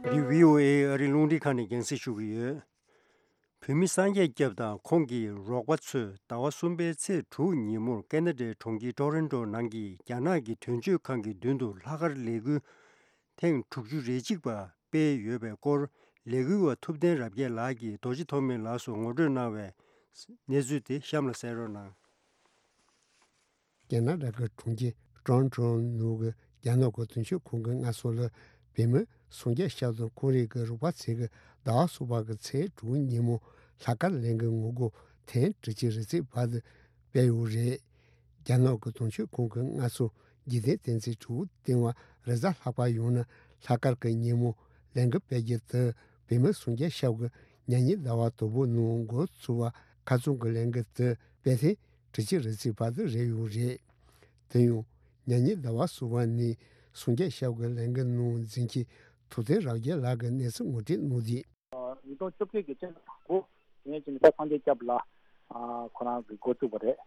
འདི་བྷི་ཨོ་ཨེ་ཨ་རིའི་རླུང་འཕྲིན་ཁང་ནས་རྒྱང་སྲིང་ཞུ་གི་ཡོད། བོད་མི་སངས་རྒྱས་སྐྱབས་དང་ཁོང་གི་རོགས་པ་ཚོས་ཟླ་བ་གསུམ་པའི་ཚེས་དྲུག་ཉིན་མོར་ཀེ་ན་ཌའི་གྲོང་ཁྱེར་ཊོ་རོན་ཊོ་ནང་གི་རྒྱ་ནག་གི་དོན་གཅོད་ཁང་གི་མདུན་དུ་ལྷག་དཀར་ལས་འགུལ་ཐེངས་དྲུག་ཅུ་རེ་གཅིག་པ་སྤེལ་ཡོད་པའི་སྐོར། ལས་འགུལ་བ་ཐུབ་བསྟན་རབ་རྒྱས་ལགས་ཀྱིས་རྡོ་རྗེ་ཐོགས་མེད་ལགས་སུ་ངོ་སྤྲོད་གནང་བའི་གནས་ཚུལ་དེ་གཤམ་ལ་གསན་རོགས་གནང་། ཀེ་ན་ཌ་གི་གྲོང་ཁྱེར་ཊོ་རོན་ཊོ་ནང་གི་རྒྱ་ནག་གི་དོན་གཅོད་ཁང་གི་མངའ་གསོལ་ལ་བོད་མི་སངས་རྒྱས་ཤཱཀྱ་དང་ཁོང་རང་གི་རོགས་པ་ཚོས་ཀྱི་ཟླ་བ་གསུམ་པ་གི་ཚེས་དྲུག་ཉིན་མོ་ལྷག་དཀར་གླིང་གི་ངོ་རྒོལ་ཐེངས་དྲུག་ཅུ་རེ་གཅིག་པ་དེ་སྤེལ་ཡོད་རེད། རྒྱ་ནག་གི་དོན་གཅོད་ཁང་གི་མངའ་གསོལ་རྗེས་བསྟན་བསྟན་འཛིན་དྲུག་སྟེང་བ་རེས་གཟའ་ལྷག་པ་ཡིན་ན་ལྷག་དཀར་གྱི་ཉིན་མོ་ལས་འགུལ་སྤེལ་རྒྱུ་དེ་བོད་མི་སངས་རྒྱས་ཤཱཀྱ་ཉ་ཉིན་ཟླ་བ་དང་པོ་ནང་འགོ་ཚུགས་པ་ཁ་རྩང་གི་ལས་འགུལ་དེ་སྤེལ་ཐེངས་དྲུག་ཅུ་རེ་གཅིག་པ་དེ་རེད་ཡོད་རེད། དེ་ཡང་ཉ་ཉིན་ཟླ་བ་གསུམ་པ་ནས་སངས་རྒྱས་ཤཱཀྱ་ལས་འགུལ་ནང་འཛིན་གྱི་ཐུབ་བསྟན་རབ་རྒྱས་ལགས་ཀྱིས་གནས་ཚུལ་ངོ་སྤྲོད་གནང་དུས། ཉིས་སྟོང་བཅོ་བརྒྱད་ཀྱི་སྤྱི་ཟླ་དང་པོ་ཡན་ཅིན་ད་སངས་རྒྱས་སྐྱབས་ལགས་ཁོ་རང་གིས་འགོ་བཙུགས་པ་རེད།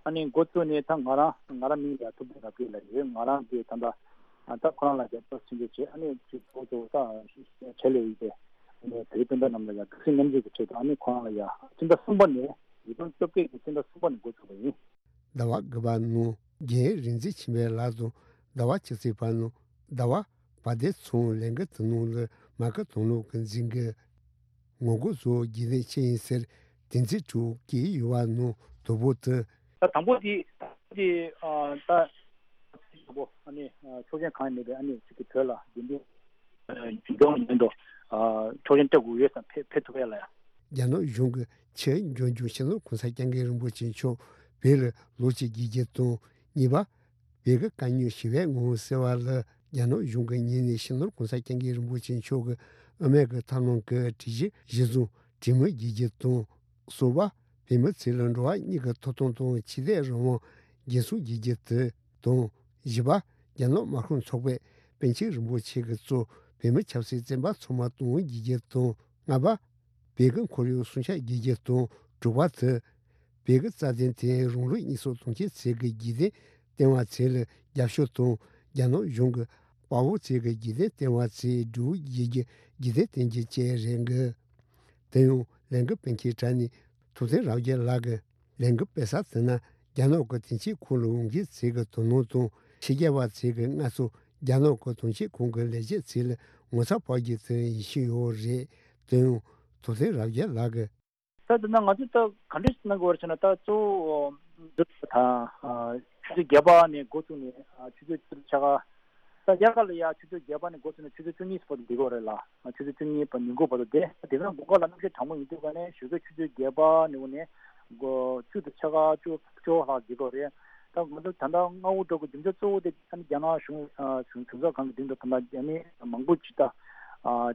ཨ་ནི་འགོ་བཙུགས་ནས་ད་ང་རང་ང་རང་མིང་ལ་ཐུབ་བསྟན་རབ་རྒྱས་ལབ་ཡོད། ང་རང་གིས་ད་ལྟ་ད་ཁོ་རང་ལ་རྒྱབ་སྐྱོར་ཆེན་པོ་བྱས། ཨ་ནི་ཅིག་གཙོ་བོ་ད་བྱེད་ལས་ཡིན་པས་ཨ་ནི་བོད་སྤུན་ཟླ་རྣམས་ལ་ཡང་དགའ་བསུ་མཉམ་སྐྱེད་ཀྱི་ཆེད་དུ་ཨ་ནི་ཁོ་རང་ལ་ཡང་སྤྱི་ཟླ་གསུམ་པ་ནས་ཉིས་སྟོང་བཅོ་བརྒྱད་ཀྱི་སྤྱི་ཟླ་གསུམ་པ་ནས་འགོ་བཙུགས་པ་ཡིན། ཟླ་བ་དགུ་པ་ནང་རྒན་རིག་འཛིན་ཆོས་འཕེལ་ལགས་དང་ཟླ་བ་བཅུ་གཅིག་པ་ནང་ཟླ་བ་བ་དེ་ཚང་ལས་འགུལ་དེ་ནང་ལ་མ་སྐུལ་དོགས་སློང་གི་འཛིན་གྱི་ངོ་རྒོལ་བཟོ་རྒྱུ་ནི་ཅི་ཡིན་ཟེར་བསྟན་འཛིན་དྲུག་གིས་ཡུལ་བ་ནང་དོ་པོ་དུ། ད་དང་པོ་དེ་ད་དེ་ད་དང་པོ་ཨ་ནི་ཆོག་མཆན་གང་ཡང་མེད་པའི་ཨ་ནི་ཅིག་གི་བོད་ལ་རྒྱུན་ལྡན་རྒྱུན་སྐྱོང་ཡིན་དུ་ཆོག་མཆན་སྤྲད་དགོས་ཡོད་ཙང་ཕེབས་ཕེབས་ཐུབ་ཡ་ལ་ཡ། རྒྱ་ནག་གཞུང་གིས་ཕྱིར་འབྱོར་འབྱོར་སྤྱི་ནོར་གོང་ས་སྐྱབས་མགོན་རིན་པོ་ཆེ་མཆོག་བོད་ལ་ལོ་གཅིག་བསྡད་རྒྱུ་དང་གཉིས་པ། བོད་ཀྱི་དཀའ་རྙོག་ཞི་བའི་ངང་སེལ་བ་ལ་རྒྱ་ནག་གཞུང་གི་ངོས་ནས་སྤྱི་ནོར་གོང་ས་སྐྱབས་མགོན་རིན་པོ་ཆེ་མཆོག་གི་དབུ་མའི་གི་ཐབས་ལམ་གྱི་སྒྲིག་གཞི་གཞིར་བཟུང་གྲོས་མོལ་བྱེད་རྒྱུ་དང་། གསུམ་པ། བོད་མི་ཚོ་ལ་འགྲོ་བ་མིའི་གི་ཐོབ་ཐང་དང་ཆོས་དད་རང་དབང་འགན་སྲུང་བྱེད་རྒྱུ་དེ་དང་། བཞི་པ། རྒྱ་ནག་དམར་ཤོག་ཚོགས་པས་པཎ་ཆེན་རིན་པོ་ཆེ་གིས་གཙོས་བོད་མི་ཆབ་སྲིད་བཙོན་པ་ཚང་མ་གཏོང་བྱེད་རྒྱུ་དང་། ལྔ་པ། བོད་ཀྱི་ཁོར་ཡུག་སྲུང་སྐྱོབ་བྱེད་རྒྱུ་དང་། དྲུག་པ་དེ། བོད་ཀྱི་རྩ་དོན་དེ་རང་ལུགས་གཉིས་སུ་གཏོང་ཆེད་ཚིག་གི་རྒྱུད་སྟོན་བསྟན་པ་ཚོ་ལ་རྒྱབ་སྐྱོར་དང་། རྒྱ་ནག་གཞུང་གི་དཔའ་བོ་ཚོ་གི་རྒྱུད་སྟོན་བསྟན་པ་ཚོའི་སྒྲུབ་བྱེད་ཀྱི་རྒྱུད་སྟོན་བསྟན་རྒྱུ་བཅས་རེད་འགི། དེ་ཡང་ལས་འགུལ་སྤེལ་མཁན་གྲས་ནས་ཐུབ་བསྟན་རབ་རྒྱས་ལགས་ཀྱིས་ལས་འགུལ་སྤེལ་ས་དེ་ན་རྒྱ་ནག་གི་དོན་གཅོད་ཁང་ལ་འོང་མཁན་ཚོ་གི་དོ་སྣང་དང་། ཕྱི་རྒྱལ་བ་ཚོ་གི་མངའ་གསོལ་རྒྱ་ནག་གི་དོན་གཅོད་ཁང་གི་ལས་བྱེད་ཚོ་ལ་ངོ་ཚ་བོར་རྒྱུ་དེ་ཡིན་བཞིན་ཡོད་རེད། དེ་ཡང་ཐུབ་བསྟན་རབ་རྒྱས་ལགས་ཀྱིས། ད་དེ་ན་ང་ཚོས་ད་ག་འདྲས་གནང་དགོས་རེད་ཟེར་ན། ད་གཙོ་བོ་འདི་དང་ཆུ་ཚོད་བརྒྱད་པ་ནས་འགོ་བཙུགས་ནས་ཆུ་ཚོད་བཅུ་ཕྱེད་ཀ། ད་དབྱར་ཁ་ལ་ཡ་ཆུ་ཚོད་བརྒྱད་པ་ནས་འགོ་བཙུགས་ནས་ཆུ་ཚོད་བཅུ་གཉིས་བར་དུ་འདི་དགོས་རེད་ལ། ཆུ་ཚོད་བཅུ་གཉིས་བར་ཉིན་གུང་བར་དུ་བསྡད། དེ་ག་དགོང་ཁ་ལ་གནམ་གཤིས་གྲང་མོ་ཡིན་དུས་ག་ནས་ཞོགས་ཀས་ཆུ་ཚོད་བརྒྱད་པ་ནས་འོ་ནས་འགོ་བཅུ་དང་ཕྱེད་ཀ་བཅུ་བཅུ་ལྷག་འདི་དགོས་རེད། ད་ང་ཚོ་ད་ལྟ་མངའ་དབུལ་གྲོས་ཀྱི་རྒྱུ་མཚན་གཙོ་བོ་དེ་ཨ་ནི་རྒྱ་ནག་གཞུང་གཞུང་གཞུང་ཚབ་ཁང་གི་མདུན་དུ་ད་ལྟ་ཨ་ནི་མང་པོ་ཅིག་ད་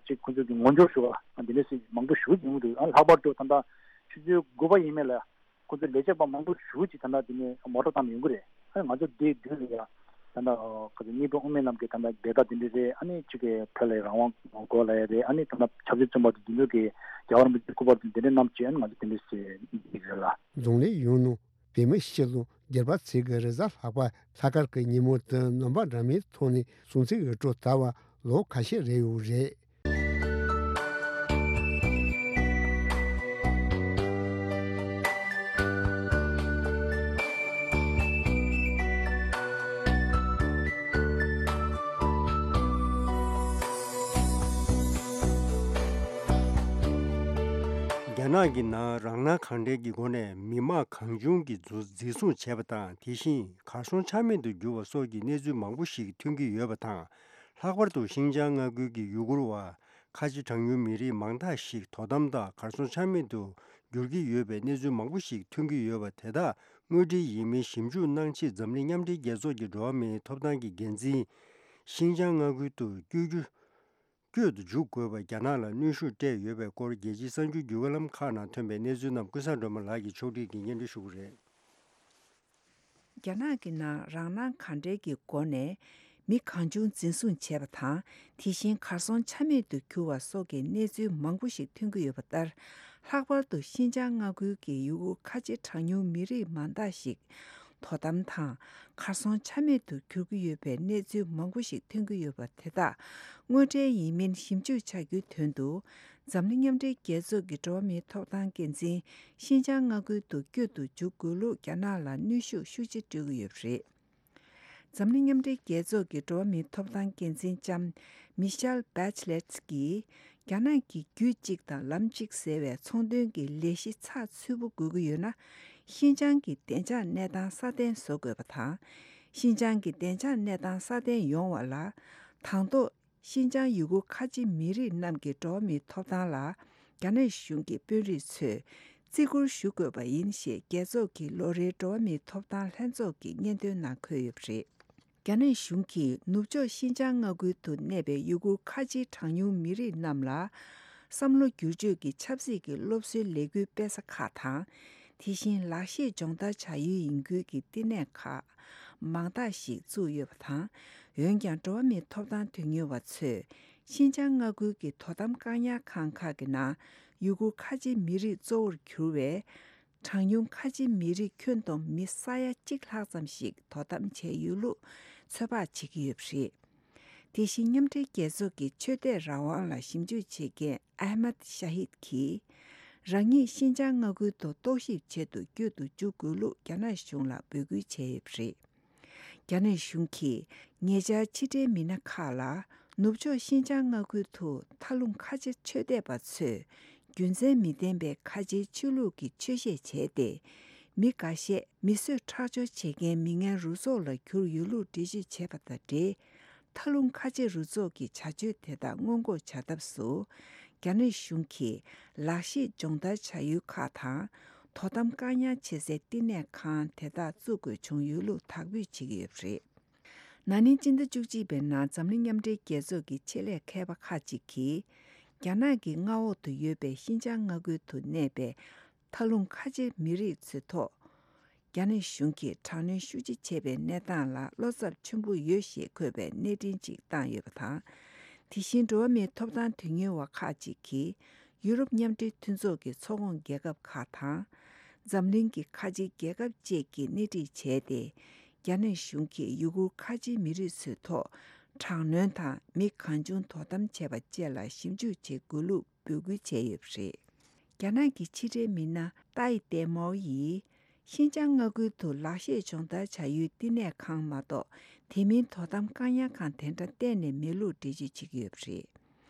ཅིག་ཁོང་ཚོ་གི་ངོ་སྦྱོར་ཞུ་བ་འདི་འདྲ་ཞིག་མང་པོ་ཞུ་གི་ཡོང་གི་འདུག་ཨ་ལྷག་པར་དུ་ད་ལྟ་ཆུ་ཚོད་དགུ་པ་ཡིན་མིན་ལ་ཁོང་ཚོ་ལས་བྱེད་པ་མང་པོ་ཞེ་པོ་ཅིག་ད་ལྟ་འདི་ནས་མོ་ཊ་བཏང་ནས་ཡོང་གི་རེད། ཨ་ནི་ང་ཚོ་འདིའི་མདུན་ལ་ཡ་ད་ལྟ་ག་ཚོད་སྙིང་དབུས་དབུ་མའི་ལམ་གྱི་ད་ལྟ་བརྡ་དག་འདི་འདྲ་རེད། ཨ་ནི་ཅིག་གི་བོད་ལ་རང་དབང་དགོས་ལབ་ཡ་རེད། ཨ་ནི་ད་ལྟ་ཆབ་སྲིད་བཙོན་པ་དེ་འདི་ཚོ་གི་རྒྱལ་བ་རིན་པོ་ཆེའི་སྐུ་པར་དེ་འདི་འདྲ་བསྣམས་བྱས། ཨ་ནི་ང་ཚོ་དེ་འདྲ་ཞིག་འདི་རེད་ལ། རྫོང་ལས་ཡོང་ནོ། བོད་མི་སྤྱི་དང་སྒེར་པ་ཚོས་ཀྱི་རེས་གཟའ་ལྷག་པ་ལྷག་དཀར་གྱི་ཉིན་མོ་དེ་རྣམ་པ་འདྲ་མིན་ཐོག་ནས་སྲུང་བརྩི་ཡོད་འགྲོ་ད་བར་ལོ་ཁ་ཤས་རེད་ཡོད་རེད། རྒྱ་ནག་གི་ནང་རང་སྣང་གང་དྲན་གྱི་སྒོ་ནས་མི་མང་གང་བྱུང་གིས་འཛུ་འཛིན་བཟུང་བྱས་པ་དང་། དེ་བཞིན་གར་སོང་ཆ་མེད་དུ་གྱུར་བ་སོགས་ཀྱི་གནས་ཚུལ་མང་པོ་ཞིག་ཐོན་གྱི་ཡོད་པ་དང་། ལྷག་པར་དུ་ཤིན་ཅང་མངའ་ཁུལ་གྱི་ཡུ་གུར་བ་ཁ་ཆེ་གྲངས་ཉུང་མི་རིགས་མང་དག་ཞིག་དོ་དམ་དང་གར་སོང་ཆ་མེད་དུ་གྱུར་གྱི་ཡོད་པའི་གནས་ཚུལ་མང་པོ་ཞིག་ཐོན་གྱི་ཡོད་པ་དེ་དག་དངོས་འབྲེལ་ཡིན་མིན་ཞིབ་འཇུག་གནང་ཆེད་འཛམ་གླིང་མཉམ་འབྲེལ་རྒྱལ་ཚོགས་ཀྱི་འགྲོ་བ་མིའི་ཐོབ་ཐང་གི་འགན་འཛིན། ཤིན་ཅང་མངའ་ཁུལ་དུ་བསྐྱོད་རྒྱུ། བསྐྱོད་དུ་འཇུག་དགོས་པར་རྒྱ་ནག་ལ་གནོན་ཤུགས་སྤྲད་ཡོད་པའི་སྐོར་རྒྱལ་སྤྱིའི་གསར་འགྱུར་བརྒྱུད་བརྒྱུད་ལམ་ཁག་ནང་ཐོན་པའི་གནས་ཚུལ་རྣམས་ཀུན་བཟང་སྒྲོལ་མ་ལགས་ཀྱིས་ཕྱོགས་སྒྲིག་གིས་སྙན་སྒྲོན་ཞུ་གི་རེད། རྒྱ་ནག་གི་ནང་རང་སྣང་གང་དྲན་གྱི་སྒོ་ནས་མི་གང་བྱུང་འཛིན་བཟུང་བྱས་པ་དང་། དེ་བཞིན་གར་སོང་ཆ་མེད་དུ་གྱུར་བ་སོགས་ཀྱི་གནས་ཚུལ་མང་པོ་ཞིག་ཐོན་གྱི་ཡོད་པ་ལྟར། ལྷག་པར་དུ་ཤིན་ཅང་མངའ་ཁུལ་གྱི་ཡུ་གུར་ཁ་ཆེ་གྲངས་ཉུང་མི་རིགས་མང་དག་ཞིག་དོ་དམ་དང་གར་སོང་ཆ་མེད་དུ་གྱུར་གྱི་ཡོད་པའི་གནས་ཚུལ་མང་པོ་ཞིག་ཐོན་གྱི་ཡོད་པ་དེ་དག་དངོས་འབྲེལ་ཡིན་མིན་ཞིབ་འཇུག་བྱ་རྒྱུའི་དོན་དུ། འཛམ་གླིང་མཉམ་འབྲེལ་རྒྱལ་ཚོགས་ཀྱི་འགྲོ་བ་མིའི་ཐོབ་ཐང་འགན་འཛིན་ཤིན་ཅང་མངའ་ཁུལ་དུ་བསྐྱོད་དུ་འཇུག་དགོས་ལུགས་རྒྱ་ནག་ལ་གནོན་ཤུགས་ཤུགས་ཆེ་སྤྲོད་ཀྱི་ཡོད་པ་རེད། འཛམ་གླིང་མཉམ་འབྲེལ་རྒྱལ་ཚོགས་ཀྱི་འགྲོ་བ་མིའི་ཐོབ་ཐང་འགན་འཛིན་ལྕམ་མི་ཤེལ་བྷེ་ཆི་ལེ་ཊི་གིས། རྒྱ་ནག་གིས་རྒྱུད་གཅིག་དང་ལམ་གཅིག་ཟེར་བའི་ཚོང་དོན་གྱི་ལས་གཞི་ཚགས་ཚུད་པོ་དགོས་ཀྱི་ཡོད་ན། ཤིན་ཅང་གི་བདེ་འཇགས་གནས་སྟངས་སྲ་བརྟན་བཟོ་དགོས་པ་དང་། ཤིན་ཅང་གི་བདེ་འཇགས་གནས་སྟངས་སྲ་བརྟན་ཡོང་བ་ལ། དང་ཐོག་ཤིན་ཅང་ཡུ་གུར་ཁ་ཆེ་མི་རིགས་རྣམས་ཀྱི་འགྲོ་བ་མིའི་ཐོབ་ཐང་ལ། རྒྱ་ནག་གཞུང་གི་དཔོན་རིགས་ཚོས་བརྩི་བཀུར་ཞུ་དགོས་པ་ཡིན་ཞེས། རྒྱལ་ཚོགས་ཀྱི་ལོ་རེའི་འགྲོ་བ་མིའི་ཐོབ་ཐང་ལྷན་ཚོགས་ཀྱི་སྙན་ཐོའི་ནང་འཁོད་ཡོད་པ་རེད། རྒྱ་ནག་གཞུང་གིས་ནུབ་ཕྱོགས་ཤིན་ཅང་མངའ་ཁུལ་དུ་གནས་པའི་ཡུ་གུར་ཁ་ཆེའི་གྲངས་ཉུང་མི་རིགས་རྣམས་ལ། བསམ་བློ་བསྒྱུར་བཅོས་ཀྱི་ཆབ་སྲིད་ཀྱི་སློབ་གསོའི་ལས་འགུལ་སྤེལ་ས་ཁག་དང་། དེ་བཞིན་ལག་ཤེས་སྦྱོང་བརྡར་བྱ་ཡུལ་ཡིན་ཁུལ་གྱི་བསྟི་གནས་ཁག་མང་དག་ཞིག་བཙུགས་ཡོད་པ་དང་། འོན་ཀྱང་། འགྲོ་བ་མིའི་ཐོབ་ཐང་དོན་གཉེར་བ་ཚོས། ཤིན་ཅང་མངའ་ཁུལ་གྱི་དོ་དམ་བཀག་ཉར་ཁང་ཁག་གི་ནང་ཡུ་གུར་ཁ་ཆེའི་མི་རིགས་གཙོ་བོར་གྱུར་བའི། གྲངས་ཉུང་ཁ་ཆེ་མི་རིགས་ཁྱོན་བསྡོམས་མི་ས་ཡ་གཅིག་ལྷག་ཙམ་ཞིག་དོ་དམ་བྱས་ཡོད་ལུགས་ཚོད་དཔག་བྱེད་ཀྱི་ཡོད་པ་རེད། དེ་བཞིན་མཉམ་འབྲེལ་རྒྱལ་ཚོགས་ཀྱི་ཆོས་དད་རང་དབང་ལ་ཞིབ་འཇུག་བྱེད་མཁན་ཨ་མད་ཤ་ཧིད་ཀྱིས། རང་ཉིད་ཤིན་ཅང་མངའ་ཁུལ་དུ་རྟོག་ཞིབ་ཆེད་དུ་བསྐྱོད་དུ་འཇུག་དགོས་ལུགས་རྒྱ་ནག་གཞུང་ལ་འབོད་སྐུལ་བྱས་ཡོད་པ་རེད། རྒྱ་ནག་གཞུང་གིས་ཉེ་ཆར་ཕྱི་འབྲེལ་མི་སྣ་ཁག་ལ། ནུབ་ཕྱོགས་ཤིན་ཅང་མངའ་ཁུལ་དུ་མཐའ་ལྷུང་ཁ་ཆེ་ཆོས་དད་པ་ཚོས་རྒྱུ་མཚན་མི་ལྡན་པའི་ཁ་ཆེའི་ཆོས་ལུགས་ཀྱི་ཆོས་བཤད་བྱས་ཏེ། མི་འགའ་ཤས་མི་གསོད་ཁྲག་སྦྱོར་བྱེད་མཁན་མི་ངན་རུ་ཚོགས་ལ་གྱུར་ཡོད་ལུགས་འགྲེལ་བརྗོད་བྱས་པ་དང་འབྲེལ། མཐའ་ལྷུང་ཁ་ཆེ་རུ་ཚོགས་ཀྱི་བྱ་སྤྱོད་དེ་དག་སྔོན་འགོག་བྱ་ཐབས་སུ། རྒྱ་ནག་གཞུང་གིས་ལག་ཤེས་སྦྱོང་བརྡར་བྱ་ཡུལ་ཁག་དང་། དོ་དམ་བཀག་ཉར་བྱེད་སའི་བསྟི་གནས་ཁང་དེ་དག་བཙུགས་དགོས་བྱུང་ཡོད་ལུགས་དག་འབུལ་བྱེད་ཀྱི་ཡོད་པ་རེད། ན་ནིང་སྤྱི་ཟླ་བཅུ་གཅིག་པའི་ནང་འཛམ་གླིང་མཉམ་འབྲེལ་རྒྱལ་ཚོགས་ཀྱི་ཆེད་ལས་མཁས་པ་ཁག་ཅིག་གིས། རྒྱ་ནག་གི་མངའ་འོག་ཏུ་ཡོད་པའི་ཤིན་ཅང་མངའ་ཁུལ་དུ་གནས་པའི་མཐའ་ལྷུང་ཁ་ཆེ་མི་རིགས་ཚོའི་ཐོག་རྒྱ་ནག་གཞུང་གིས་དྲག་གནོན་ཤུགས་ཆེ་བྱས་པའི་གནས་སྟངས་ལ་བློ་འཚབ་ཆེན་པོ་ཡོད་ཞེས་འཁོད་པའི་གནས་འཕྲིན་ཅིག་བཏང་ཡོད་པ་དང་། དེ་བཞིན་འགྲོ་བ་མིའི་ཐོབ་ཐང་དོན་གཉེར་བ་ཁག་ཅིག་གིས། ཡུ་རོབ་མཉམ་འབྲེལ་མཐུན་ཚོགས་ཀྱི་ཚོགས་ཁོངས་རྒྱལ་ཁབ་ཁག་དང་། འཛམ་གླིང་གི་ཁ་ཆེའི་རྒྱལ་ཁབ་བཅས་ཀྱིས་སྣེ་ཁྲིད་བྱས་ཏེ། རྒྱ་ནག་གཞུང་གིས་ཡུ་གུར་ཁ་ཆེའི་མི་རིགས་ཚོའི་ཐོག་དྲག་གནོན་དང་མི་གང་བྱུང་དོ་དམ་བྱས་པ་བཅས་ལ་ཞིབ་འཇུག་བྱེད་དགོས་ལུགས་འབོད་སྐུལ་བྱས་ཡོད་པ་རེད། རྒྱ་ནག་གི་ཕྱི་འབྲེལ་མི་སྣ་ཏཱི་ཏེ་མའོ་ཡིས། ཤིན་ཅང་མངའ་ཁུལ་དུ་ལག་ཤེས་སྦྱོང་བརྡར་བྱ་ཡུལ་བསྟི་གནས་ཁང་མ་གཏོགས། དེ་མིན་དོ་དམ་བཀག་ཉར་ཁང་དེ་འདྲ་གཏན་ནས་མེད་ལུགས་འགྲེལ་བརྗོད་བྱེད་ཀྱི་ཡོད་པ་རེད།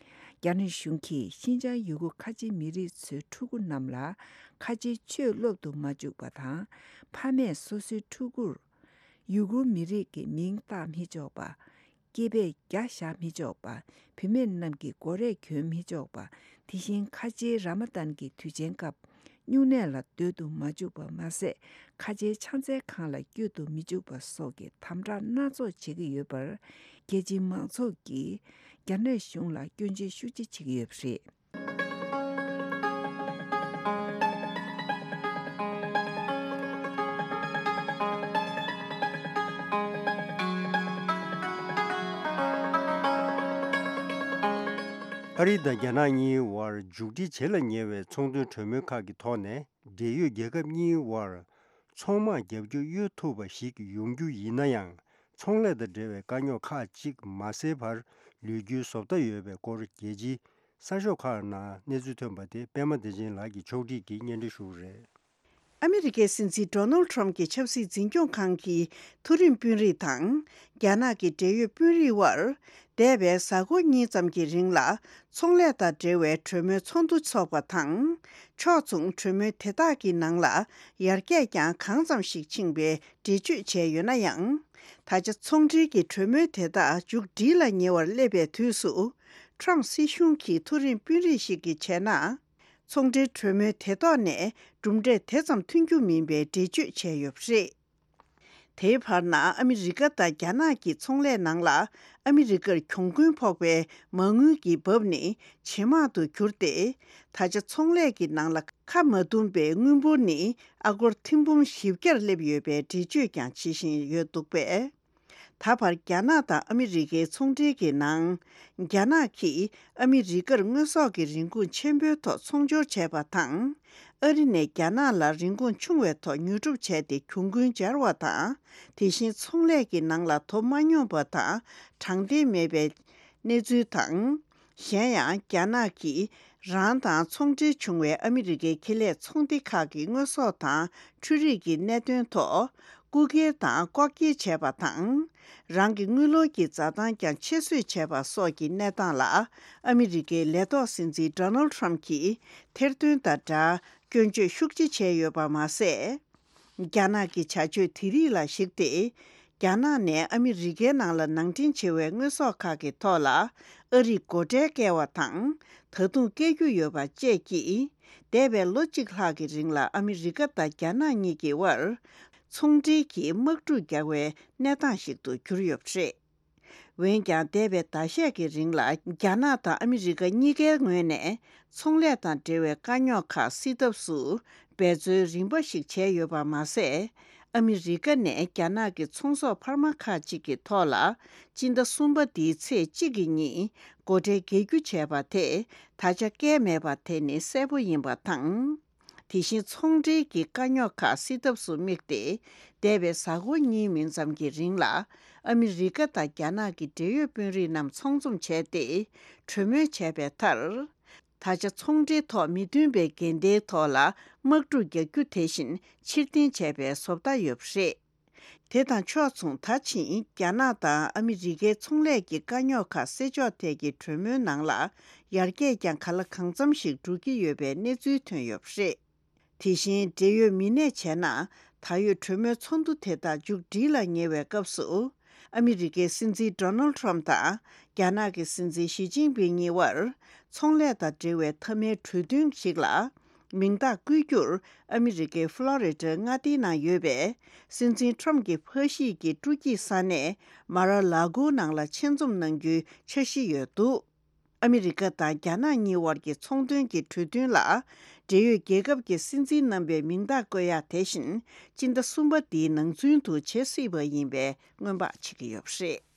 རྒྱ་ནག་གཞུང་གིས་ཤིན་ཅང་ཡུ་གུར་ཁ་ཆེ་མི་རིགས་ཚོའི་ཕྲུ་གུ་རྣམས་ལ་ཁ་ཆེའི་ཆོས་སློབ་ཏུ་མ་བཅུག་པ་དང་། ཕ་མས་སོ་སོའི་ཕྲུ་གུར་ཡུ་གུར་མི་རིགས་ཀྱི་མིང་བཏགས་མི་ཆོག་པ། སྐྱེས་པས་རྒྱ་བཞག་མི་ཆོག་པ། བུད་མེད་རྣམས་ཀྱིས་མགོ་རས་གྱོན་མི་ཆོག་པ། དེ་བཞིན་ཁ་ཆེའི་ར་མ་ཏན་གྱི་དུས་ཆེན་སྐབས་སྨྱུང་གནས་ལ་སྡོད་དུ་མ་བཅུག་པ་མ་ཟད། ཁ་ཆེའི་ཕྱག་འཚལ་ཁང་ལ་བསྐྱོད་དུ་མི་བཅུག་པ་སོགས་ཀྱི་དམ་དྲག་སྣ་ཚོགས་བྱེད་ཀྱི་ཡོད་པར། རྒྱལ་སྤྱིའི་མང་ཚོགས་ཀྱིས་རྒྱ་ནག་གཞུང་ལ་སྐྱོན་བརྗོད་ཤུགས་ཆེ་བྱེད་ཀྱི་ཡོད་པ་རེད། ཨ་རི་དང་རྒྱ་ནག་གཉིས་བར་མཇུག་སྒྲིལ་བྱེད་ལ་ཉེ་བའི་ཚོང་དོན་གྲོས་མོལ་ཁག་གི་ཐོག་ནས། འབྲེལ་ཡོད་རྒྱལ་ཁབ་གཉིས་བར་ཚོང་དམག་རྒྱབ་སྐྱོར་གཡོལ་ཐུབ་པ་ཞིག་ཡོང་རྒྱུ་ཡིན་ན་ཡང་། ཚོང་ལས་དང་འབྲེལ་བའི་དཀའ་རྙོག་ཁག་ཅིག་མ་སེལ་བར་ལུས་རྒྱུའི་བཟོ་ལྟ་ཡོད་པའི་སྐོར། རྒྱལ་སྤྱིའི་གསར་ཤོག་ཁག་ནང་གནས་ཚུལ་ཐོན་པ་དེ་པད་མ་བདེ་ཆེན་ལགས་ཀྱིས་ཕྱོགས་སྒྲིག་གིས་སྙན་སྒྲོན་ཞུ་གི་རེད། ཨ་མི་རི་ཀའི་སྲིད་འཛིན་ཌོ་ནལ་ཌི་ཊརམ་ཕི་གྱི་ཆབ་སྲིད་འཛིན་སྐྱོང་ཁང་གི་མཐོ་རིམ་དཔོན་རིགས་དང་། རྒྱ་ནག་གི་འབྲེལ་ཡོད་དཔོན་རིགས་དབར། འདས་པའི་གཟའ་འཁོར་གཉིས་ཙམ་གྱི་རིང་ལ། ཚོང་ལས་དང་འབྲེལ་བའི་གྲོས་མོལ་ཚོགས་འདུ་འཚོགས་པ་དང་། ཕྱོགས་མཚུངས་གྲོས་མོལ་དེ་དག་གི་ནང་ལ། ཡར་རྒྱས་ཀྱང་གང་ཙམ་ཞིག་ཕྱིན་པའི་འགྲེལ་བརྗོད་བྱས་ཡོད་ན་ཡང་། ད་ཆ་ཚོང་འབྲེལ་གྱི་གྲོས་མོལ་དེ་དག་མཇུག་སྒྲིལ་ལ་ཉེ་བར་སླེབས་པའི་དུས་སུ། ཊརམ་སྲིད་གཞུང་གི་མཐོ་རིམ་དཔོན་རིགས་ཤིག་གིས་བྱས་ན། ཚོང་འབྲེལ་གྲོས་མོལ་དེ་ཐོག་ནས་གྲུབ་འབྲས་དེ་ཙམ་ཐོན་རྒྱུ་མིན་པའི་འགྲེལ་བརྗོད་བྱས་ཡོད་པ་རེད། དེའི་བར་ན། ཨ་མི་རི་ཀ་དང་རྒྱ་ནག་གི་ཚོང་ལས་ནང་ལ། ཨ་མི་རི་ཀར་གྱོང་གུན་ཕོག་པའི་མ་དངུལ་གྱི་འབབ་ནི་ཇེ་མང་དུ་གྱུར་ཏེ། ད་ཆ་ཚོང་ལས་ཀྱི་ནང་ལ་ཁ་མ་འདུམ་པའི་དངུལ་འབོར་ནི་ཨ་སྒོར་ཐེར་འབུམ་བཞི་བརྒྱར་སླེབས་ཡོད་པའི་འགྲེལ་བརྗོད་ཀྱང་བྱེད་བཞིན་ཡོད་འདུག་པས། ད་བར་རྒྱ་ནག་དང་ཨ་མི་རི་ཀའི་ཚོང་འབྲེལ་གྱི་ནང་། རྒྱ་ནག་གིས་ཨ་མི་རི་ཀར་དངོས་ཟོག་གི་རིན་གོང་ཆེན་པོའི་ཐོག་ཚོང་སྦྱོར་བྱས་པ་དང་། ཨ་རི་ནས་རྒྱ་ནག་ལ་རིན་གོང་ཆུང་བའི་ཐོག་ཉོ་སྒྲུབ་བྱས་ཏེ་གྱོང་གུན་འབྱར་བ་དང་། དེ་བཞིན་ཚོང་ལས་ཀྱི་ནང་ལ་དོ་མ་སྙོམས་པ་དང་དྲང་བདེན་མེད་པའི་གནས་ཚུལ་དང་། གཞན་ཡང་། རྒྱ་ནག་གིས་རང་དང་ཚོང་འབྲེལ་བྱུང་བའི་ཨ་མི་རི་ཀའི་ཁེ་ལས་ཚོང་སྡེ་ཁག་གི་དངོས་ཟོག་དང་འཕྲུལ་རིག་གི་གནད་དོན་ཐོག་རྐུ་འཁྱེར་དང་ལྐོག་འཁྱེར་བྱས་པ་དང་། རང་གི་དངུལ་ལོར་གྱི་འཛའ་ཐང་ཀྱང་ཆེད་བཟོས་བྱས་པ་སོགས་ཀྱི་གནས་སྟངས་ལ། ཨ་མི་རི་ཀའི་ལས་ཐོག་སྲིད་འཛིན་ཌོ་ནལ་ཌི་ཊརམ་ཕི་གྱིས་ཐེར་འདོན་དང་སྦྲགས་སྐྱོན་བརྗོད་ཤུགས་ཆེ་བྱས་ཡོད་པ་མ་ཟད། རྒྱ་ནག་གི་བྱ་སྤྱོད་དེ་རིགས་ལ་གཞིགས་ཏེ། རྒྱ་ནག་ནས་ཨ་མི་རི་ཀའི་ནང་ལ་ནང་འདྲེན་བྱེད་པའི་དངོས་ཟོག་ཁག་གི་ཐོག་ལ་ཨ་རིས་སྒོ་ཁྲལ་བཀལ་བ་དང་། ད་དུང་བཀལ་རྒྱུ་ཡོད་པ་བཅས་ཀྱིས། འདས་པའི་ལོ་གཅིག་ལྷག་གི་རིང་ལ་ཨ་མི་རི་ཀ་དང་རྒྱ་ནག་གཉིས་ཀྱི་དབར་ཚོང་འབྲེལ་གྱི་དམག་འཁྲུག་རྒྱག་པའི་གནས་སྟངས་ཤིག་ཏུ་གྱུར་ཡོད་པ་རེད། འོན་ཀྱང་། འདས་པའི་ཟླ་ཤས་ཀྱི་རིང་ལ་རྒྱ་ནག་དང་ཨ་མི་རི་ཀ་གཉིས་ཀའི་ངོས་ནས་ཚོང་ལས་དང་འབྲེལ་བའི་དཀའ་རྙོག་ཁག་སེལ་ཐབས་སུ་འབད་རྩོལ་རིམ་པ་ཞིག་བྱས་ཡོད་པ་མ་ཟད། ཨ་མི་རི་ཀ་ནས་རྒྱ་ནག་གི་ཚོང་ཟོག་འཕར་མ་ཁག་ཅིག་གི་ཐོག་ལ་སྤྱི་ཟླ་གསུམ་པ་འདིའི་ཚེས་གཅིག་གི་ཉིན་སྒོ་ཁྲལ་འགེལ་རྒྱུ་བྱས་པ་དེ་ད་ཆ་བཀལ་མེད་པ་དེ་ནི་གསལ་པོ་ཡིན་པ་དང་། དེ་བཞིན་ཚོང་འབྲེལ་གྱི་དཀའ་རྙོག་ཁག་སེལ་ཐབས་སུ་དམིགས་ཏེ། འདས་པའི་གཟའ་འཁོར་གཉིས་མིན་ཙམ་གྱི་རིང་ལ་ཨ་མི་རི་ཀ་དང་རྒྱ་ནག་གི་འབྲེལ་ཡོད་དཔོན་རིགས་རྣམས་ཚོགས་འཛོམས་བྱས་ཏེ་གྲོས་མོལ་བྱས་པའི་མཐར། ད་ཆ་ཚོང་འབྲེལ་ཐོག་མི་མཐུན་པའི་འགལ་ཟླའི་ཐོག་ལ་དམག་འཁྲུག་རྒྱག་རྒྱུ་དེ་བཞིན་ཕྱིར་འཐེན་བྱས་པའི་བཟོ་ལྟ་ཡོད་པ་རེད། དེ་དང་ཕྱོགས་མཚུངས། ད་ཕྱིན་རྒྱ་ནག་དང་ཨ་མི་རི་ཀའི་ཚོང་ལས་ཀྱི་དཀའ་རྙོག་ཁག་སེལ་ཕྱོགས་ཐད་ཀྱི་གྲོས་མོལ་ནང་ལ་ཡར་རྒྱས་ཀྱང་ག་ལ་གང་འཚམ་ཞིག་འགྲོ་གི་ཡོད་པའི་གནས་ཚུལ་ཐོན་ཡོད་པ་རེད། དེ་བཞིན་འབྲེལ་ཡོད་མི་སྣས་བྱས་ན། ད་ཡོད་གྲོས་མོལ་ཚོགས་འདུ་དེ་དག་མཇུག་སྒྲིལ་ལ་ཉེ་བའི་སྐབས་སུ། ཨ་མི་རི་ཀའི་སྲིད་འཛིན་ཌོ་ནལ་ཊམ་དང་རྒྱ་ནག་གི་སྲིད་འཛིན་ཞི་ཅིན་ཕིང་གཉིས་དབར་ཚོང་ལས་དང་འབྲེལ་བའི་མཐའ་མའི་གྲོས་མཐུན་ཞིག་ལ་མིང་རྟགས་བཀོད་རྒྱུར་ཨ་མི་རི་ཀའི་ཕློ་རི་ཌའི་མངའ་སྡེའི་ནང་ཡོད་པའི་སྲིད་འཛིན་ཊམ་གྱི་ཕ་གཞིས་ཀྱི་སྤྲོ་སྐྱིད་ས་གནས་མ་ར་ལ་གོ་ནང་ལ་ཆེད་འཛོམས་གནང་རྒྱུའི་འཆར་གཞི་ཡོད་འདུག་ཨ་མི་རི་ཀ་དང་རྒྱ་ནག་གཉིས་དབར་གྱི་ཚོང་དོན་གྱི་གྲོས་མཐུན་ལ། འབྲེལ་ཡོད་རྒྱལ་ཁབ་ཀྱི་སྲིད་འཛིན་རྣམ་པའི་མིང་རྟགས་བཀོད་ཡག་དེ་བཞིན་སྤྱི་ཟླ་གསུམ་པ་འདིའི་ནང་ཚུན་དུ་བྱེད་སྲིད་པ་ཡིན་པའི་སྔོན་དཔག་བྱེད་ཀྱི་ཡོད་པ་རེད།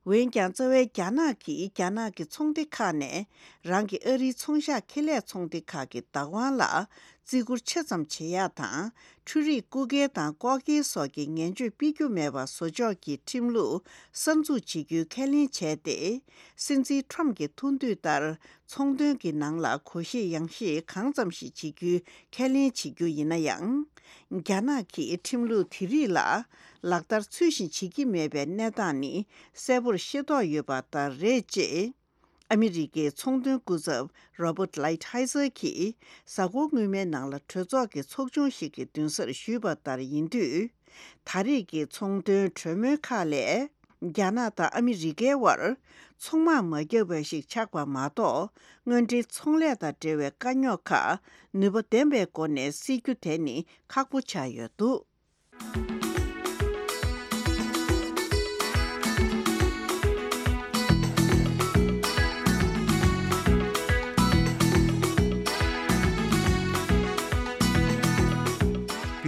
འོན་ཀྱང་། རྩ་བའི་རྒྱ་ནག་གིས་རྒྱ་ནག་གི་ཚོང་སྡེ་ཁག་ནས་རང་གི་ཨ་རིའི་ཚོང་ཤག་ཁེ་ལས་ཚོང་སྡེ་ཁག་གི་བདག་དབང་ལ་བརྩི་བཀུར་ཆེ་ཙམ་བྱེད་ཡག་དང་། འཕྲུལ་རིག་རྐུ་འཁྱེར་དང་ལྐོག་འཁྱེར་སོགས་ཀྱི་ངན་སྤྱོད་སྤེལ་རྒྱུ་མེད་པ་བཟོ་ཕྱོགས་ཀྱི་ཁྲིམས་ལུགས་གསར་འཛུགས་བྱེད་རྒྱུའི་ཁས་ལེན་བྱས་ཏེ། སྲིད་འཛིན་ཊམ་གྱི་ཐུགས་འདུན་ལྟར་ཚོང་དོན་གྱི་ནང་ལ་གོ་ཤེས་ཡང་ཤེས་གང་ཙམ་ཞིག་བྱེད་རྒྱུའི་ཁས་ལེན་བྱེད་རྒྱུ་ཡིན་ན་ཡང་། རྒྱ་ནག་གིས་ཁྲིམས་ལུགས་དེ་རིགས་ལ་ལག་བསྟར་ཚུལ་བཞིན་བྱེད་ཀྱི་མེད་པའི་གནས་སྟངས་ནི་གསལ་པོར་ཤེས་རྟོགས་ཡོད་པ་ལྟར་རེད། ཅེས། ཨ་མི་རི་ཀའི་ཚོང་དོན་སྐུ་ཚབ་Robert Lighthizer་གྱིས་གཟའ་འཁོར་སྔོན་མའི་ནང་ལ་གྲོས་ཚོགས་ཀྱི་ཚོགས་ཆུང་ཞིག་གི་མདུན་སར་ཞུས་པ་ལྟར་ཡིན་དུས། ད་རེས་ཀྱི་ཚོང་དོན་གྲོས་མོལ་ཁག་ལས། རྒྱ་ནག་དང་ཨ་མི་རི་ཀའི་དབར་ཚོང་དམག་མ་བརྒྱབ་པ་ཞིག་ཆགས་པ་མ་གཏོགས། དངོས་འབྲེལ་ཚོང་ལས་དང་འབྲེལ་བའི་དཀའ་རྙོག་ཁག་ནུས་པ་ལྡན་པའི་སྒོ་ནས་སེལ་རྒྱུ་དེ་ནི་ཁག་པོ་ཆགས་ཡོད་འདུག་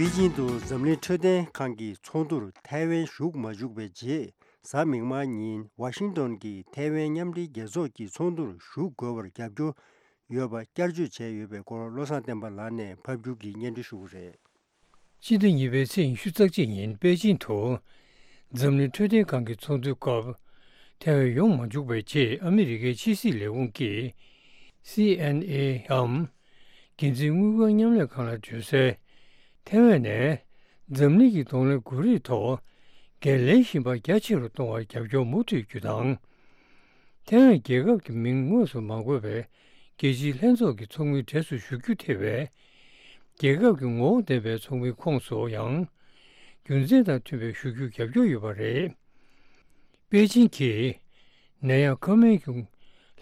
པེ་ཅིང་དུ་འཛམ་གླིང་འཕྲོད་བསྟེན་ཁང་གི་ཚོགས་འདུར་ཐའེ་ཝན་ཞུགས་མ་བཅུག་པའི་རྗེས། གཟའ་མིག་དམར་ཉིན་ཝ་ཤིང་ཏོན་གྱི་ཐའེ་ཝན་མཉམ་འབྲེལ་རྒྱལ་ཚོགས་ཀྱི་ཚོགས་འདུར་ཞུགས་དགོས་པར་རྒྱབ་སྐྱོར་ཡོད་པ་བསྐྱར་བརྗོད་བྱས་ཡོད་པའི་སྐོར། བློ་བཟང་བསྟན་པ་ལགས་ནས་ཕབ་སྒྱུར་གྱིས་སྙན་སྒྲོན་ཞུ་གི་རེད། སྤྱི་ཟླ་གཉིས་པའི་ཚེས་ཉི་ཤུ་རྩ་གཅིག་ཉིན་པེ་ཅིང་དུ་འཛམ་གླིང་འཕྲོད་བསྟེན་ཁང་གི་ཚོགས་འདུའི་སྐབས། ཐའེ་ཝན་ཡོང་མ་བཅུག་པའི་རྗེས། ཨ་མི་རི་ཀའི་ཕྱི་སྲིད་ལས་ཁུངས་ཀྱི་སི་ཨེན་ཨེའམ། འགན་འཛིན་དངུལ་ཁང་མཉམ་ལས་ཁང་ལ་བརྗོད་གསལ། ཐའེ་ཝན་ནས་འཛམ་གླིང་གི་གདོང་ལེན་དགོས་རིགས་ཐོག་འགན་ལེན་བཞིན་པ་རྒྱ་ཆེ་རུ་གཏོང་བར་རྒྱབ་སྐྱོར་མུ་མཐུད་རྒྱུ་དང་། ཐའེ་ཝན་རྒྱལ་ཁབ་ཀྱི་མིང་དངོས་སུ་མ་འཁོད་པའི་རྒྱལ་སྤྱིའི་ལྷན་ཚོགས་ཀྱི་ཚོགས་མིའི་གྲས་སུ་ཞུགས་རྒྱུ་ཐེ་བའི་རྒྱལ་ཁབ་ཀྱི་ངོ་བོ་ལྡན་པའི་ཚོགས་མིའི་ཁོངས་སུ་ཡང་རྒྱུ་མཚན་དང་མཐུན་པའི་ཞུགས་རྒྱུར་རྒྱབ་སྐྱོར་ཡོད་པ་རེད། པེ་ཅིང་གིས་ནད་ཡམས་ཁ་སྨན་གྱི་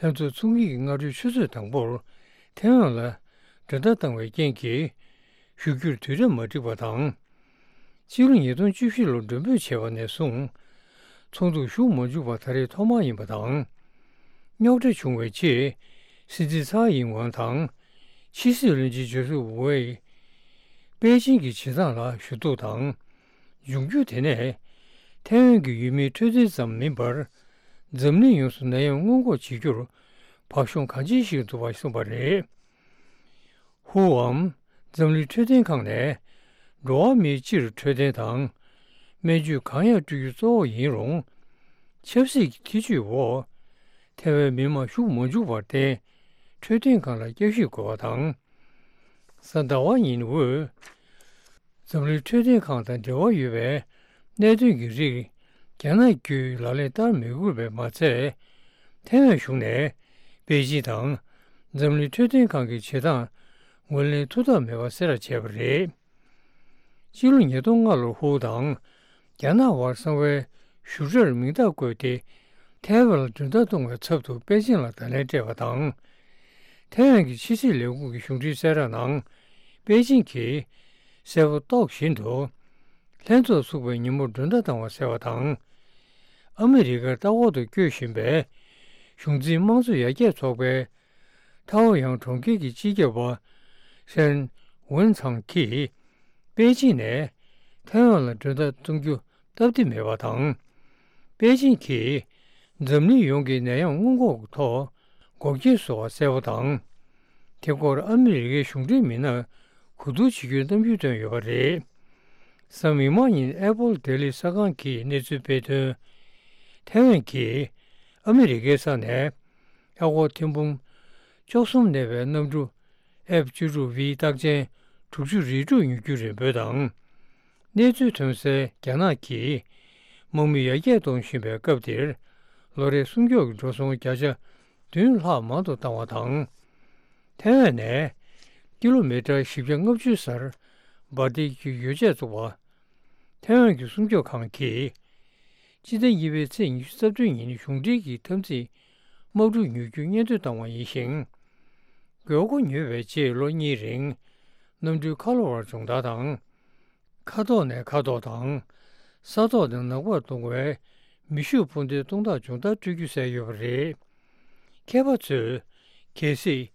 ལྷན་ཚོགས་ཚོགས་མིའི་སྔ་དྲོའི་ཆུ་ཚོད་དང་པོར་ཐའེ་ཝན་ལ་འགྲོ་ལྟ་བཏང་བའི་རྐྱེན་གྱིས། ཞུགས་རྒྱུར་དུས་རབས་མ་འགྲིག་པ་དང་། ཕྱི་ལོ་ཉིས་སྟོང་བཅུ་བཞི་ལོར་མགྲོན་འབོད་བྱས་པ་ནས་བཟུང་། ཚོགས་འདུར་ཞུགས་མ་བཅུག་པ་ད་རེས་ཐོག་མ་ཡིན་པ་དང་། རྙོག་དྲ་བྱུང་བའི་རྗེས། སྲིད་འཛིན་ཚའེ་ཡིན་ཝང་དང་། ཕྱི་སྲིད་བློན་ཆེན་ཇོ་སེབ་ཝེ། པེ་ཅིང་གི་བྱེད་སྟངས་ལ་ཞུ་གཏུག་དང་། འབྱུང་འགྱུར་དེ་ནས། ཐའེ་ཝན་གྱི་ཡུལ་མིའི་འཕྲོད་བསྟེན་ཙམ་མིན་པར། འཛམ་གླིང་ཡོངས་སུ་ནད་ཡམས་སྔོན་འགོག་བྱེད་རྒྱུར། བག་ཤོང་གང་ཆེན་ཞིག་འདུ་བ་གསུངས་པ་རེད། ཧུའམ། འཛམ་གླིང་འཕྲོད་བསྟེན་ཁང་ནས། འགྲོ་བ་མིའི་སྤྱིར་འཕྲོད་བསྟེན་དང་། སྨན་བཅོས་གང་ཡང་སྤྲོད་རྒྱུ་གཙོ་བོ་ཡིན་རུང་། ཆབ་སྲིད་ཀྱི་ཐེ་བྱུས་འོག་ཐའེ་ཝན་མི་མང་ཞུགས་མ་བཅུག་པར་བརྟེན། འཕྲོད་བསྟེན་ཁང་ལ་བསྐྱར་ཞིབ་དགོས་པ་དང་། གཟའ་ཟླ་བ་ཉིན་དབུས། འཛམ་གླིང་འཕྲོད་བསྟེན་ཁང་དང་འབྲེལ་བ་ཡོད་པའི་གནད་དོན་གྱི་རིགས། རྒྱ་ནག་བརྒྱུད་ལག་ལེན་བསྟར་མི་དགོས་པས་མ་ཚད། ཐའེ་ཝན་གཞུང་ནས་པེ་ཅིང་དང་འཛམ་གླིང་འཕྲོད་བསྟེན་ཁང་གི་བྱེད་སྟངས་ངོས་ལེན་ཐུབ་ཐབས་མེད་པ་གསལ་བསྒྲགས་བྱས་པ་རེད། སྤྱི་ལོ་ཉིས་སྟོང་ལྔ་ལོར་ཧུའུ་དང་རྒྱ་ནག་དབར་གསང་བའི་བཞུགས་གྲྭར་མིང་རྟགས་བཀོད་དེ། ཐའེ་ཝན་ལ་མགྲོན་བདག་གཏོང་བའི་ཚབ་ཏུ་པེ་ཅིན་ལ་བརྡ་ལན་སྤྲད་པ་དང་། ཐའེ་ཝན་གྱི་ཕྱི་སྲིད་ལས་ཁུངས་ཀྱི་གཞུང་འབྲེལ་གསལ་བསྒྲགས་ནང་། པེ་ཅིན་གྱིས་གསལ་པོ་རྟོགས་བཞིན་དུ། ལྷན་ཚོགས་ཚུགས་པའི་ཉིན་མོར་མགྲོན་བདག་བཏང་བ་གསལ་བ་དང་། ཨ་མི་རི་ཀར་ལྟ་སྐོར་དུ་བསྐྱོད་བཞིན་པའི་གཞུང་འཛིན་དམངས་གཙོ་ཡར་རྒྱས་ཚོགས་པའི་ཐའོ་ཡང་གྲོང་ཁྱེར་གྱི་སྤྱི་ཁྱབ་པ་ཧྲན་ཝུན་ཚང་གིས། པེ་ཅིན་ནས་ཐའེ་ཝན་ལ་མགྲོན་བདག་གཏོང་རྒྱུ་སྟབས་བདེ་མེད་པ་དང་། པེ་ཅིན་གྱིས་འཛམ་གླིང་ཡོངས་ཀྱི་ནད་ཡམས་སྔོན་འགོག་གི་ཐོག་འགོག་རྐྱེན་བཟོ་བ་གསལ་པོ་དང་། དེ་སྐོར་ཨ་མི་རི་ཀའི་གཞུང་འབྲེལ་མི་སྣར་གོ་བསྡུར་བྱེད་རྒྱུའི་གནང་ཡིག་བཏོན་ཡོད་པ་རེད། གཟའ་མིག་དམར་ཉིན་ཨེ་པོལ་ལྡི་ལི་གསར་ཁང་གིས་གནས་ཚུལ་སྤེལ་དོན། ཐའེ་ཝན་གྱིས་ཨ་མི་རི་ཀའི་ས་ནས། ཨ་སྒོར་ཐེར་འབུམ་བཅུ་གསུམ་གནས་པའི་གནམ་གྲུ་ཨེཕ་བཅུ་དྲུག་བི་རྟགས་ཅན་དྲུག་ཅུ་རེ་དྲུག་ཉོ་རྒྱུའི་རེ་འབོད་དང་། གནས་ཚུལ་ཐོན་གསལ་རྒྱ་ནག་གིས་དམག་མི་ཡར་རྒྱས་གཏོང་བཞིན་པའི་སྐབས་འདིར། ལོ་རེའི་སྲུང་སྐྱོབ་ཀྱི་འགྲོ་སོང་བརྒྱ་ཆ་བདུན་ལྷག་མང་དུ་བཏང་བ་དང་། ཐའེ་ཝན་ནས་ཀི་ལོ་མི་ཊར་བཞི་བརྒྱ་ལྔ་བཅུའི་སར་འབར་མདེལ་གྱི་ཡོ་བྱད་བཙུགས་པ། ཐའེ་ཝན་གྱི་སྲུང་སྐྱོབ་ཁང་གིས། སྤྱི་ཟླ་གཉིས་པའི་ཚེས་ཉི་ཤུ་རྩ་བདུན་ཉིན་གཞུང་འབྲེལ་གྱི་འཐབ་འཛིང་དམག་འཁྲུག་ཉོ་རྒྱུ་སྙན་ཐོ་བཏང་བ་ཡིན་ཞིང་། དགོས་མཁོ་ཉོས་པའི་རྗེས་ལོ་གཉིས་རིང་། གནམ་གྲུའི་ཁ་ལོ་བར་སྦྱོང་བརྡར་དང་། མཁའ་ཐོག་ནས་མཁའ་ཐོག་དང་། ས་ཐོག་ནས་ནགས་པར་གཏོང་བའི་མེ་ཤུགས་འཕུར་མདེལ་སྟོང་ཕྲག་སྦྱོང་བརྡར་སྤྲོད་རྒྱུ་གསལ་ཡོད་པ་རེད། མཁས་པ་ཚོས། གལ་སྲིད།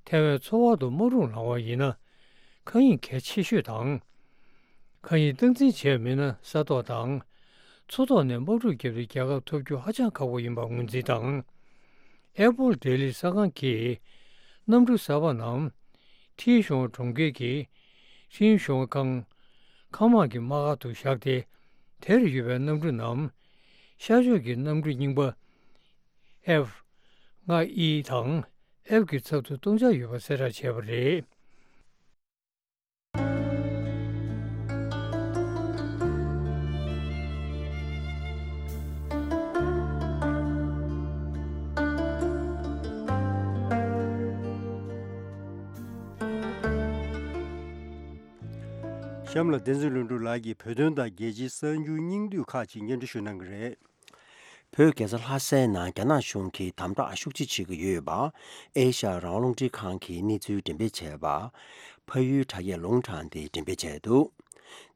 ཐའེ་ཝན་མཚོ་བར་དུ་དམག་འཁྲུག་ལངས་པ་ཡིན་ན། མཁའ་དབྱིངས་གལ་ཆེ་ཤོས་དང་། མཁའ་དབྱིངས་སྟངས་འཛིན་བྱས་མེད་ན་ས་ཐོག་དང་། མཚོ་ཐོག་ནས་དམག་འཁྲུག་བརྒྱབ་སྟེ་རྒྱལ་ཁབ་ཐོབ་རྒྱུ་ཧ་ཅང་ཁག་པོ་ཡིན་པར་ངོས་འཛིན་དང་། ཨེ་པོལ་ལྡི་ལི་གསར་ཁང་གིས་གནམ་གྲུ་གསར་པ་རྣམས་ཐིའི་ཞོང་གྲོང་ཁྱེར་གྱི་ཧྲིན་ཞོང་ཁང་མཁའ་དམག་གི་དམག་སྒར་དུ་བཞག་སྟེ། དེར་ཡོད་པའི་གནམ་གྲུ་རྣམས་ཤར་ཕྱོགས་ཀྱི་གནམ་གྲུ་རྙིང་པ་ཨེཕ་ལྔ་ཨི་དང་ཨེཕ་གི་ཚབ་ཏུ་གཏོང་འཆར་ཡོད་པ་གསལ་བསྒྲགས་བྱས་པ་རེད། གཤམ་ལ་བསྟན་འཛིན་ལྷུན་གྲུབ་ལགས་ཀྱིས་བོད་དོན་དང་རྒྱལ་སྤྱིའི་གསར་འགྱུར་སྙིང་བསྡུས་ཁག་ཅིག་སྙན་སྒྲོན་ཞུ་གནང་གི་རེད། བོད་རྒྱལ་ས་ལྷ་སའི་ནང་རྒྱ་ནག་གཞུང་གིས་དམ་དྲག་ཤུགས་ཆེ་བྱེད་ཀྱི་ཡོད་པ། ཨེ་ཤ་ཡ་རང་དབང་རླུང་འཕྲིན་ཁང་གིས་གནས་ཚུལ་འགྲེམས་སྤེལ་བྱས་པ། ཕ་ཡུལ་དྲ་རྒྱས་ལུང་དྲངས་ཏེ་འགྲེམས་སྤེལ་བྱས་འདུག།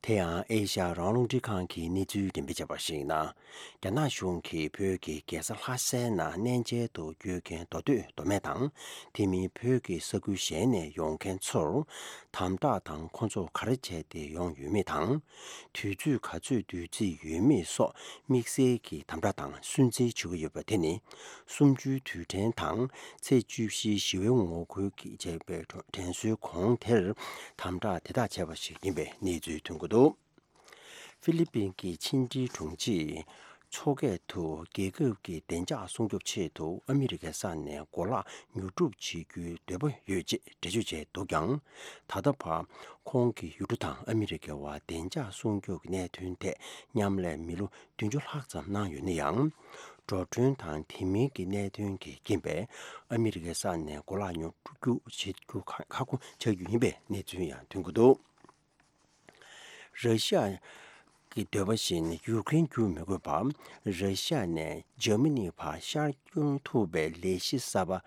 དེ་ཡང་ཨེ་ཤ་ཡ་རང་དབང་རླུང་འཕྲིན་ཁང་གིས་གནས་ཚུལ་འགྲེམས་སྤེལ་བྱས་པར་གཞིགས་ན། རྒྱ་ནག་གཞུང་གིས་བོད་ཀྱི་རྒྱལ་ས་ལྷ་སའི་ནང་གནས་མཇལ་དུ་བསྐྱོད་མཁན་མདོ་སྟོད་མདོ་སྨད་དང་། དེ་མིན་བོད་ཀྱི་ས་ཁུལ་གཞན་ནས་ཡོང་མཁན་ཚོར། དམ་དྲག་དང་ཁོ་ཚོ་ག་རེ་བྱས་ཏེ་ཡོང་ཡོད་མེད་དང་། དུས་ཚོད་ག་ཚོད་བསྡུ་རྩིས་ཡོད་མེད་སོགས་དམིགས་བསལ་གྱི་དམ་དྲག་དང་སུན་གཙེར་བྱེད་ཀྱི་ཡོད་པ་དེ་ནི། གསུམ་བཅུའི་དུས་དྲན་དང་ཚེས་བཅུ་བཞིའི་ཞི་བའི་ངོ་རྒོལ་གྱི་བྱས་པའི་དྲན་གསོའི་གོང་དེར་དམ་དྲག་དེ་དག་བྱས་པ་ཞིག་ཡིན་པའི་གནས་ཚུལ་ཐོན་གྱི་འདུག། ཧྥི་ལི་པིན་གྱི་ཕྱི་འབྲེལ་དྲུང་ཆེས་མཚོ་སྐད་དུ་རྒྱལ་ཁབ་ཀྱི་བདེ་འཇགས་སྲུང་སྐྱོབ་ཆེད་དུ་ཨ་མི་རི་ཀའི་ས་ནས་གོ་ལག་ཉོ་སྒྲུབ་བྱེད་རྒྱུའི་འདོད་པ་ཡོད་ཅེས་འགྲེལ་བརྗོད་བྱས་འདུག་ཀྱང་། ད་ལྟ་བར་ཁོང་གིས་ཡུལ་གྲུ་དང་ཨ་མི་རི་ཀའི་བར་བདེ་འཇགས་སྲུང་སྐྱོབ་ཀྱི་གནད་དོན་ཐད་མཉམ་ལས་མི་ལོ་བདུན་ཅུ་ལྷག་ཙམ་གནང་ཡོད་ན་ཡང་། འགྲོ་གྲོན་དང་དེ་མིན་གྱི་གནད་དོན་གྱི་རྐྱེན་པས་ཨ་མི་རི་ཀའི་ས་ནས་གོ་ལག་ཉོ་སྒྲུབ་བྱེད་རྒྱུ་ཁག་པོ་ཆགས་རྒྱུ་ཡིན་པའི་གནས་ཚུལ་ཡང་ཐོན་གྱི་འདུག། ར་ཤི་ཡ་གི་འདོད་པ་བཞིན་ཡུཀ་རེན་བསྒྱུར་མི་དགོས་པར། ར་ཤི་ཡ་ནས་འཇར་མ་ནི་བར་ཤར་སྐྱོད་ཐུབ་པའི་ལས་གཞི་གསར་པ།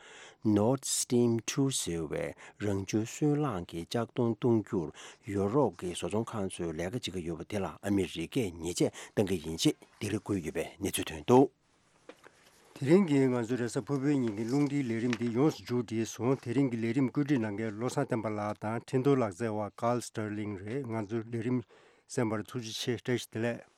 Nord Stream two ཟེར་བའི་རང་བྱུང་སོལ་རླངས་ཀྱི་ལྕགས་མདོང་གཏོང་རྒྱུར་ཡུ་རོབ་ཀྱི་བཟོ་ཚོང་ཁང་ཚོས་ལས་ཀ་བྱེད་ཀྱི་ཡོད་པ་དེ་ལ་ཨ་མི་རི་ཀས་ཉེས་ཆད་གཏང་གི་ཡིན་ཞེས་སྡིགས་ར་བསྐུལ་ཡོད་པའི་གནས་ཚུལ་ཐོན་འདུག། དེ་རིང་གི་ང་ཚོའི་རེས་གཟའ་ཕུར་བུའི་ཉིན་གྱི་རླུང་འཕྲིན་ལས་རིམ་འདི་ཡོངས་སུ་མཇུག་བསྒྲིལ་སོང་། དེ་རིང་གི་ལས་རིམ་བཀོད་སྒྲིག་གནང་མཁན་བློ་བཟང་བསྟན་པ་ལགས་དང་འཕྲིན་གཏོང་ལག་རྩལ་བ་ཀཱལ་སི་ཊར་ལིང་རེད། ང་ཚོའི་ལས་རིམ་གསན་པར་ཐུགས་རྗེ་ཆེ། བཀྲ་ཤིས་བདེ་ལེགས།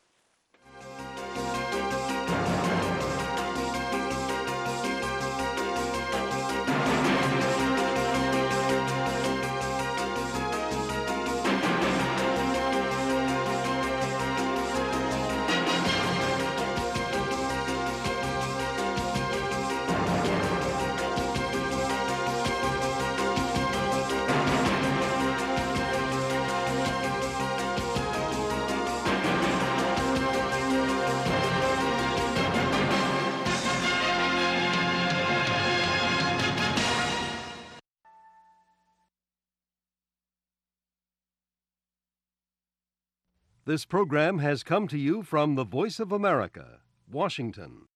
This program has come to you from the Voice of America, Washington.